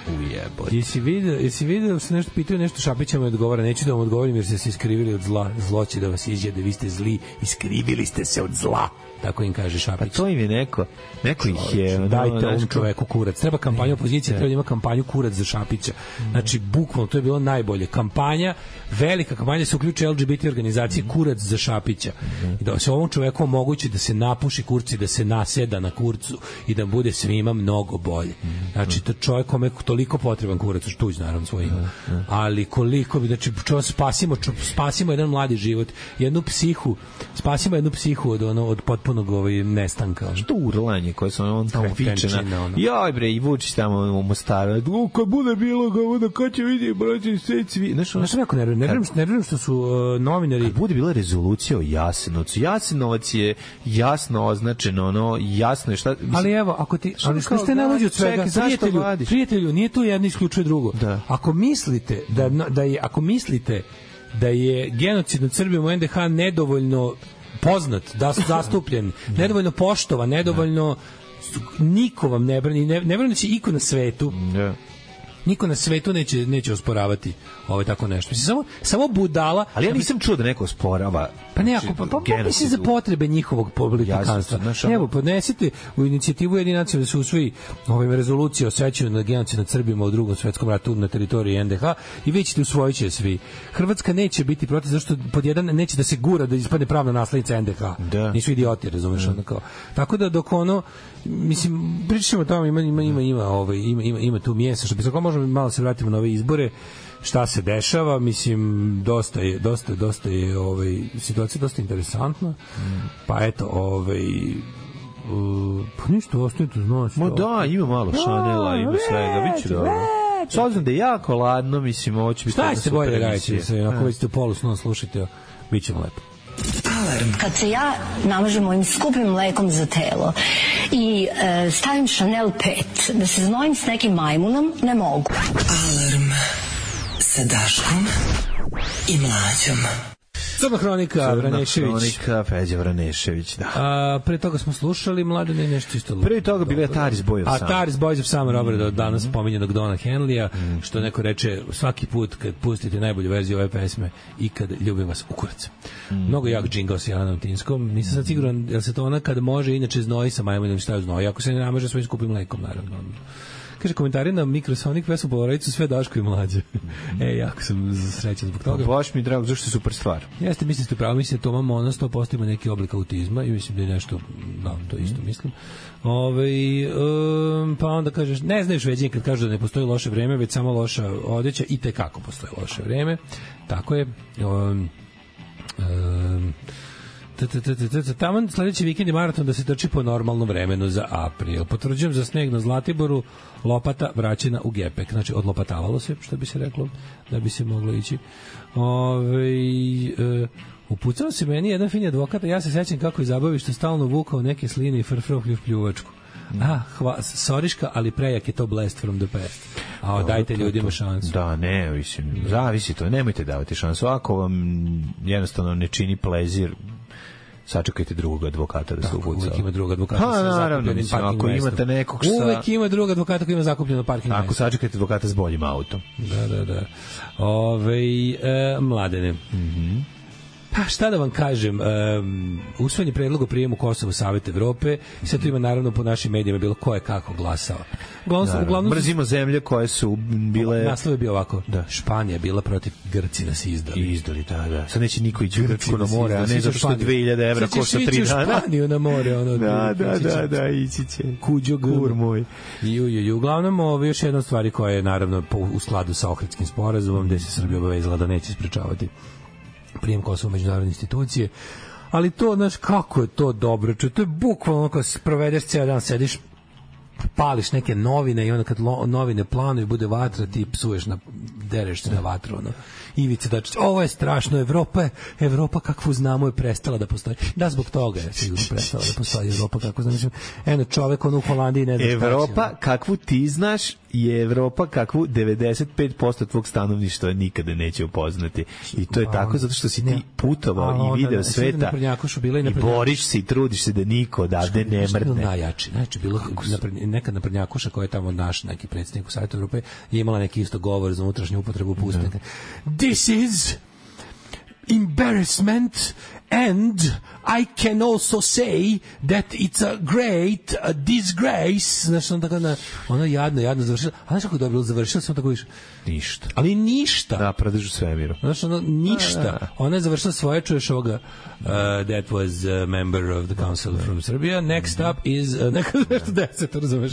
S7: Ujebote.
S6: Jesi vidio, jesi vidio, se nešto pitaju, nešto Šapića mu odgovara, neću da vam odgovorim jer ste se iskrivili od zla, zlo će da vas izjede, vi ste zli, iskrivili ste se od zla. Tako im kaže Šapić.
S7: Pa to im je neko, neko ih je...
S6: Dajte ovom čoveku kurac. Treba kampanja opozicije, treba da ima kampanju kurac za Šapića. Znači, bukvalno, to je bilo najbolje. Kampanja, velika kampanja, se uključuje L G B T organizacije kurac za Šapića. I da se ovom čoveku omogući da se napuši kurci, da se naseda na kurcu i da bude svima mnogo bolje. Znači, to čovjek kome toliko potreban kurac, što tuđ, naravno, svoje ima. Ali koliko bi, znači, čovjek spasimo, spasimo jedan mladi život, jednu psihu, spasimo jednu psihu od, ono, od potpuno ovaj nestanka.
S7: Što urlanje koje su on tamo fičena. Joj bre, i Vučić tamo u Mostaru. U, kad bude bilo, kad bude, kad će vidi, braći, sve cvi. Znaš,
S6: znaš kako ne vjerujem, ne vjerujem što su uh, novinari...
S7: Kad bude bila rezolucija o Jasenovcu, Jasenovac je jasno označeno, ono, jasno je šta...
S6: Mislim, ali evo, ako ti... Ali što ste najluđi od svega? Prijatelju, prijatelju, nije tu jedno isključuje drugo.
S7: Da.
S6: Ako mislite da, da je, ako mislite da je genocid nad Srbijom u N D H nedovoljno poznat, da su zastupljen, nedovoljno poštovan, nedovoljno niko vam ne brani, ne, ne brani će iko na svetu. Niko na svetu neće neće osporavati ovaj tako nešto. Mislim, samo samo budala.
S7: Ali ja nisam čuo da neko osporava.
S6: Pa ne, ako pa, pa, pa mislim za potrebe njihovog politikanstva. Evo, podnesite u inicijativu Ujedinjenih nacija da se usvoji ovaj rezolucija o sećanju na genocid nad Srbima u Drugom svetskom ratu na teritoriji en de ha i vi ćete usvojiće svi. Hrvatska neće biti protiv zašto pod jedan neće da se gura da ispadne pravna naslednica en de ha. Da. Nisu idioti, razumeš, onda kao. Tako da dok ono mislim pričamo tamo ima ima ima ima ovaj ima ima ima tu mjesta što bi se možemo malo se vratimo na ove izbore. Šta se dešava, mislim dosta je dosta dosta je ovaj situacija dosta interesantna. Mm. Pa eto, ovaj uh, pa ništa ostaje tu znači.
S7: Ma da, ima malo Chanela, ima svega, biće dobro. S obzirom da je jako ladno, mislim, ovo će biti
S6: šta se bolje raditi, ako već ste u polusnom slušajte, biće lepo.
S10: Alarm. Kad se ja namažem mojim skupim mlekom za telo i e, stavim Chanel pet, da se znojim s nekim majmunom, ne mogu.
S8: Alarm sa Daškom i Mlađom.
S6: Crna hronika, Vranešević.
S7: Crna hronika, Feđa Vranešević, da.
S6: A, pre toga smo slušali, Mladene, nešto isto.
S7: Pre toga bila je Taris Boys of
S6: Summer. A Taris Boys of Summer, obrada od danas pominjenog Dona Henleya, mm. što neko reče, svaki put kad pustite najbolju verziju ove pesme i kad ljubim vas u kurac. Mm. Mnogo jak džingao sa Jelanom Tinskom. Nisam sad siguran, jel se to ona kad može inače znoji sa majmunom šta je znoji, ako se ne namaže svojim skupim mlekom, naravno. Kaže, komentari na Mikrosonic pesmu Polaricu sve Daško i Mlađe. Mm-hmm. E, jako sam srećan zbog toga.
S7: Baš mi drago, zašto je super stvar.
S6: Jeste, mislim ste pravo, mislim da to mamo ona sto posto ima neki oblik autizma i mislim da je nešto, da, to isto mm-hmm. mislim. Ove, um, pa onda kažeš, ne znaš veđenje kad kažu da ne postoji loše vreme, već samo loša odeća i tekako postoji loše vreme. Tako je. Um, um, Taman sledeći vikend je maraton da se trči po normalnom vremenu za april. Potvrđujem za sneg na Zlatiboru, lopata vraćena u gepek. Znači, odlopatavalo se, što bi se reklo, da bi se moglo ići. Ove, e, upucao se meni jedan fin advokat, ja se sećam kako je zabavi što stalno vukao neke sline i frfroklju pljuvačku. Ah, hva, soriška, ali prejak je to blast from the past. A o, dajte ljudima šansu.
S7: Da, ne, mislim, zavisi to, nemojte davati šansu. Ako vam jednostavno ne čini plezir, sačekajte drugog advokata da se upuca.
S6: Uvijek ima drugog advokata.
S7: Pa, naravno, mislim, ako imate nekog sa...
S6: Uvijek ima drugog advokata koji ima zakupljeno parking
S7: mesto. Ako sačekajte advokata s boljim autom.
S6: Da, da, da. Ove, e, Mladene. Mhm. Pa šta da vam kažem, um, usvojen je predlog o prijemu Kosova u Savet Evrope i sad tu ima naravno po našim medijima bilo ko je kako glasao.
S7: Uglavnom, uglavnom mrzimo zemlje koje su bile...
S6: Naslov je bio ovako, da. Španija je bila protiv Grci nas izdali.
S7: I izdali, da, da. Sad neće niko ići u Grčku na more, a ne zato što dve hiljade evra košta tri dana.
S6: Sad ćeš Španiju na more, ono.
S7: Da, da, da, da, ići će.
S6: Kuđo
S7: gur moj.
S6: I, i, i, uglavnom, ovo još jedna stvari koja je naravno u skladu sa Ohridskim sporazumom, gde se Srbija obavezala da neće sprečavati prijem Kosova u međunarodne institucije, ali to, znaš, kako je to dobro, čo, to je bukvalno kad provedeš cijel dan, sediš, pališ neke novine i onda kad lo, novine planuju, bude vatra, ti psuješ, na, dereš se na vatru, ono. Ivica Dačić, ovo je strašno, Evropa je, Evropa kakvu znamo je prestala da postoji. Da, zbog toga je sigurno prestala da postoji Evropa kakvu znamo. Eno, čovek ono u Holandiji ne zna.
S7: Evropa kakvu ti znaš je Evropa kakvu devedeset pet posto tvog stanovništva nikada neće upoznati. I to je tako zato što si ti putovao i video sveta i boriš se i trudiš se da niko odavde ne mrtne.
S6: Najjači, znači bilo neka naprednjakuša koja je tamo naš neki predsjednik u Savetu Evrope je imala neki isto govor za unutrašnju upotrebu pustnika. This is embarrassment and I can also say that it's a great a disgrace. Znači, ona tako na, ona jadno, jadno završila. A znaš kako je dobro završila? Samo tako više.
S7: Ništa.
S6: Ali ništa.
S7: Da, predežu svemiru.
S6: Znači, ona ništa. Ona je završila svoje, čuješ ovoga, uh, that was a member of the council from Serbia. Next up is, uh, neka nešto deset, razumeš,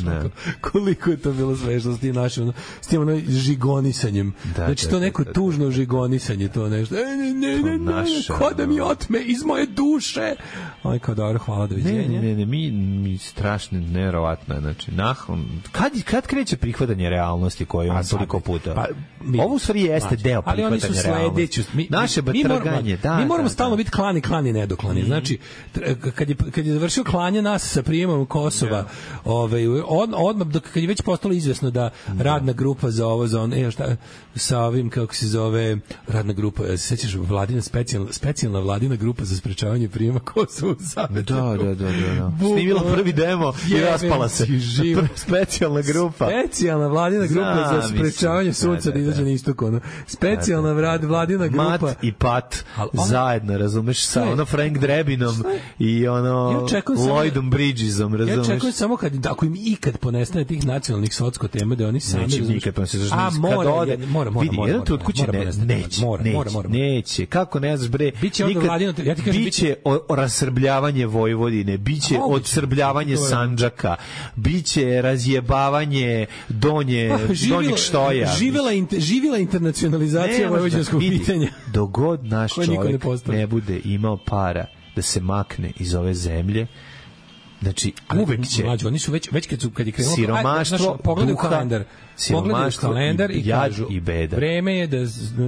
S6: koliko je to bilo smešno s tim našim, ono, s tim ono žigonisanjem. Da, znači, to neko tužno žigonisanje, to nešto. Ne, ne, ne, ne, ne, ko da mi otme iz moje duše. Aj, kao dobro, hvala, doviđenja.
S7: Ne, ne, ne, mi, mi strašno, neverovatno je, znači, nahom, kad, kad kreće prihvatanje realnosti koju on toliko puta? Pa, mi, ovo u stvari jeste znači, deo prihvatanja realnosti. Mi, Naše mi, batraganje, da.
S6: Mi moramo
S7: da,
S6: stalno
S7: da.
S6: biti klani, klani, nedoklani. Mm-hmm. Znači, kad je, kad je završio klanje nas sa prijemom Kosova, yeah. ovaj, od, odmah, dok, kad je već postalo izvesno da mm-hmm. radna grupa za ovo, za on, e, šta, sa ovim, kako se zove, radna grupa, se sećaš, Vlad vladina specijalna, specijalna vladina grupa za sprečavanje prijema Kosova u Savet.
S7: Da, da, da, da, da. Snimila prvi demo i raspala se. Specijalna grupa.
S6: Specijalna vladina grupa
S7: Zna,
S6: za sprečavanje
S7: mislim,
S6: sunca
S7: da,
S6: da
S7: da,
S6: izađe na istok, ono. Specijalna vlad, vladina grupa.
S7: Mat i Pat
S6: ona,
S7: zajedno, razumeš, sa ono Frank Drebinom i ono
S6: ja
S7: Lloydom Bridgesom, razumeš.
S6: Ja čekam samo kad, ako im ikad ponestane tih nacionalnih socko tema, da oni sami...
S7: Neće nikad, pa se zašto
S6: A, mora,
S7: ode,
S6: je, mora, mora,
S7: vidi,
S6: mora,
S7: jedan tut kuće ne, neće, neće,
S6: mora, mora, mora.
S7: neće, kako ne znaš, bre,
S6: biće
S7: nikad,
S6: vladino, ja ti kažem,
S7: biće o, o rasrbljavanje Vojvodine, biće
S6: A,
S7: odsrbljavanje Sandžaka, biće razjebavanje donje,
S6: pa, živila,
S7: donjeg štoja.
S6: Živela, inter, živela internacionalizacija vojvođanskog pitanja.
S7: Dogod naš čovjek
S6: ne,
S7: ne bude imao para da se makne iz ove zemlje, znači uvek će
S6: mlađi, oni su već već kad su kad je krenulo
S7: siromaštvo,
S6: pogledaj kalendar, pogledaj kalendar i,
S7: i
S6: kažu
S7: i beda.
S6: Vreme je da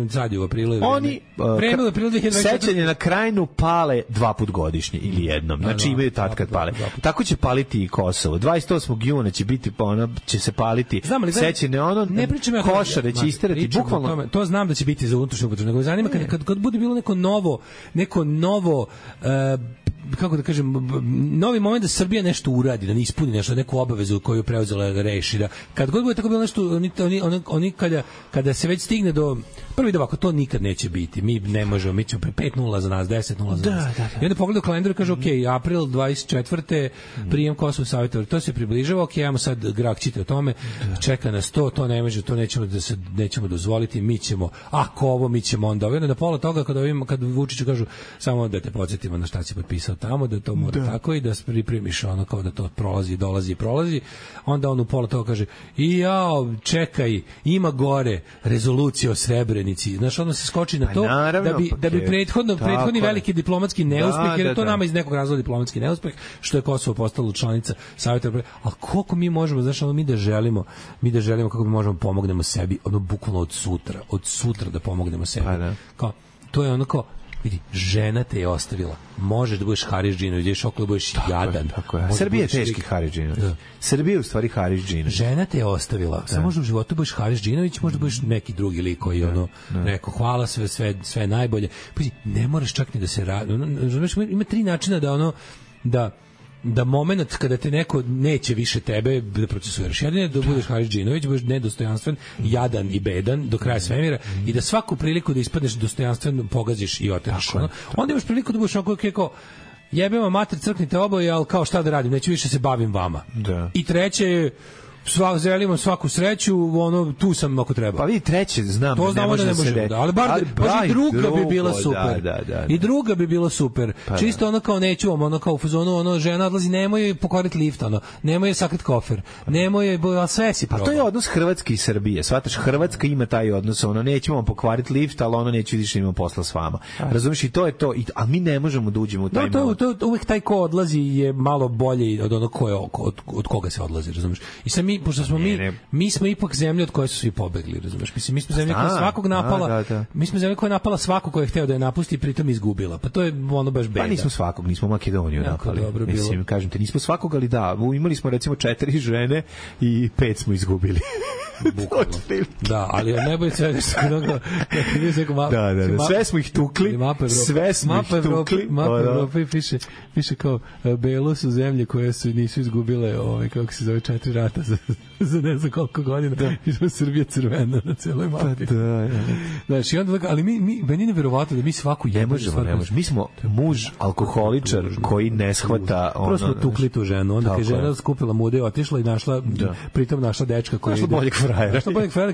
S6: sad je u aprilu.
S7: Oni
S6: vreme u aprilu dve hiljade dvadeset četvrte.
S7: Sećanje na Krajinu pale dva put godišnje ili jednom. Znači imaju tad kad pale. Tako će paliti i Kosovo. dvadeset osmog juna će biti ono će se paliti. Sećanje ono
S6: ne pričam ja
S7: Košare će isterati bukvalno.
S6: To znam da će biti za unutrašnju upotrebu. Nego zanima kad kad kad bude bilo neko novo neko novo kako da kažem, novi moment da Srbija nešto uradi, da ne ispuni nešto, neku obavezu koju je preuzela da reši, da kad god bude tako bilo nešto, oni, oni, oni, oni kada, kada se već stigne do prvi da ovako, to nikad neće biti, mi ne možemo, mi ćemo pet nula za nas, deset nula za nas. Da, da, da. I onda pogledaju kalendar i kaže, ok, april dvadeset četvrte prijem Kosova saveta, to se približava, ok, ajmo sad grak čite o tome, čeka nas to, to ne može, to nećemo da se nećemo dozvoliti, mi ćemo, ako ovo, mi ćemo onda, onda da pola toga kada ovim, kad Vučiću kažu, samo da te podsjetimo na šta si potpisao tamo, da to mora da. Tako i da pripremiš ono kao da to prolazi, dolazi i prolazi, onda on u pola toga kaže i jao, čekaj, ima gore rezolucija o Srebrenici, znaš, onda se skoči na to
S7: naravno,
S6: da bi,
S7: pa
S6: da bi prethodno, prethodni je. Veliki diplomatski neuspeh, da, jer je to da, nama iz nekog razloga diplomatski neuspeh, što je Kosovo postalo članica Saveta, ali koliko mi možemo, znaš, ono mi da želimo, mi da želimo kako mi možemo pomognemo sebi, ono bukvalno od sutra, od sutra da pomognemo sebi.
S7: Pa da.
S6: Kao, to je ono kao, vidi, žena te je ostavila. Možeš da budeš Haris Džinović, ideš okolo da budeš tako jadan.
S7: Je, tako je. Srbija je teški Haris Džinović. Da. Srbija je u stvari Haris Džinović.
S6: Žena te je ostavila. Samo možda u životu budeš Haris Džinović, možda budeš neki drugi lik koji ono rekao hvala sve sve sve najbolje. Pa ne moraš čak ni da se radi. Ima tri načina da ono da da moment kada te neko neće više tebe da procesuiraš. Jedan je da budeš Haris Džinović, budeš nedostojanstven, jadan i bedan do kraja svemira mm. i da svaku priliku da ispadneš dostojanstven pogaziš i oteraš. Ono. Onda imaš priliku da budeš onako kako jebemo mater, crknite oboje, ali kao šta da radim, neću više se bavim vama.
S7: Da.
S6: I treće je sva želimo svaku sreću, ono tu sam ako treba.
S7: Pa vidi treće, znam,
S6: to znamo da ne može da, ali bar ali, da, i druga drugo, bi bila super. Da, da, da, da. I druga bi bila super. Pa, čisto ono kao neću, ono kao u fazonu, ono žena odlazi, nemoj pokvariti lift, ono, nemoj sakrit kofer, nemoj, al sve si probao.
S7: A to je odnos Hrvatske i Srbije. Shvataš, Hrvatska ima taj odnos, ono nećemo vam pokvariti lift, al ono neće više imamo posla s vama. Razumeš, i to je to, i a mi ne možemo da uđemo u taj
S6: no, to, to, to uvek taj ko odlazi je malo bolji od onog ko je od, od koga se odlazi, razumeš? I sam mi, pošto smo mi, mi smo ipak zemlja od koje su svi pobegli, razumeš? Mislim, mi smo zemlja koja svakog napala, da, da, da. mi smo zemlja koja je napala svako ko je hteo da je napusti i pritom izgubila. Pa to je ono baš beda.
S7: Pa nismo svakog, nismo Makedoniju
S6: jako
S7: napali.
S6: Dobro
S7: Mislim,
S6: bilo.
S7: kažem te, nismo svakog, ali da, imali smo recimo četiri žene i pet smo izgubili.
S6: Da, ali najbolje sve da se
S7: da, da, da, sve smo ih tukli, sve smo ih tukli.
S6: Mapa Evrope piše, piše kao belo su zemlje koje su nisu izgubile, ovaj kako se zove, četiri rata za, za ne znam koliko godina. Da. I smo Srbija crvena na celoj mapi.
S7: Pa da, ja.
S6: Znaš, i onda, ali mi, mi meni je neverovatno da mi svaku
S7: ne možemo, ne možemo. Mi smo muž alkoholičar koji ne shvata ono.
S6: Prvo smo tukli tu ženu, onda kad žena skupila mude i otišla i našla, pritom našla dečka koji
S7: našla boljeg frajera.
S6: Našla boljeg frajera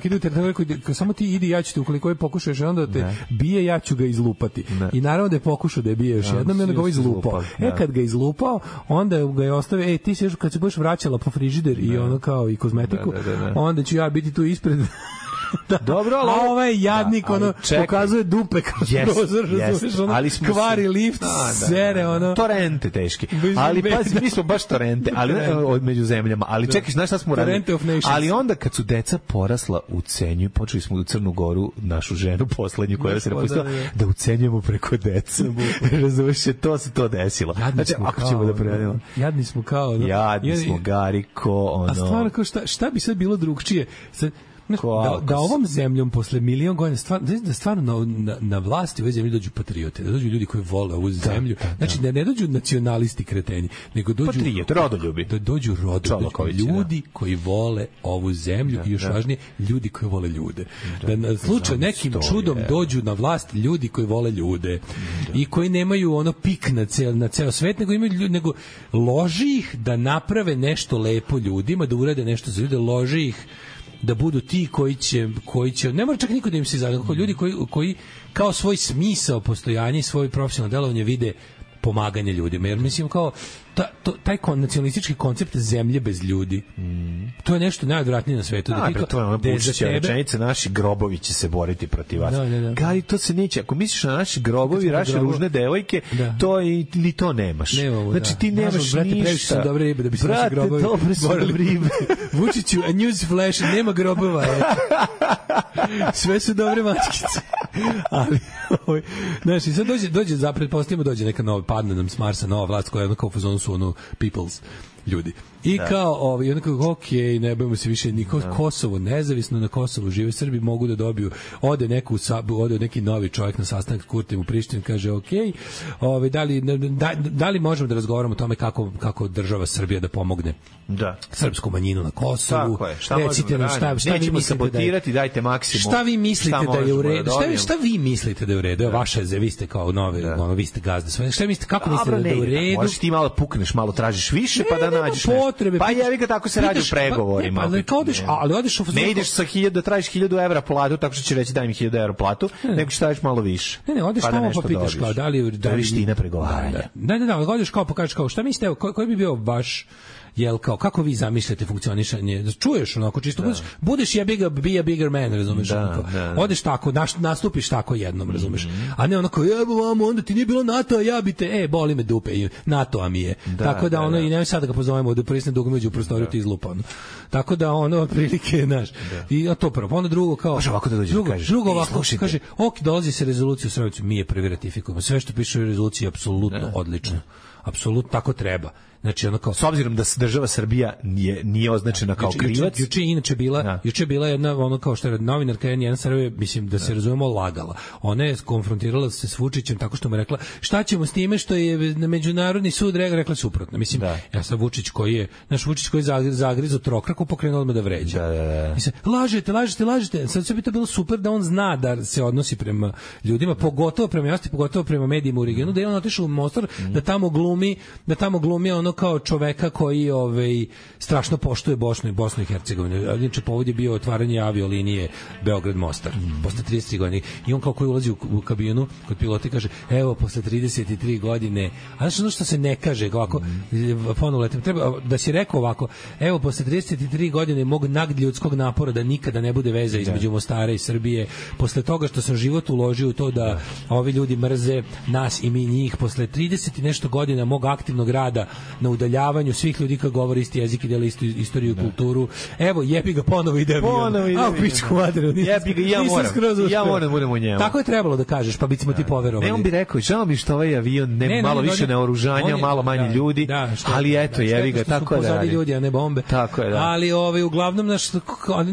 S6: koji ide, samo ti idi, ja ću te, ukoliko je pokušaš onda da te ne. bije, ja ću ga izlupati. Ne. I naravno da je pokušao da je bije još jednom i onda ga ovo izlupao. E, kad ga izlupao, onda ga je ostavio, ej, ti se još kad se budeš vraćala po frižider i ono kao i kozmetiku, da, da, da, da. onda ću ja biti tu ispred. Da.
S7: Dobro, ali
S6: a ovaj jadnik da, ono čekaj. pokazuje dupe kroz
S7: yes,
S6: prozor, razumiješ, ono
S7: ali smo
S6: kvari
S7: se...
S6: lift,
S7: da, da,
S6: sere,
S7: da,
S6: ono.
S7: Torrente teški. Ali pazi, mi smo baš torrente, ali od među zemljama. Ali čekaj, znaš šta smo radili? Ali onda kad su deca porasla u cenju, počeli smo u Crnu Goru, našu ženu poslednju koja se napustila, da, da ucenjujemo preko deca. Razumiješ, to se to desilo. Znači, ako ćemo da prevedemo.
S6: Jadni smo kao.
S7: Jadni smo, Gariko, ono.
S6: A stvarno, šta, šta bi sad bilo drugčije? Sad, Da, da ovom zemljom posle milion godina stvarno, da stvarno na, na, na vlasti u ovoj zemlji dođu patriote, da dođu ljudi koji vole ovu zemlju. Da, da, znači da ne dođu nacionalisti kreteni, nego dođu
S7: patriote, rodoljubi.
S6: Da dođu rodoljubi, ljudi da. koji vole ovu zemlju da, i još da. važnije, ljudi koji vole ljude. Da, da na slučaj nekim stoje. čudom dođu na vlast ljudi koji vole ljude da. i koji nemaju ono pik na cel na ceo svet, nego imaju ljudi, nego loži ih da naprave nešto lepo ljudima, da urade nešto za ljude, loži ih da budu ti koji će, koji će ne mora čak niko da im se zagleda, ljudi koji, koji kao svoj smisao postojanja i svoj profesionalno delovanje vide pomaganje ljudima, jer mislim kao ta, to, taj kon, nacionalistički koncept zemlje bez ljudi mm. to je nešto najodvratnije na svetu.
S7: Da, da to je ono pušića rečenica, naši grobovi će se boriti protiv vas. Da, da, da. Gari, to se neće, ako misliš na naši grobovi, naše grobo... ružne devojke, da. to i, ili to nemaš. Nemamo, znači ti nemaš Nažal, brate, ništa. Previše su dobre ribe da bi se naši grobovi dobre su dobre ribe. Vučiću, a news flash, nema grobova. Sve su dobre mačkice. Ali, ovaj, znači, sad dođe, dođe, za pretpostavimo, dođe neka nova, padne nam s Marsa nova vlast koja je kao u fazonu su ono peoples ljudi. I da. kao, ovaj, onako, ok, ne bojimo se više niko, da. Kosovo, nezavisno na Kosovu, žive Srbi, mogu da dobiju, ode neku, ode neki novi čovjek na sastanak s Kurtijem u Prištini, kaže, ok, ovaj, da, li, da, da li možemo da razgovaramo o tome kako, kako država Srbija da pomogne da. srpsku manjinu na Kosovu. Tako je, šta
S6: recite nam šta, šta vi mislite da je,
S7: dajte maksimum.
S6: Šta vi mislite šta da je u redu? Šta, šta vi mislite da je u redu? Da. Vaša je, vi ste kao nove, da. ono, vi ste gazde svoje. Šta mislite, kako mislite da je u redu?
S7: Možeš ti malo pukneš, malo tražiš više, pa da nađeš
S6: potrebe.
S7: Pa jevi ga, tako se radi u pregovorima.
S6: Pa, ne, pa, odeš, ali odeš u
S7: ne ideš sa hiljadu da tražiš hiljadu evra platu, tako što će reći daj mi hiljadu evra platu, ne, nego što tražiš malo više.
S6: Ne, ne, odeš pa tamo pa pitaš kao da li
S7: da li veština pregovaranja.
S6: Da, da, da, odeš kao pa kažeš kao šta mislite, koji bi bio vaš jel kao kako vi zamišljate funkcionisanje, čuješ onako čisto da. budeš, budeš jebi ga be a bigger man, razumeš, da, da. odeš tako, naš, nastupiš tako jednom, razumeš, mm-hmm. a ne onako jebo vamo, onda ti nije bilo NATO, a ja bi te, e, boli me dupe, i NATO-a mi je, da, tako da, da ono, da. i nemoj sad da ga pozovemo da prisne dugo među prostoriju da. ti izlupa, ono. Tako da ono, otprilike, znaš, da. i a to prvo, onda drugo kao,
S7: može ovako da dođe,
S6: drugo,
S7: kažeš,
S6: drugo ovako, kaže, ok, dolazi se rezolucija u Srebrenicu, mi je prvi ratifikujemo, sve što piše u rezoluciji je apsolutno da. odlično, apsolutno tako treba. Znači ono kao
S7: s obzirom da država Srbija nije nije označena kao
S6: juče,
S7: krivac.
S6: Juče inače bila, ja. juče bila jedna ono kao što je novinarka N jedan Srbije, mislim da se ja. razumemo, lagala. Ona je konfrontirala se s Vučićem tako što mu je rekla šta ćemo s time što je na međunarodni sud rekla suprotno. Mislim da. ja sam Vučić koji je naš Vučić koji je zagrizao trokraku, pokrenuo odmah da vređa.
S7: Da, da, da.
S6: Mislim, lažete, lažete, lažete. Sad sve bi to bilo super da on zna da se odnosi prema ljudima, pogotovo prema javnosti, pogotovo prema medijima u regionu, da je on otišao u Mostar, mm. da tamo glumi, da tamo glumi ono kao čoveka koji ovaj strašno poštuje Bosnu i Bosnu i Hercegovinu. Inače povod je bio otvaranje aviolinije Beograd-Mostar mm. posle trideset tri godine. I on kao koji ulazi u, u kabinu kod pilota i kaže evo posle trideset tri godine, a znači ono što se ne kaže ovako mm. ponovo letem, treba da si rekao ovako evo posle trideset tri godine mog nadljudskog napora da nikada ne bude veza između Mostara i Srbije, posle toga što sam život uložio u to da, da. ovi ljudi mrze nas i mi njih, posle trideset i nešto godina mog aktivnog rada na udaljavanju svih ljudi koji govore isti jezik i dele istu istoriju i da. kulturu. Evo, jebi ga ponovo ide avion. Ponovo ide avion. A, pičku materiju.
S7: Jebi ga, ja moram. Ja moram, budem u njemu.
S6: Tako je trebalo da kažeš, pa bismo ti poverovali.
S7: Ne, on bi rekao, žao mi što ovaj avion nema ne, malo ne, više naoružanja, malo manje da, ljudi, da, što, ali eto, da, jebi ga, tako je da radi.
S6: ljudi, a ne bombe.
S7: Tako je, da.
S6: Ali ovaj, uglavnom, naš,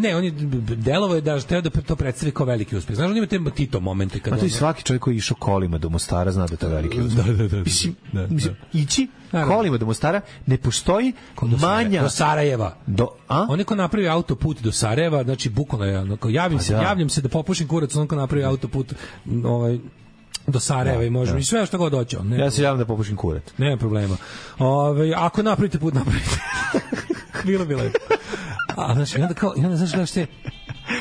S6: ne, on je delovo je da treba da to predstavi kao veliki uspeh. Znaš, on ima te Tito momente.
S7: A to i svaki čovjek koji je išao kolima do Mostara zna da to je veliki uspeh.
S6: Da, da, da.
S7: Mislim, ići kolima do Mostara ne postoji manja
S6: do Sarajeva.
S7: Do, a?
S6: On je ko napravi autoput do Sarajeva, znači bukvalno je, ono, javim se, da. javljam se da popušim kurac, on ko napravi autoput ovaj do Sarajeva da, i možemo da. i sve što god hoće. Ne,
S7: ja se javim da popušim kurac.
S6: Nema problema. Ovaj ako napravite put, napravite. bilo bilo. A znači onda kao, onda znaš da ste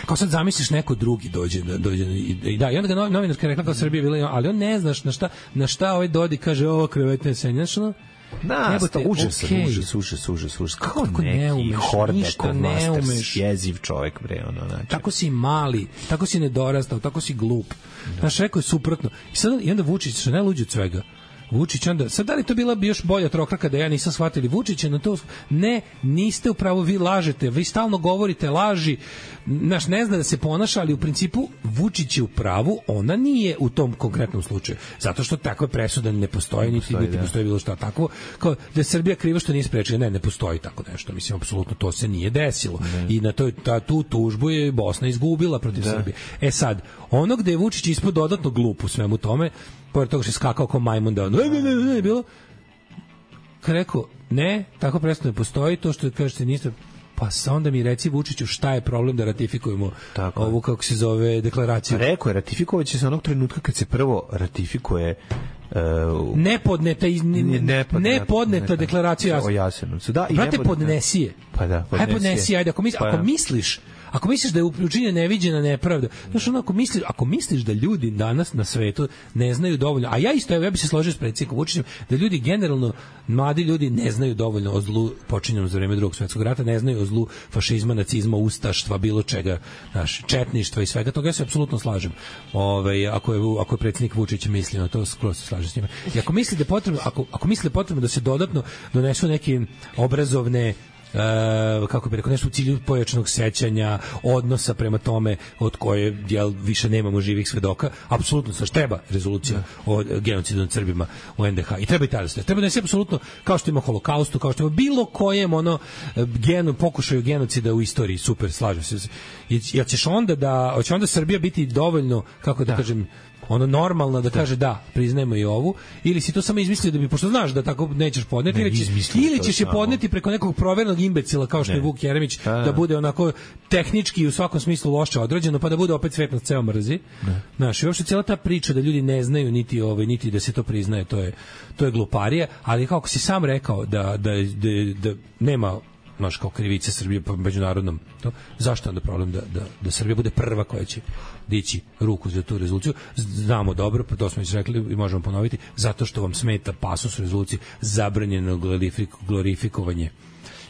S6: kao sad zamisliš neko drugi dođe da dođe i da i onda ga novinarka rekla kao Srbija bila, ali on ne znaš na šta na šta ovaj Dodi kaže ovo krevetne se, znači no
S7: Na, to užas, okay. užas, užas, užas, užas. Kako, kako neki ne umeš, Hordekov master, jeziv čovjek, bre, ono, znači.
S6: Tako si mali, tako si nedorastao, tako si glup. Da. Znaš, rekao je suprotno. I, sad, i onda Vučić, što ne luđe od svega, Vučić onda, sad da li to bila bi još bolja trokraka da ja nisam shvatili Vučića na to, ne, niste u pravu, vi lažete, vi stalno govorite laži, naš ne zna da se ponaša, ali u principu Vučić je u pravu, ona nije u tom konkretnom slučaju, zato što takva presuda ne postoji, niti postoji, niti postoji bilo šta tako, kao da je Srbija kriva što nije sprečila, ne, ne postoji tako nešto, mislim, apsolutno to se nije desilo ne. I na toj, ta, tu tužbu je Bosna izgubila protiv da. Srbije. E sad, ono gde je Vučić ispod dodatno glup u svemu tome, pored toga što je skakao kao majmun da ono, ne, ne, ne, ne, bilo, kad rekao, ne, tako presto ne postoji, to što kažete niste, pa onda mi reci Vučiću šta je problem da ratifikujemo tako ovu, kako se zove, deklaraciju.
S7: Rekao je, ratifikovat će se onog trenutka kad se prvo ratifikuje
S6: Uh, nepodneta iz, ne, nepodneta, nepodneta deklaracija
S7: o Jasenovcu. Da, i
S6: brate, podnesije.
S7: Pa da, podnesije.
S6: Hajde podnesi, ajde, ako, misli, pa, ako misliš ako misliš da je učinjena neviđena nepravda, znaš, ono, ako misliš, ako misliš da ljudi danas na svetu ne znaju dovoljno, a ja isto, ja bih se složio s predsjednikom Vučićem, da ljudi generalno, mladi ljudi ne znaju dovoljno o zlu počinjenom za vreme Drugog svjetskog rata, ne znaju o zlu fašizma, nacizma, ustaštva, bilo čega, znaš, četništva i svega toga, ja se apsolutno slažem. Ove, ako je, ako je predsjednik Vučić mislio na to, skroz se slažem s njima. I ako misli da je potrebno, ako, ako misli da je potrebno da se dodatno donesu neke obrazovne Uh, kako bi rekao, nešto u cilju pojačanog sećanja, odnosa prema tome od koje jel, više nemamo živih svedoka, apsolutno sa treba rezolucija yeah. o genocidu nad Srbima u en de ha i treba i tada se treba da se apsolutno, kao što ima holokaustu, kao što ima bilo kojem ono genu, pokušaju genocida u istoriji, super, slažem se. Jel ćeš onda da, hoće onda Srbija biti dovoljno, kako da, da. kažem, ono normalno da kaže da, priznajemo i ovu, ili si to samo izmislio da bi, pošto znaš da tako nećeš podneti, ne, ili ćeš, ili ćeš je podneti preko nekog provernog imbecila kao što ne. je Vuk Jeremić, a, da bude onako tehnički u svakom smislu loše odrađeno, pa da bude opet svet nas ceo mrzi. Znaš, i uopšte cijela ta priča da ljudi ne znaju niti ovaj, niti da se to priznaje, to je, to je gluparija, ali kako si sam rekao da, da, da, da nema naš kao krivice Srbije po međunarodnom, to, zašto onda problem da, da, da Srbija bude prva koja će dići ruku za tu rezoluciju? Znamo dobro, pa to smo već rekli i možemo ponoviti, zato što vam smeta pasus rezolucije zabranjeno glorifikovanje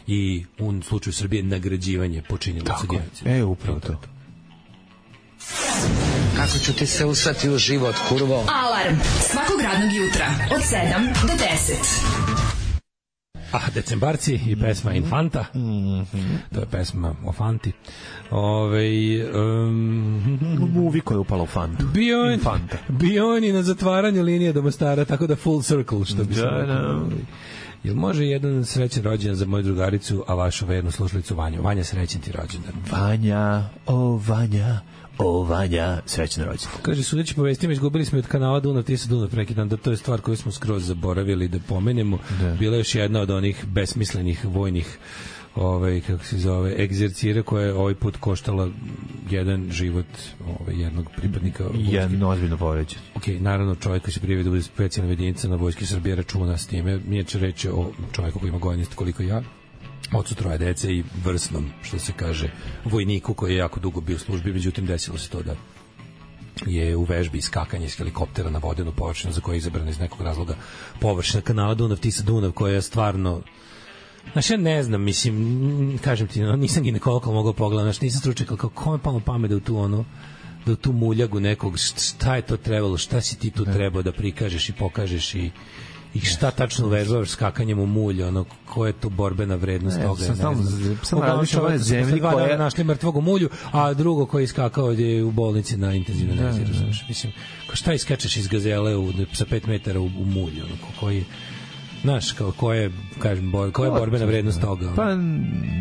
S6: i u slučaju Srbije nagrađivanje počinilaca genocida.
S7: E, upravo to.
S11: Kako ću ti se usrati u život, kurvo?
S4: Alarm svakog radnog jutra od sedam do deset.
S6: Ah, Decembarci i pesma Infanta. Mm-hmm. To je pesma o Fanti. Ove, um,
S7: Uviko je upala u Fantu.
S6: Bio on, bio on i na zatvaranju linije do Mostara, tako da full circle, što bi se rekao. Jel može jedan srećan rođendan za moju drugaricu, a vašu vernu slušalicu Vanju? Vanja, srećan ti rođendan.
S7: Vanja, o Vanja, o Vanja, srećan rođendan.
S6: Kaže, sudeći po vestima, izgubili smo od kanala Dunav Tisa Dunav preki dan, da to je stvar koju smo skroz zaboravili da pomenemo. Da. Bila je još jedna od onih besmislenih vojnih ovaj, kako se zove, egzercira koja je ovaj put koštala jedan život ovaj, jednog pripadnika vojske.
S7: Jedno ozbiljno povređen.
S6: Ok, naravno čovjek koji se prijavi da bude specijalna jedinica na Vojski Srbije računa s time. Nije će reći o čovjeku koji ima godinist koliko ja, ocu troje dece i vrsnom, što se kaže, vojniku koji je jako dugo bio u službi, međutim desilo se to da je u vežbi iskakanje iz helikoptera na vodenu površinu za koje je izabrana iz nekog razloga površina kanala Dunav Tisa Dunav, koja je stvarno, znaš, ja ne znam, mislim, kažem ti, nisam ginekolog, ali mogu pogledati, znaš, nisam stručnjak, kako kome palo pamet da u tu ono, da u tu muljagu nekog, šta je to trebalo, šta si ti tu trebao da prikažeš i pokažeš i i šta tačno vežbavaš skakanjem u mulj, ono, koja je to borbena vrednost toga, ne znam.
S7: Samo različno ove zemlji koja je
S6: našli mrtvog u mulju, a drugo koji je skakao je u bolnici na intenzivnoj nezi, razumiješ, mislim, šta iskačeš iz gazele u, sa pet metara u, u mulju, ono, koji znaš, kao ko je, kažem, bor, koja je borbena vrednost toga?
S7: Pa,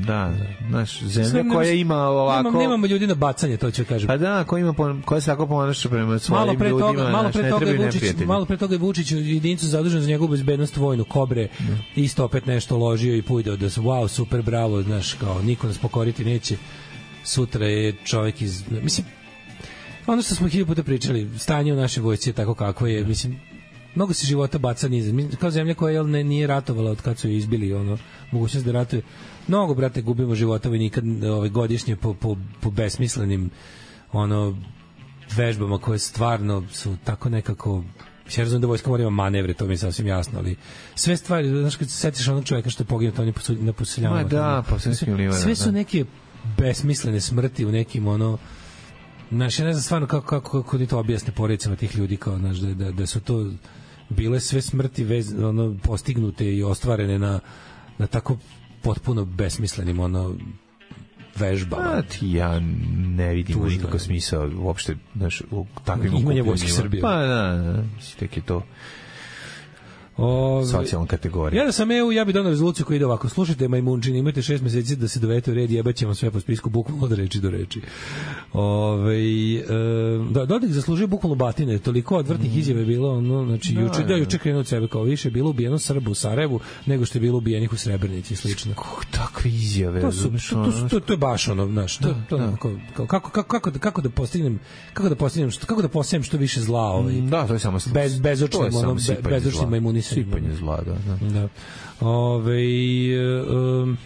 S7: da, znaš, zemlja koja ima ovako...
S6: Nemamo, nemamo ljudi na bacanje, to ću kažem.
S7: Pa da, koja ima, koja se tako ponaša prema svojim
S6: malo pre
S7: ljudima,
S6: toga, malo
S7: znaš,
S6: pre
S7: ne
S6: toga
S7: trebaju
S6: Vučić,
S7: neprijatelji.
S6: malo pre toga je Vučić jedinicu zadužen za njegovu bezbednost vojnu, Kobre, ne. Isto opet nešto ložio i pujdeo da su, wow, super, bravo, znaš, kao, niko nas pokoriti neće. Sutra je čovjek iz... Mislim, ono što smo hiljadu puta pričali, stanje u našoj vojsci je tako kako je, mislim, mnogo se života baca niz. Kao zemlja koja jel, ne, nije ratovala od kad su je izbili ono, mogućnost da ratuje. Mnogo, brate, gubimo života vojnika ovaj, godišnje po, po, po besmislenim ono, vežbama koje stvarno su tako nekako... Ja razumem da vojska mora ima manevre, to mi je sasvim jasno, ali sve stvari, znaš, kad se setiš onog čovjeka što je poginuo, to on je na poseljavanju.
S7: Ma da, pa sve,
S6: sve su neke besmislene smrti u nekim ono... Znaš, ja ne znam stvarno kako, kako, kako ni to objasne porodicama tih ljudi, kao, znaš, da, da, da su to bile sve smrti vez, ono, postignute i ostvarene na, na tako potpuno besmislenim ono vežbama.
S7: A ti ja ne vidim nikakav smisao uopšte, znaš, u takvim
S6: imanje vojske Srbije.
S7: Pa da, da, tek je to
S6: Ove,
S7: socijalna kategorija.
S6: Ja da sam E U, ja bih donao rezoluciju koja ide ovako. Slušajte, majmunčini, imate šest meseci da se dovedete u red, jebaćemo sve po spisku, bukvalno od reči do reči. Ove, e, da, Dodik zaslužio bukvalno batine, toliko odvrtnih mm. izjave je bilo, ono, znači, juče, da, juče krenuo od sebe kao više, bilo ubijeno Srbu u Sarajevu, nego što je bilo ubijenih u Srebrenici i slično.
S7: Kako takve izjave?
S6: To, su, to, to, to, to je baš ono, znaš, to, to, da, kako, kako, kako, kako, da, kako da postignem, kako da postignem, što, kako da postignem što više zla, ovaj,
S7: da, to je samo
S6: bez, bezočnim, ono, bezočnim majmuni
S7: sipanje zla, da. da.
S6: da. Ove, um,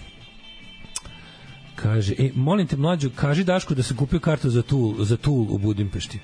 S6: kaže, e, molim te mlađu, kaži Dašku da se kupio kartu za Tool, za Tool u Budimpešti.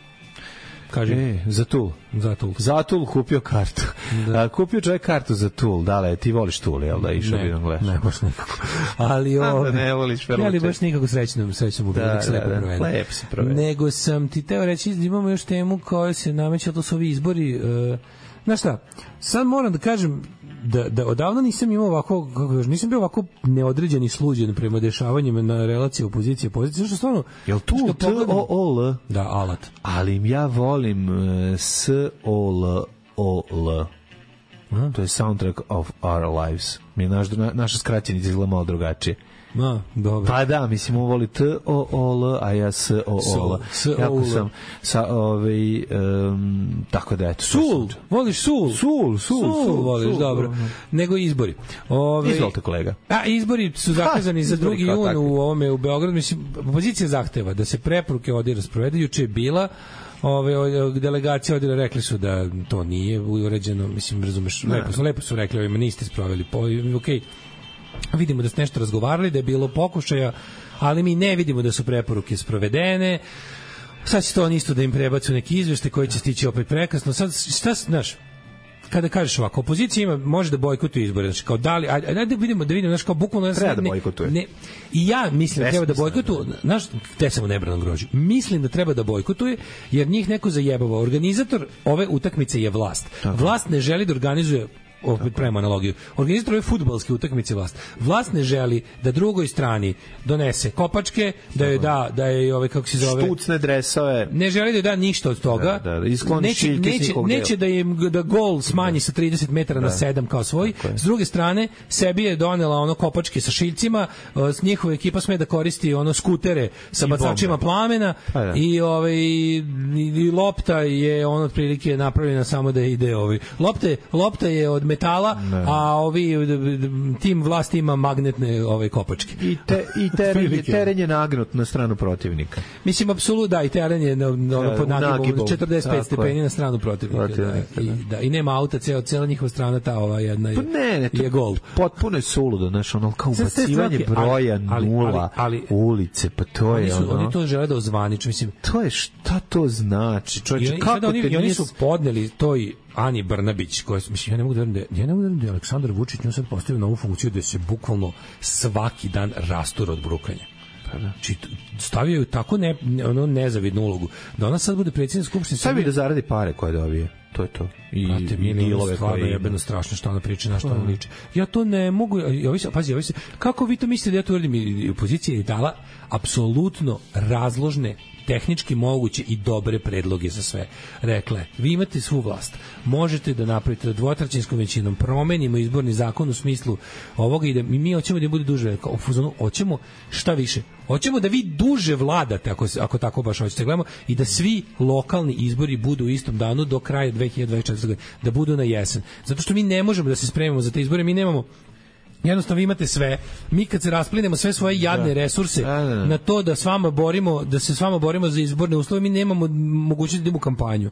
S6: Kaže,
S7: e, za Tool.
S6: Za Tool.
S7: Za Tool kupio kartu. Da. A, kupio čovjek kartu za Tool. Da li, ti voliš Tool, jel da? Išao bi da gledaš.
S6: Ne, baš nikako. Ali ove,
S7: da ne voliš
S6: ja li baš nikako srećno, srećno mu bilo, da, da,
S7: da, da. Lepo si proveden.
S6: Nego sam ti teo reći, imamo još temu koja se nameće, to su ovi izbori. Uh, znaš šta, sad moram da kažem da, da odavno nisam imao ovako, kako još, nisam bio ovako neodređen i sluđen prema dešavanjima na relaciji opozicije pozicije, što stvarno...
S7: Jel tu T O O L?
S6: Da, alat.
S7: Ali ja volim uh, S O L O L. To je Soundtrack of Our Lives. Mi je naš, na, naša skraćenica izgleda malo drugačije.
S6: Ma, dobro.
S7: Pa da, mislim, on voli T O O L, a ja S O O L. Jako sam sa ovaj um, tako da eto.
S6: Sul, voliš sul?
S7: Sul, sul, sul,
S6: sul voliš, sul, dobro. Sul. Nego izbori. Ove,
S7: Izvolite, kolega.
S6: A izbori su zakazani za drugi jun u ovome u Beogradu, mislim, opozicija zahteva da se preporuke ovdje rasprovedu. Juče je bila ove delegacije ovdje rekli su da to nije uređeno, mislim, razumeš, lepo su, lepo su rekli, ovima niste sproveli, po, okej. Vidimo da ste nešto razgovarali, da je bilo pokušaja, ali mi ne vidimo da su preporuke sprovedene. Sad će to on isto da im prebacu neki izveštaj koji će stići opet prekasno. Sad, šta, znaš, kada kažeš ovako, opozicija ima, može da bojkotuje izbore, znači kao da li, ajde da vidimo, da vidimo, znaš, kao bukvalno...
S7: Treba da bojkotuje.
S6: Ne, i ja mislim da treba da bojkotuje, znaš, te samo nebranom grožu. Mislim da treba da bojkotuje, jer njih neko zajebava. Organizator ove utakmice je vlast. Vlast ne želi da organizuje opet prema analogiju. Organizator ove fudbalske utakmice vlast. Vlast ne želi da drugoj strani donese kopačke, da joj da, da je ove, kako se zove...
S7: Štucne dresove.
S6: Ne želi da joj da ništa od toga.
S7: Da, da, iskloni
S6: neće, neće, neće da im da gol smanji sa trideset metara da. na sedam kao svoj. S druge strane, sebi je donela ono kopačke sa šiljcima, s njihova ekipa sme da koristi ono skutere sa bacačima plamena da. i ovaj i, i lopta je ono otprilike napravljena samo da ide ovaj. Lopte, lopta je od metala, ne. a ovi tim vlasti ima magnetne ove kopačke.
S7: I, te, i teren, je, teren je nagnut na stranu protivnika.
S6: Mislim, apsolutno, da, i teren je na, na, pod nagibom četrdeset pet stepeni na stranu protivnika. protivnika da, i, da, I nema auta, ceo, cela njihova strana, ta ova jedna je, pa ne, ne, je gol.
S7: Potpuno je suludo, znaš, ono, kao ubacivanje broja ali, nula ali, ali, ulice, pa to je
S6: oni su,
S7: ono...
S6: Oni to žele da ozvaniču, mislim...
S7: To je, šta to znači? Čovječe,
S6: I,
S7: kako te
S6: oni,
S7: nije...
S6: oni su podneli toj Ani Brnabić, koja, mislim, ja ne mogu da verujem da, ja ne mogu da verujem da je Aleksandar Vučić nju sad postavio novu funkciju da se bukvalno svaki dan rastura od brukanja. Znači, stavio ju tako ne, ono nezavidnu ulogu, da ona sad bude predsjednik Skupštine.
S7: Stavi da zaradi pare koje dobije. To je to.
S6: I, Brate, i dilove koje jebeno strašno što ona priča, na što ona liči. Ja to ne mogu, ja, pazi, ja, kako vi to mislite da ja to uradim? I opozicija je dala apsolutno razložne, tehnički moguće i dobre predloge za sve. Rekle, vi imate svu vlast, možete da napravite dvotrećinskom većinom, promenimo izborni zakon u smislu ovoga i da mi, mi hoćemo da bude duže, u fuzonu, hoćemo šta više, hoćemo da vi duže vladate, ako, ako tako baš hoćete, gledamo, i da svi lokalni izbori budu u istom danu do kraja dve hiljade dvadeset četvrte. godine, da budu na jesen. Zato što mi ne možemo da se spremimo za te izbore, mi nemamo jednostavno vi imate sve. Mi kad se rasplinemo sve svoje jadne da. resurse da, da, da. na to da s vama borimo, da se s vama borimo za izborne uslove, mi nemamo mogućnosti da idemo u kampanju.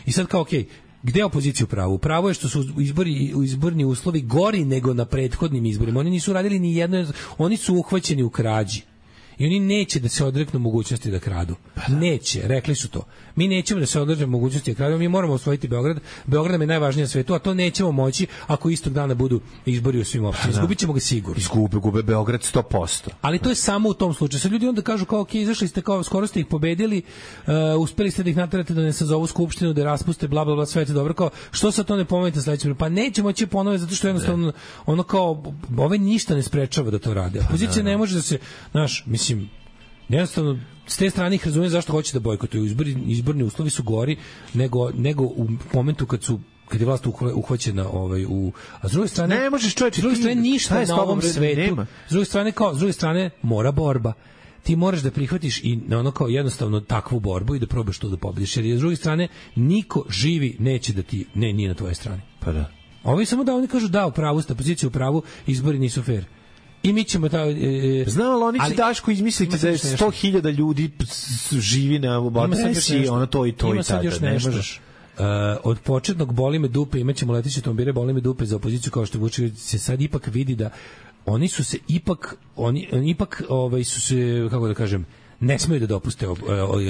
S6: I sad kao, okej, okay, gde je opozicija u pravu? Pravo je što su izbori, izborni uslovi gori nego na prethodnim izborima. Oni nisu radili ni jedno, oni su uhvaćeni u krađi. I oni neće da se odreknu mogućnosti da kradu. Neće, rekli su to. Mi nećemo da se odreknu mogućnosti da kradu, mi moramo osvojiti Beograd. Beograd nam je najvažniji na svetu, a to nećemo moći ako istog dana budu izbori u svim opštinama. Izgubit ćemo ga sigurno.
S7: Izgube, gube Beograd sto posto.
S6: Ali to je samo u tom slučaju. Sad ljudi onda kažu kao, ok, izašli ste, kao, skoro ste ih pobedili, uh, uspeli ste da ih naterate da ne sazovu skupštinu, da je raspuste, bla, bla, bla, sve je dobro. Kao, što sad to ne pomenete sledeće? Pa neće moći ponove, zato što jednostavno, ono kao, ove ništa ne sprečava da to rade. Opozicija ne može da se, znaš, mislim, jednostavno, s te strane ih razumijem zašto hoće da bojkotuju. Izborni, izborni uslovi su gori nego, nego u momentu kad su kad je vlast uhvaćena ovaj u a s druge strane
S7: ne možeš čovječe,
S6: s druge strane ništa na ovom svetu nema. S druge strane kao s druge strane mora borba. Ti moraš da prihvatiš i na ono kao jednostavno takvu borbu i da probaš to da pobediš, jer s druge strane niko živi neće da ti ne nije na tvojoj strani.
S7: Pa da.
S6: Ovi samo da oni kažu da u pravu ste, opozicija u pravu, izbori nisu fair. I mi ćemo ta e,
S7: znam, ali oni će Daško izmisliti da je sto hiljada ljudi živi na adresi, ono to i to i tada. Ne možeš.
S6: Uh, od početnog boli me dupe, imaćemo leteće automobile, boli me dupe za opoziciju, kao što Vučić se sad ipak vidi da oni su se ipak oni, oni ipak ovaj su se, kako da kažem, ne smeju da dopuste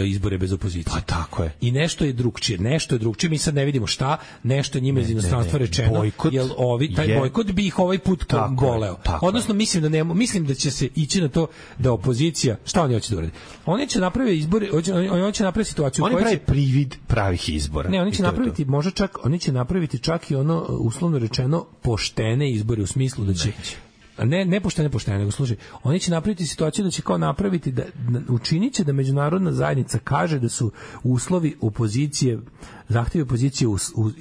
S6: izbore bez opozicije.
S7: Pa tako je.
S6: I nešto je drugčije, nešto je drugčije, mi sad ne vidimo šta, nešto je njima iz inostranstva rečeno,
S7: bojkot
S6: jel ovi, taj je, bojkot bi ih ovaj put boleo. Odnosno, mislim da ne, mislim da će se ići na to da opozicija, šta oni hoće da urade? Oni će napraviti izbore, oni, oni će napraviti situaciju
S7: oni pravi privid pravih izbora.
S6: Ne, oni će napraviti, može čak, oni će napraviti čak i ono, uslovno rečeno, poštene izbore u smislu da će ne ne poštene poštene nego služi. Oni će napraviti situaciju da će kao napraviti da učinit će da međunarodna zajednica kaže da su uslovi opozicije, zahtevi opozicije us, u,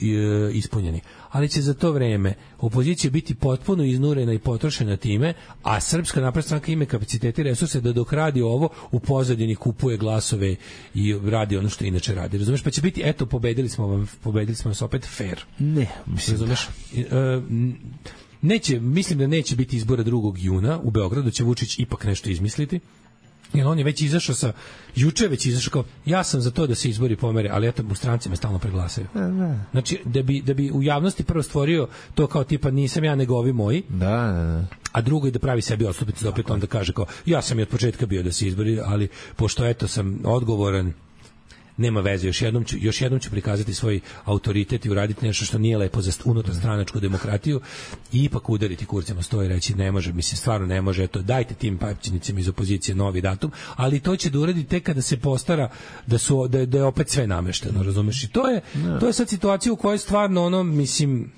S6: ispunjeni. Ali će za to vreme opozicija biti potpuno iznurena i potrošena time, a Srpska napredna stranka ima kapacitete i resurse da dok radi ovo u pozadini kupuje glasove i radi ono što inače radi. Razumeš? Pa će biti eto pobedili smo vam, pobedili smo vas opet fair.
S7: Ne, mislim.
S6: Razumeš? Da. Neće, mislim da neće biti izbora drugog juna u Beogradu, će Vučić ipak nešto izmisliti. Jer on je već izašao sa, juče već izašao kao, ja sam za to da se izbori pomere, ali eto, u stranci me stalno preglasaju. Znači, da bi, da bi u javnosti prvo stvorio to kao tipa nisam ja nego ovi moji,
S7: da, da, da.
S6: A drugo je da pravi sebi odstupnicu, da opet onda kaže kao, ja sam i od početka bio da se izbori, ali pošto eto sam odgovoran, nema veze, još jednom ću, još jednom ću prikazati svoj autoritet i uraditi nešto što nije lepo za unutar stranačku demokratiju i ipak udariti kurcima sto i reći ne može, mislim stvarno ne može, eto dajte tim papčinicima iz opozicije novi datum, ali to će da uradi tek kada se postara da su da je, da je opet sve namešteno, razumeš? I to je to je sad situacija u kojoj stvarno ono, mislim,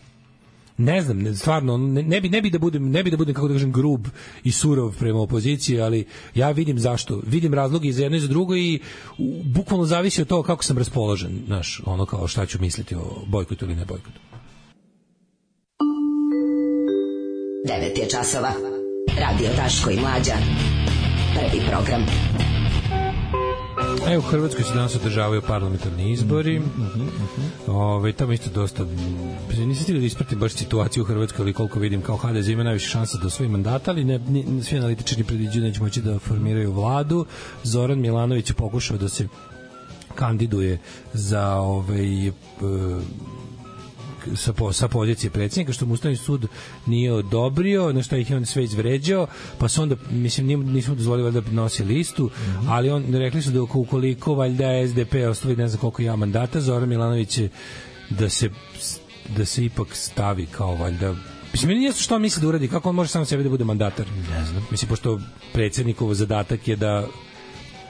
S6: ne znam, ne, stvarno ne, ne bi ne bi da budem ne bi da budem kako da kažem grub i surov prema opoziciji, ali ja vidim zašto, vidim razloge i za jedno i za drugo i u, bukvalno zavisi od toga kako sam raspoložen, znaš, ono kao šta ću misliti o bojkotu ili ne bojkotu.
S12: devet je časova. Radio Daško i Mlađa. Prvi program.
S6: Evo, u Hrvatskoj se danas održavaju parlamentarni izbori.
S7: Mm-hmm, mm-hmm.
S6: Ove, tamo isto dosta... Nisam stigao da ispratim baš situaciju u Hrvatskoj, ali koliko vidim kao ha de ze ima najviše šansa da osvoji mandata, ali ne, ne, svi analitičari predviđaju da će moći da formiraju vladu. Zoran Milanović je pokušao da se kandiduje za ovaj... sa, po, sa pozicije predsjednika, što mu Ustavni sud nije odobrio, na što ih je on sve izvređao, pa su onda, mislim, nismo dozvolili da nosi listu, mm-hmm. ali on, rekli su da ukoliko valjda es de pe ostavi ne znam koliko ja mandata, Zoran Milanović je da se, da se ipak stavi kao valjda, mislim, meni nijesto što on misli da uradi, kako on može sam sebi da bude mandatar,
S7: ne znam,
S6: mislim, pošto predsjednikov zadatak je da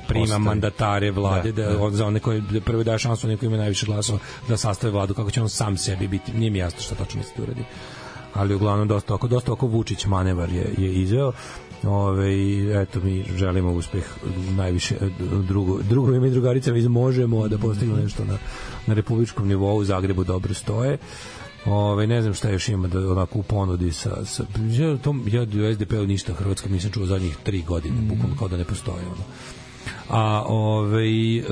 S6: prima Ostavi. mandatare vlade, da, da on za one koji da prvo daje šansu onima koji imaju najviše glasova da sastave vladu, kako će on sam sebi biti, nije mi jasno šta tačno misli da uradi. Ali uglavnom dosta oko, dosta oko Vučić manevar je, je izveo. Ove, eto, mi želimo uspeh najviše drugo, drugovima i drugaricama iz Možemo da postignu nešto na, na republičkom nivou. U Zagrebu dobro stoje. Ove, ne znam šta još ima da onako u ponudi sa, sa ja, tom, ja u es de pe-u ništa Hrvatska nisam čuo zadnjih tri godine, mm. bukvalno kao da ne postoje ono. A ovaj e,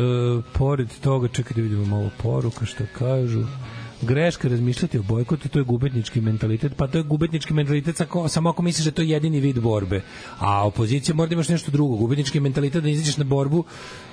S6: pored toga, čekaj da vidimo malo poruka što kažu. greška razmišljati o bojkotu, to je gubitnički mentalitet, pa to je gubitnički mentalitet samo, samo ako misliš da to je jedini vid borbe. A opozicija mora da imaš nešto drugo. Gubitnički mentalitet da izađeš na borbu,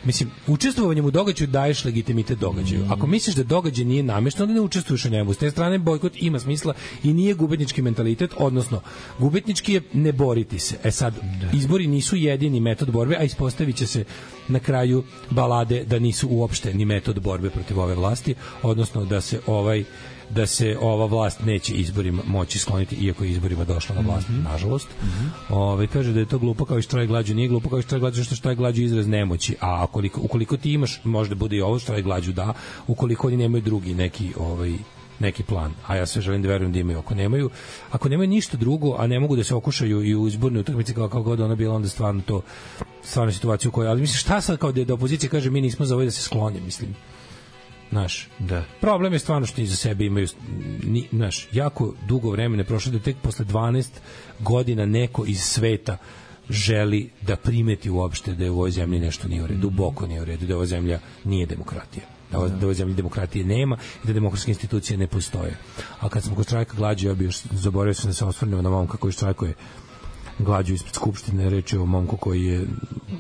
S6: mislim, učestvovanjem u događaju daješ legitimitet događaju. Ako misliš da događaj nije namešten, onda ne učestvuješ u njemu. S te strane bojkot ima smisla i nije gubitnički mentalitet, odnosno gubitnički je ne boriti se. E sad, izbori nisu jedini metod borbe, a ispostavit će se na kraju balade da nisu uopšte ni metod borbe protiv ove vlasti, odnosno da se ovaj da se ova vlast neće izborima moći skloniti, iako je izborima došla na vlast, mm -hmm. nažalost. Mm -hmm. Ove, kaže da je to glupo kao i štrajk glađu. Nije glupo kao i štrajk glađu, što štrajk glađu izraz nemoći, a ukoliko, ukoliko ti imaš, možda bude i ovo štrajk glađu, da, ukoliko oni nemaju drugi neki ovaj neki plan, a ja sve želim da verujem da imaju. Ako nemaju, ako nemaju ništa drugo, a ne mogu da se okušaju i u izbornoj utakmici kao, kao god ona bila, onda stvarno to stvarno situaciju u kojoj, ali mislim šta sad kao da, da opozicija kaže mi nismo za ovo da se sklone, mislim. Naš, da. Problem je stvarno što iza sebe imaju ni, naš, jako dugo vremena prošlo da tek posle dvanaest godina neko iz sveta želi da primeti uopšte da je u ovoj zemlji nešto nije u redu, duboko nije u redu, da ova zemlja nije demokratija. Da u ovoj zemlji demokratije nema i da demokratske institucije ne postoje. A kad smo kod štrajka glađu, ja bih još zaboravio sam da se osvrnemo na momka koji štrajkuje glađu ispred Skupštine, reč je o momku koji je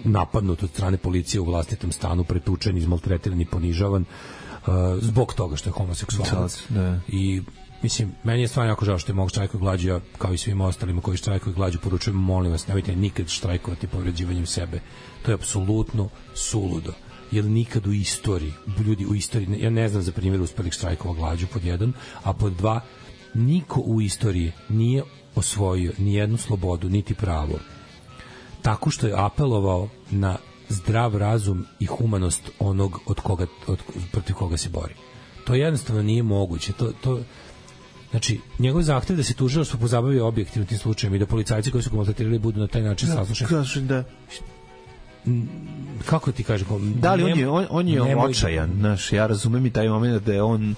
S6: napadnut od strane policije u vlastitom stanu, pretučen, izmaltretiran i ponižavan uh, zbog toga što je homoseksualac. Da. I mislim, meni je stvarno jako žao što je mog štrajkuje glađu, ja kao i svim ostalima koji štrajkuju glađu poručujem, molim vas, nemojte nikad štrajkovati povređivanjem sebe. To je apsolutno suludo. Jer nikad u istoriji, ljudi u istoriji, ja ne znam za primjer uspelih štrajkova glađu pod jedan, a pod dva, niko u istoriji nije osvojio ni jednu slobodu, niti pravo, tako što je apelovao na zdrav razum i humanost onog od koga, od, protiv koga se bori. To jednostavno nije moguće. To, to, znači, njegov zahtev da se tužilaštvo pozabavi objektivno tim slučajem i da policajci koji su ga maltretirali budu na taj način da, saslušani. Da, kako ti kažem,
S7: da li on je on, on je očajan, znaš, ja razumem i taj moment da je on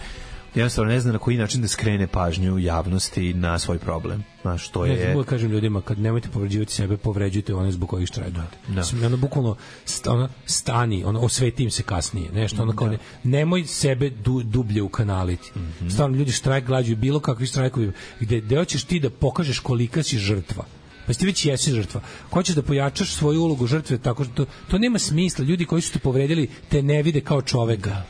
S7: jednostavno ne zna na koji način da skrene pažnju javnosti na svoj problem. Znaš, to je... Ne znam,
S6: kažem ljudima, kad nemojte povređivati sebe, povređujte one zbog kojih štrajkujete. Da. Ono, bukvalno, st, ono, stani, ono, osveti im se kasnije. Nešto, ono, kao, ne, nemoj sebe du, dublje ukanaliti. Mm -hmm. Stvarno, ljudi štrajk glađu, bilo kakvi štrajkovi, gde, gde hoćeš ti da pokažeš kolika si žrtva. Pa ti već jesi žrtva. Hoćeš da pojačaš svoju ulogu žrtve, tako što to, to nema smisla. Ljudi koji su te povredili te ne vide kao čoveka.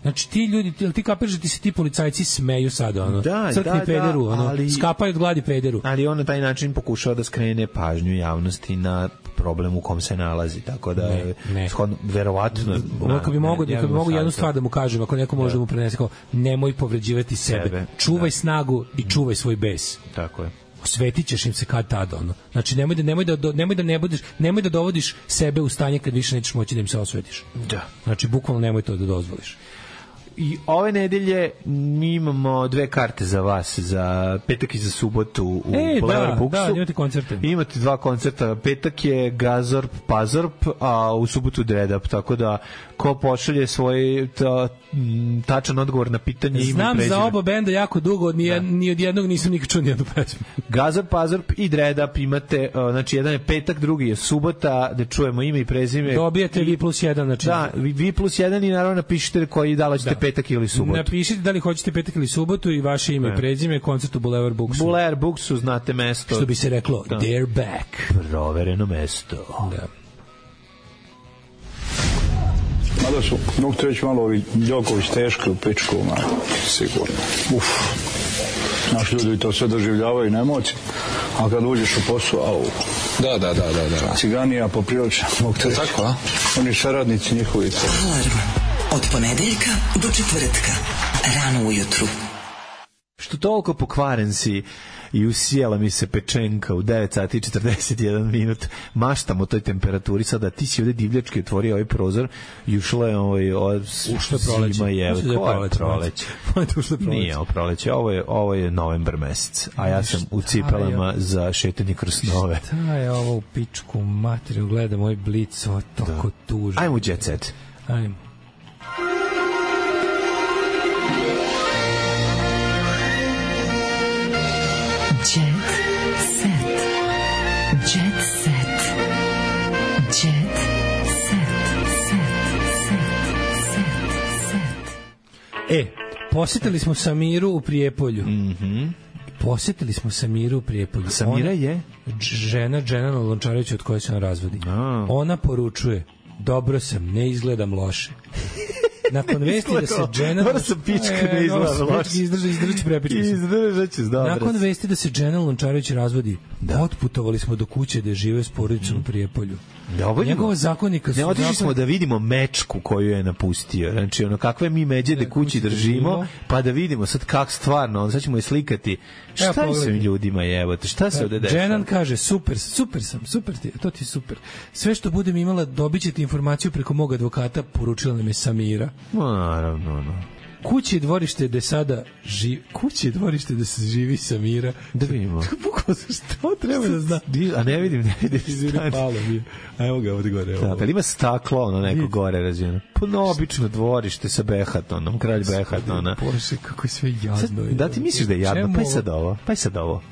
S6: Znači ti ljudi, ti, ti kapiraš da ti se ti policajci smeju sada, ono,
S7: da,
S6: crkni
S7: da,
S6: pederu,
S7: da,
S6: ono,
S7: ali,
S6: skapaju od gladi pederu.
S7: Ali on na taj način pokušava da skrene pažnju javnosti na problem u kom se nalazi, tako da ne, ne. Shodno, verovatno...
S6: No, kad bi mogu, kad bi mogu jednu stvar da mu kažem, ako neko može da mu prenese, kao, nemoj povređivati sebe, sebe. čuvaj da. snagu i čuvaj svoj bes.
S7: Tako je.
S6: Osvetit ćeš im se kad tada, ono. Znači, nemoj da, nemoj da, nemoj da ne budeš, nemoj da dovodiš sebe u stanje kad više nećeš moći da im se osvetiš.
S7: Da.
S6: Znači, bukvalno nemoj to da dozvoliš.
S7: I ove nedelje mi imamo dve karte za vas, za petak i za subotu u
S6: e,
S7: Boulevard Booksu.
S6: Da, imate koncerte.
S7: Imate dva koncerta. Petak je Gazorp, Pazorp, a u subotu Dredup, tako da ko pošalje svoj ta, tačan odgovor na pitanje ime i prezime.
S6: Znam za oba benda jako dugo, ni, jed, ni od jednog nisam nikad čuo nijednu pesmu.
S7: Gazorp, Pazorp i Dredup imate, znači jedan je petak, drugi je subota, da čujemo ime i prezime.
S6: Dobijete vi plus jedan, znači.
S7: Da, vi plus jedan i naravno napišite koji da li ćete petak ili subotu.
S6: Napišite da li hoćete petak ili subotu i vaše ime i prezime, koncert u Boulevard Booksu.
S7: Boulevard Booksu, znate mesto.
S6: Što bi se reklo, da. They're back.
S7: Provereno mesto.
S6: Da.
S13: Mada su, mogu te reći malo ovi Đoković teški u pičku, ma, sigurno. Uf. Naši ljudi to sve doživljavaju na emociji, a kad uđeš u posao, au.
S14: Da, da, da, da, da.
S13: Ciganija poprilično, mogu te reći.
S14: Tako, a?
S13: Oni saradnici njihovi.
S8: Alarm. Od ponedeljka do četvrtka. Rano ujutru.
S7: Što toliko pokvaren si i usijela mi se pečenka u devet sati i četrdeset jedan minut. Maštam o toj temperaturi. Sada ti si ovde divljački otvorio ovaj prozor i ušla je ovaj od
S6: ušlo je proleće.
S7: Je, ko je proleće? Nije ovo proleće. Ovo je, ovo je novembar mesec. A ja sam u cipelama za šetanje kroz snove.
S6: Šta je ovo u pičku materiju? Gledam ovaj blic, ovo toliko tužno.
S7: Ajmo u jet set.
S6: Ajmo. E, Posetili smo Samiru u Prijepolju.
S7: Mhm.
S6: Posetili smo Samiru u Prijepolju.
S7: Samira je?
S6: Žena Dženana Lončarevića od koje se on razvodi.
S7: A.
S6: Ona poručuje, dobro sam, ne izgledam loše. Nakon vesti da se Dženan...
S7: Dobro sam pička, ne izgledam loše.
S6: Izdrži, izdrži prepičku.
S7: Izdržat ću, dobro.
S6: Nakon vesti da se Dženan Lončarević razvodi, da. Otputovali smo do kuće da je žive s porodicom u Prijepolju.
S7: Da,
S6: njegova zakonika su...
S7: Ne, otišli smo da vidimo mečku koju je napustio. Znači, ono, kakve mi međede kući držimo, pa da vidimo sad kak stvarno, sad ćemo je slikati. Šta je s ovim ljudima jebote? Šta se ovde dešava?
S6: Dženan kaže, super, super sam, super ti, to ti je super. Sve što budem imala, dobit ćete informaciju preko mog advokata, poručila nam je Samira.
S7: Naravno, no.
S6: Kuće i dvorište da sada živi, kuće i dvorište da se živi Samira.
S7: Da vidimo.
S6: Bukvalno što treba da zna.
S7: A ne vidim, ne vidim.
S6: Palo mi. A evo ga ovde gore.
S7: Da, pa ima staklo, ono neko gore razvijeno. Pa no, obično dvorište sa Behatonom, kralj Behatona.
S6: Bože, kako je sve jadno.
S7: Da ti misliš da je jadno? Pa je sad ovo, pa je sad ovo.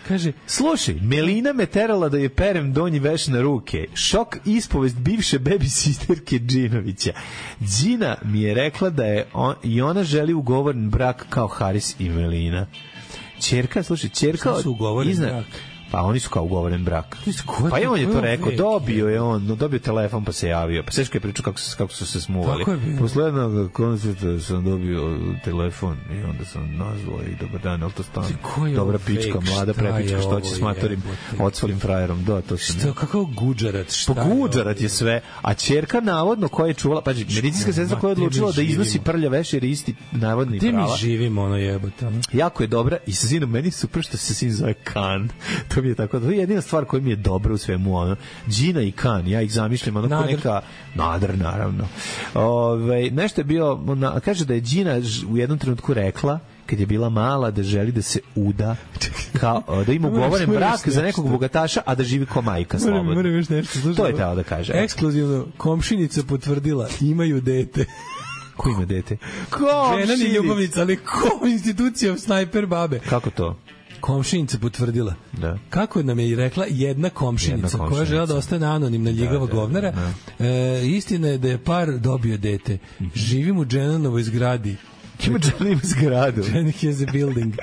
S6: Kaže,
S7: slušaj, Melina me terala da je perem donji veš na ruke. Šok ispovest bivše baby sisterke Džinovića. Džina mi je rekla da je on, i ona želi ugovoren brak kao Haris i Melina. Ćerka, slušaj, ćerka...
S6: Što su ugovoren
S7: izna,
S6: brak?
S7: Pa oni su kao ugovoren brak. Pa i on je to rekao, dobio je on, no, dobio telefon pa se javio. Pa seška je pričao kako, kako su se smuvali. Posle jednog koncerta sam dobio telefon i onda sam nazvao i dobar dan, ali to stano dobra pička, mlada prepička, što će s matorim odsvalim frajerom. Da, to sam.
S6: Što, kakav guđarat, šta
S7: je? Pa guđarat je sve, a ćerka navodno koja je čuvala, pa medicinska sestra koja je odlučila da iznosi prlja veš jer je isti navodni prava.
S6: Gde mi živimo, ono jebote.
S7: Jako je dobra i sa sinom, meni super što se sin zove Kan. To mi je tako, to je jedina stvar koja mi je dobra u svemu, ono, Džina i Kan, ja ih zamišljam, ono, ko neka, Nadr, naravno. Ove, nešto je bio, ona, kaže da je Džina u jednom trenutku rekla, kad je bila mala, da želi da se uda, kao, da ima ugovoren brak za nekog bogataša, a da živi ko majka slobodno.
S6: Moram još nešto, slušaj.
S7: To je teo da kaže.
S6: Ekskluzivno, komšinica potvrdila, imaju dete.
S7: Ko ima dete?
S6: Žena ni ljubavnica, ali ko institucija snajper babe.
S7: Kako to?
S6: Komšinica potvrdila.
S7: Da.
S6: Kako nam je i rekla jedna komšinica, jedna komšinica. koja žela da ostane anonimna ljigava da, govnara. Da, da. E, istina je da je par dobio dete. Mm-hmm. Živim u Dženanovoj zgradi.
S7: Ima Dženan ima zgradu.
S6: Dženan has a building.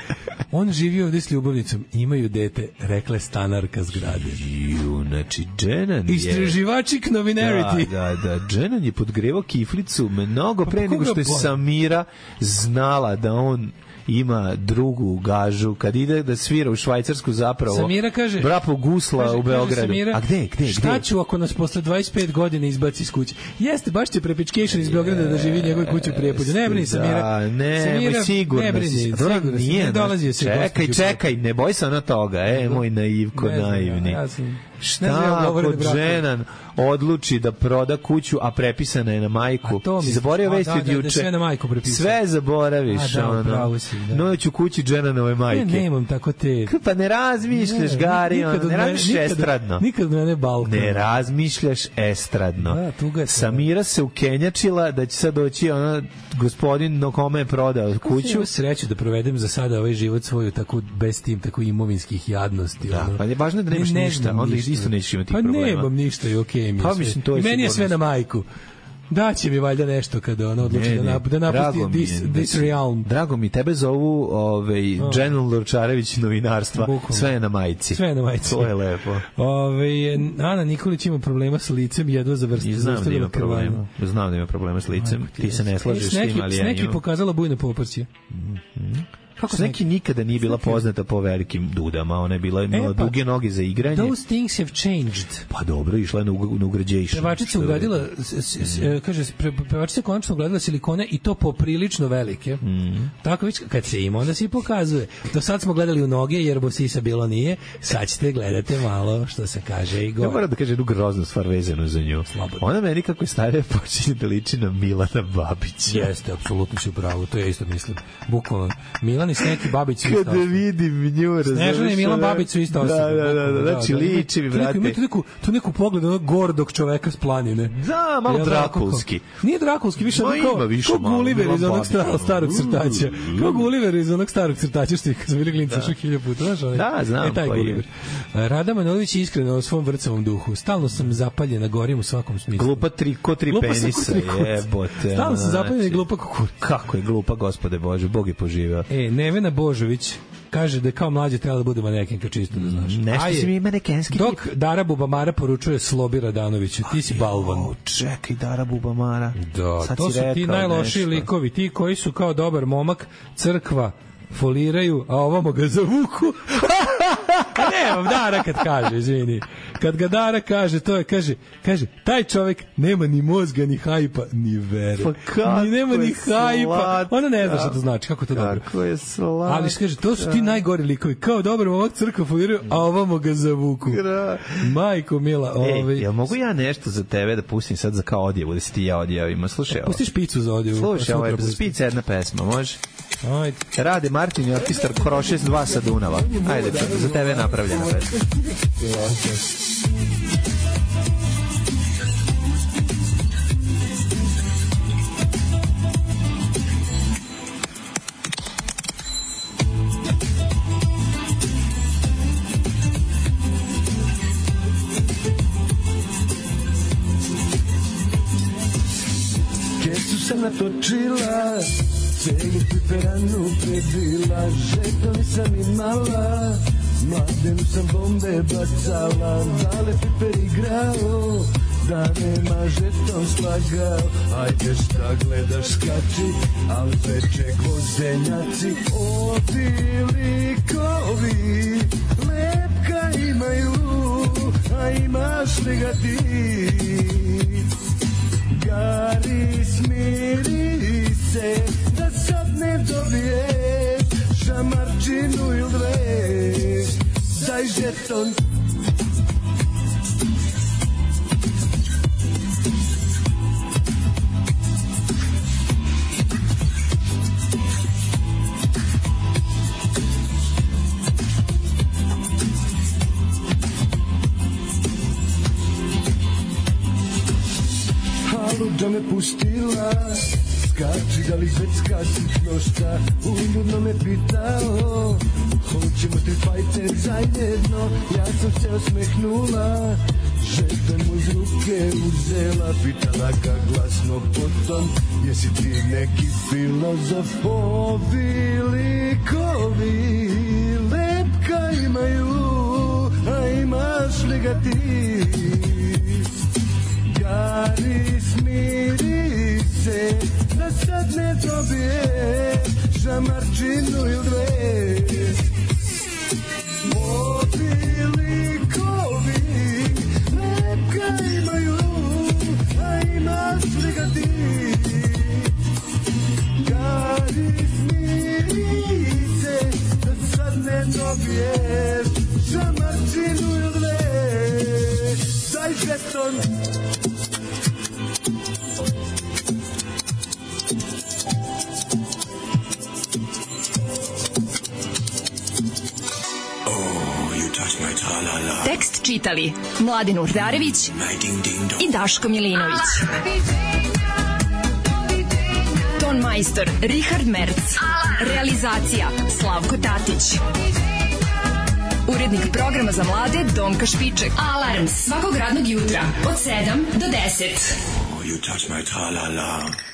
S6: On živi ovdje s ljubavnicom. Imaju dete, rekla je stanarka zgrade.
S7: Ju, znači Dženan je...
S6: Istraživačik novinarity.
S7: Da, da, da. Dženan je podgrevao kiflicu mnogo pre pa nego što je Samira znala da on ima drugu gažu kad ide da svira u Švajcarsku zapravo.
S6: Samira kaže,
S7: brapo gusla
S6: kaže,
S7: u Beogradu.
S6: Samira,
S7: a gde, gde,
S6: šta
S7: gde?
S6: ću ako nas posle dvadeset pet godina izbaci iz kuće? Jeste, baš će prepičkation iz Beograda da živi njegove kuće u Prijepolju. Ne brini, Samira.
S7: Da, ne,
S6: Samira,
S7: sigurno.
S6: Ne brini,
S7: sigurno nije,
S6: ne dolazi se.
S7: Čekaj, čekaj, ne boj se na toga, e, moj naivko,
S6: ne
S7: naivni.
S6: Ja sam,
S7: šta ako Dženan odluči da proda kuću, a prepisana je na majku? Si zaboravio vesti od juče?
S6: Sve na majku prepisano.
S7: Sve zaboraviš,
S6: a, da,
S7: ono.
S6: Si, da.
S7: Noć u kući Dženanove majke.
S6: Ne, nemam tako te...
S7: Pa ne razmišljaš, ne, Gari, on, ne razmišljaš estradno.
S6: Nikad mene Balkan.
S7: Ne razmišljaš estradno.
S6: Da, tuga
S7: Samira se ukenjačila da će sad doći ona gospodin no kome je prodao kuću.
S6: Imam sreću da provedem za sada ovaj život svoju tako bez tim, tako imovinskih jadnosti.
S7: Da,
S6: ono.
S7: pa je važno da nemaš
S6: ne,
S7: ništa, onda isto nećeš imati
S6: pa
S7: problema.
S6: Pa nemam ništa i okej okay mi
S7: pa,
S6: sve.
S7: Mislim, to je
S6: I meni je sve na majku. Daće mi valjda nešto kada ona odluči da, nap, da napusti this, this realm.
S7: Drago mi, tebe zovu ovaj, oh. Dženan Lorčarević novinarstva. Bukom. Sve je na majici.
S6: Sve je na majici.
S7: To je lepo.
S6: Ove, Ana Nikolić ima problema s licem, jedva zavrsti.
S7: Znam da ima problema. Znam da ima problema s licem. Ajko, ti, ti se ne slažeš s tim, ali ja
S6: imam. Sneki pokazala bujno poprcije.
S7: Mm-hmm. Kako Sneki nikada nije bila poznata po velikim dudama, ona je bila imala e, pa, duge noge za igranje.
S6: Those things have changed.
S7: Pa dobro, išla je na, na ugrađation.
S6: Pevačica ugradila, mm. kaže, pevačica konačno ugradila silikone i to poprilično velike. Mm. Tako već, kad se ima, onda se i pokazuje. Do sad smo gledali u noge, jer bo sisa bilo nije, sad ćete gledate malo, što se kaže i gore.
S7: Ja moram da kažem jednu groznu stvar vezanu za nju. Slobodno. Ona meni kako je starija počinje da liči na Milana Babića.
S6: Jeste, apsolutno si u pravu, to ja isto mislim. Bukvalno, Milan Snežana i Sneki Babić su isto
S7: Kada vidim nju, razumiješ.
S6: Snežana i Milan Babić su isto osobe.
S7: Da, da, da, da, znači liči mi, brate.
S6: Imate neku, tu neku pogled onog gordog čoveka s planine.
S7: Da, malo drakulski.
S6: Nije drakulski, više ono kao, kao Gulliver iz onog starog, starog crtaća. Kao Gulliver iz onog starog crtaća, što kad sam bili klinca što hilja puta. Znaš, onaj,
S7: da, znam.
S6: E, taj Gulliver. Rada Manojlović je iskreno o svom vrcavom duhu. Stalno sam zapaljena, gorim u svakom smislu.
S7: Glupa tri, ko tri glupa penisa, jebote.
S6: Stalno sam zapaljena i glupa kukurica.
S7: Kako je glupa, gospode Bože, Bog je poživao.
S6: E, Nevena Božović kaže da je kao mlađe trebala da bude manekenka, čisto da znaš.
S7: Nešto si mi manekenski.
S6: Dok Dara Bubamara poručuje Slobi Radanoviću, ti si balvan.
S7: O, čekaj, Dara Bubamara.
S6: Da, sad to su ti najlošiji likovi, ti koji su kao dobar momak, crkva, foliraju, a ovamo ga zavuku. Ne, Dara kad kaže, izvini. Kad ga Dara kaže, to je, kaže, kaže, taj čovjek nema ni mozga, ni hajpa, ni vere.
S7: Pa kako
S6: ni nema ni hajpa.
S7: Slat...
S6: Ona ne zna šta to znači, kako to
S7: kako
S6: dobro.
S7: Kako je slat...
S6: Ali kaže, to su ti najgori likovi, kao dobar momak, crkva foliraju, a ovamo ga zavuku.
S7: Gra.
S6: Majko mila, ovaj.
S7: Ej, jel mogu ja nešto za tebe da pustim sad za kao odjevu, da se ti ja odjavimo? Slušaj,
S6: pusti špicu za odjevu.
S7: Slušaj, ovo je za špica jedna pesma, može?
S6: Ajde.
S7: Rade Martin i orkestar Krošes dva sa Dunava. Ajde, za tebe je napravljena pesma.
S1: Kesu sam natočila, celu piperanu predila, žeton sam imala, mladenu sam bombe bacala, dale piper igrao, da nema žeton slagao. Ajde šta gledaš, skači, al veče gvozdenjaci, ovi likovi, lepka imaju, a imaš li ga ti? Gari, smiri se, da sad ne dobiješ šamarčinu ili dve, daj žeton. Da me pustila, skači da li zvecka sitno šta, uljudno me pitao, hoćemo tri fajter zajedno, ja sam se osmehnula, žeton mu iz ruke uzela, pitala ga glasno potom, jesi ti neki filozof? Ovi likovi, lepka imaju, a imaš li ga ti? Gari, smiri se, da sad ne dobije šamarčinu ili dve. Ovi likovi, lepka imaju, a imaš li ga ti? Gari, smiri se, da sad ne dobije šamarčinu ili dve. Daj žeton.
S4: Tekst čitali Mladin Urdarević i Daško Milinović. Ton majstor Richard Merc. Realizacija Slavko Tatić. Urednik programa za mlade Donka Špiček. Alarms svakog radnog jutra od sedam do deset.
S1: Oh, you touch my tra-la-la.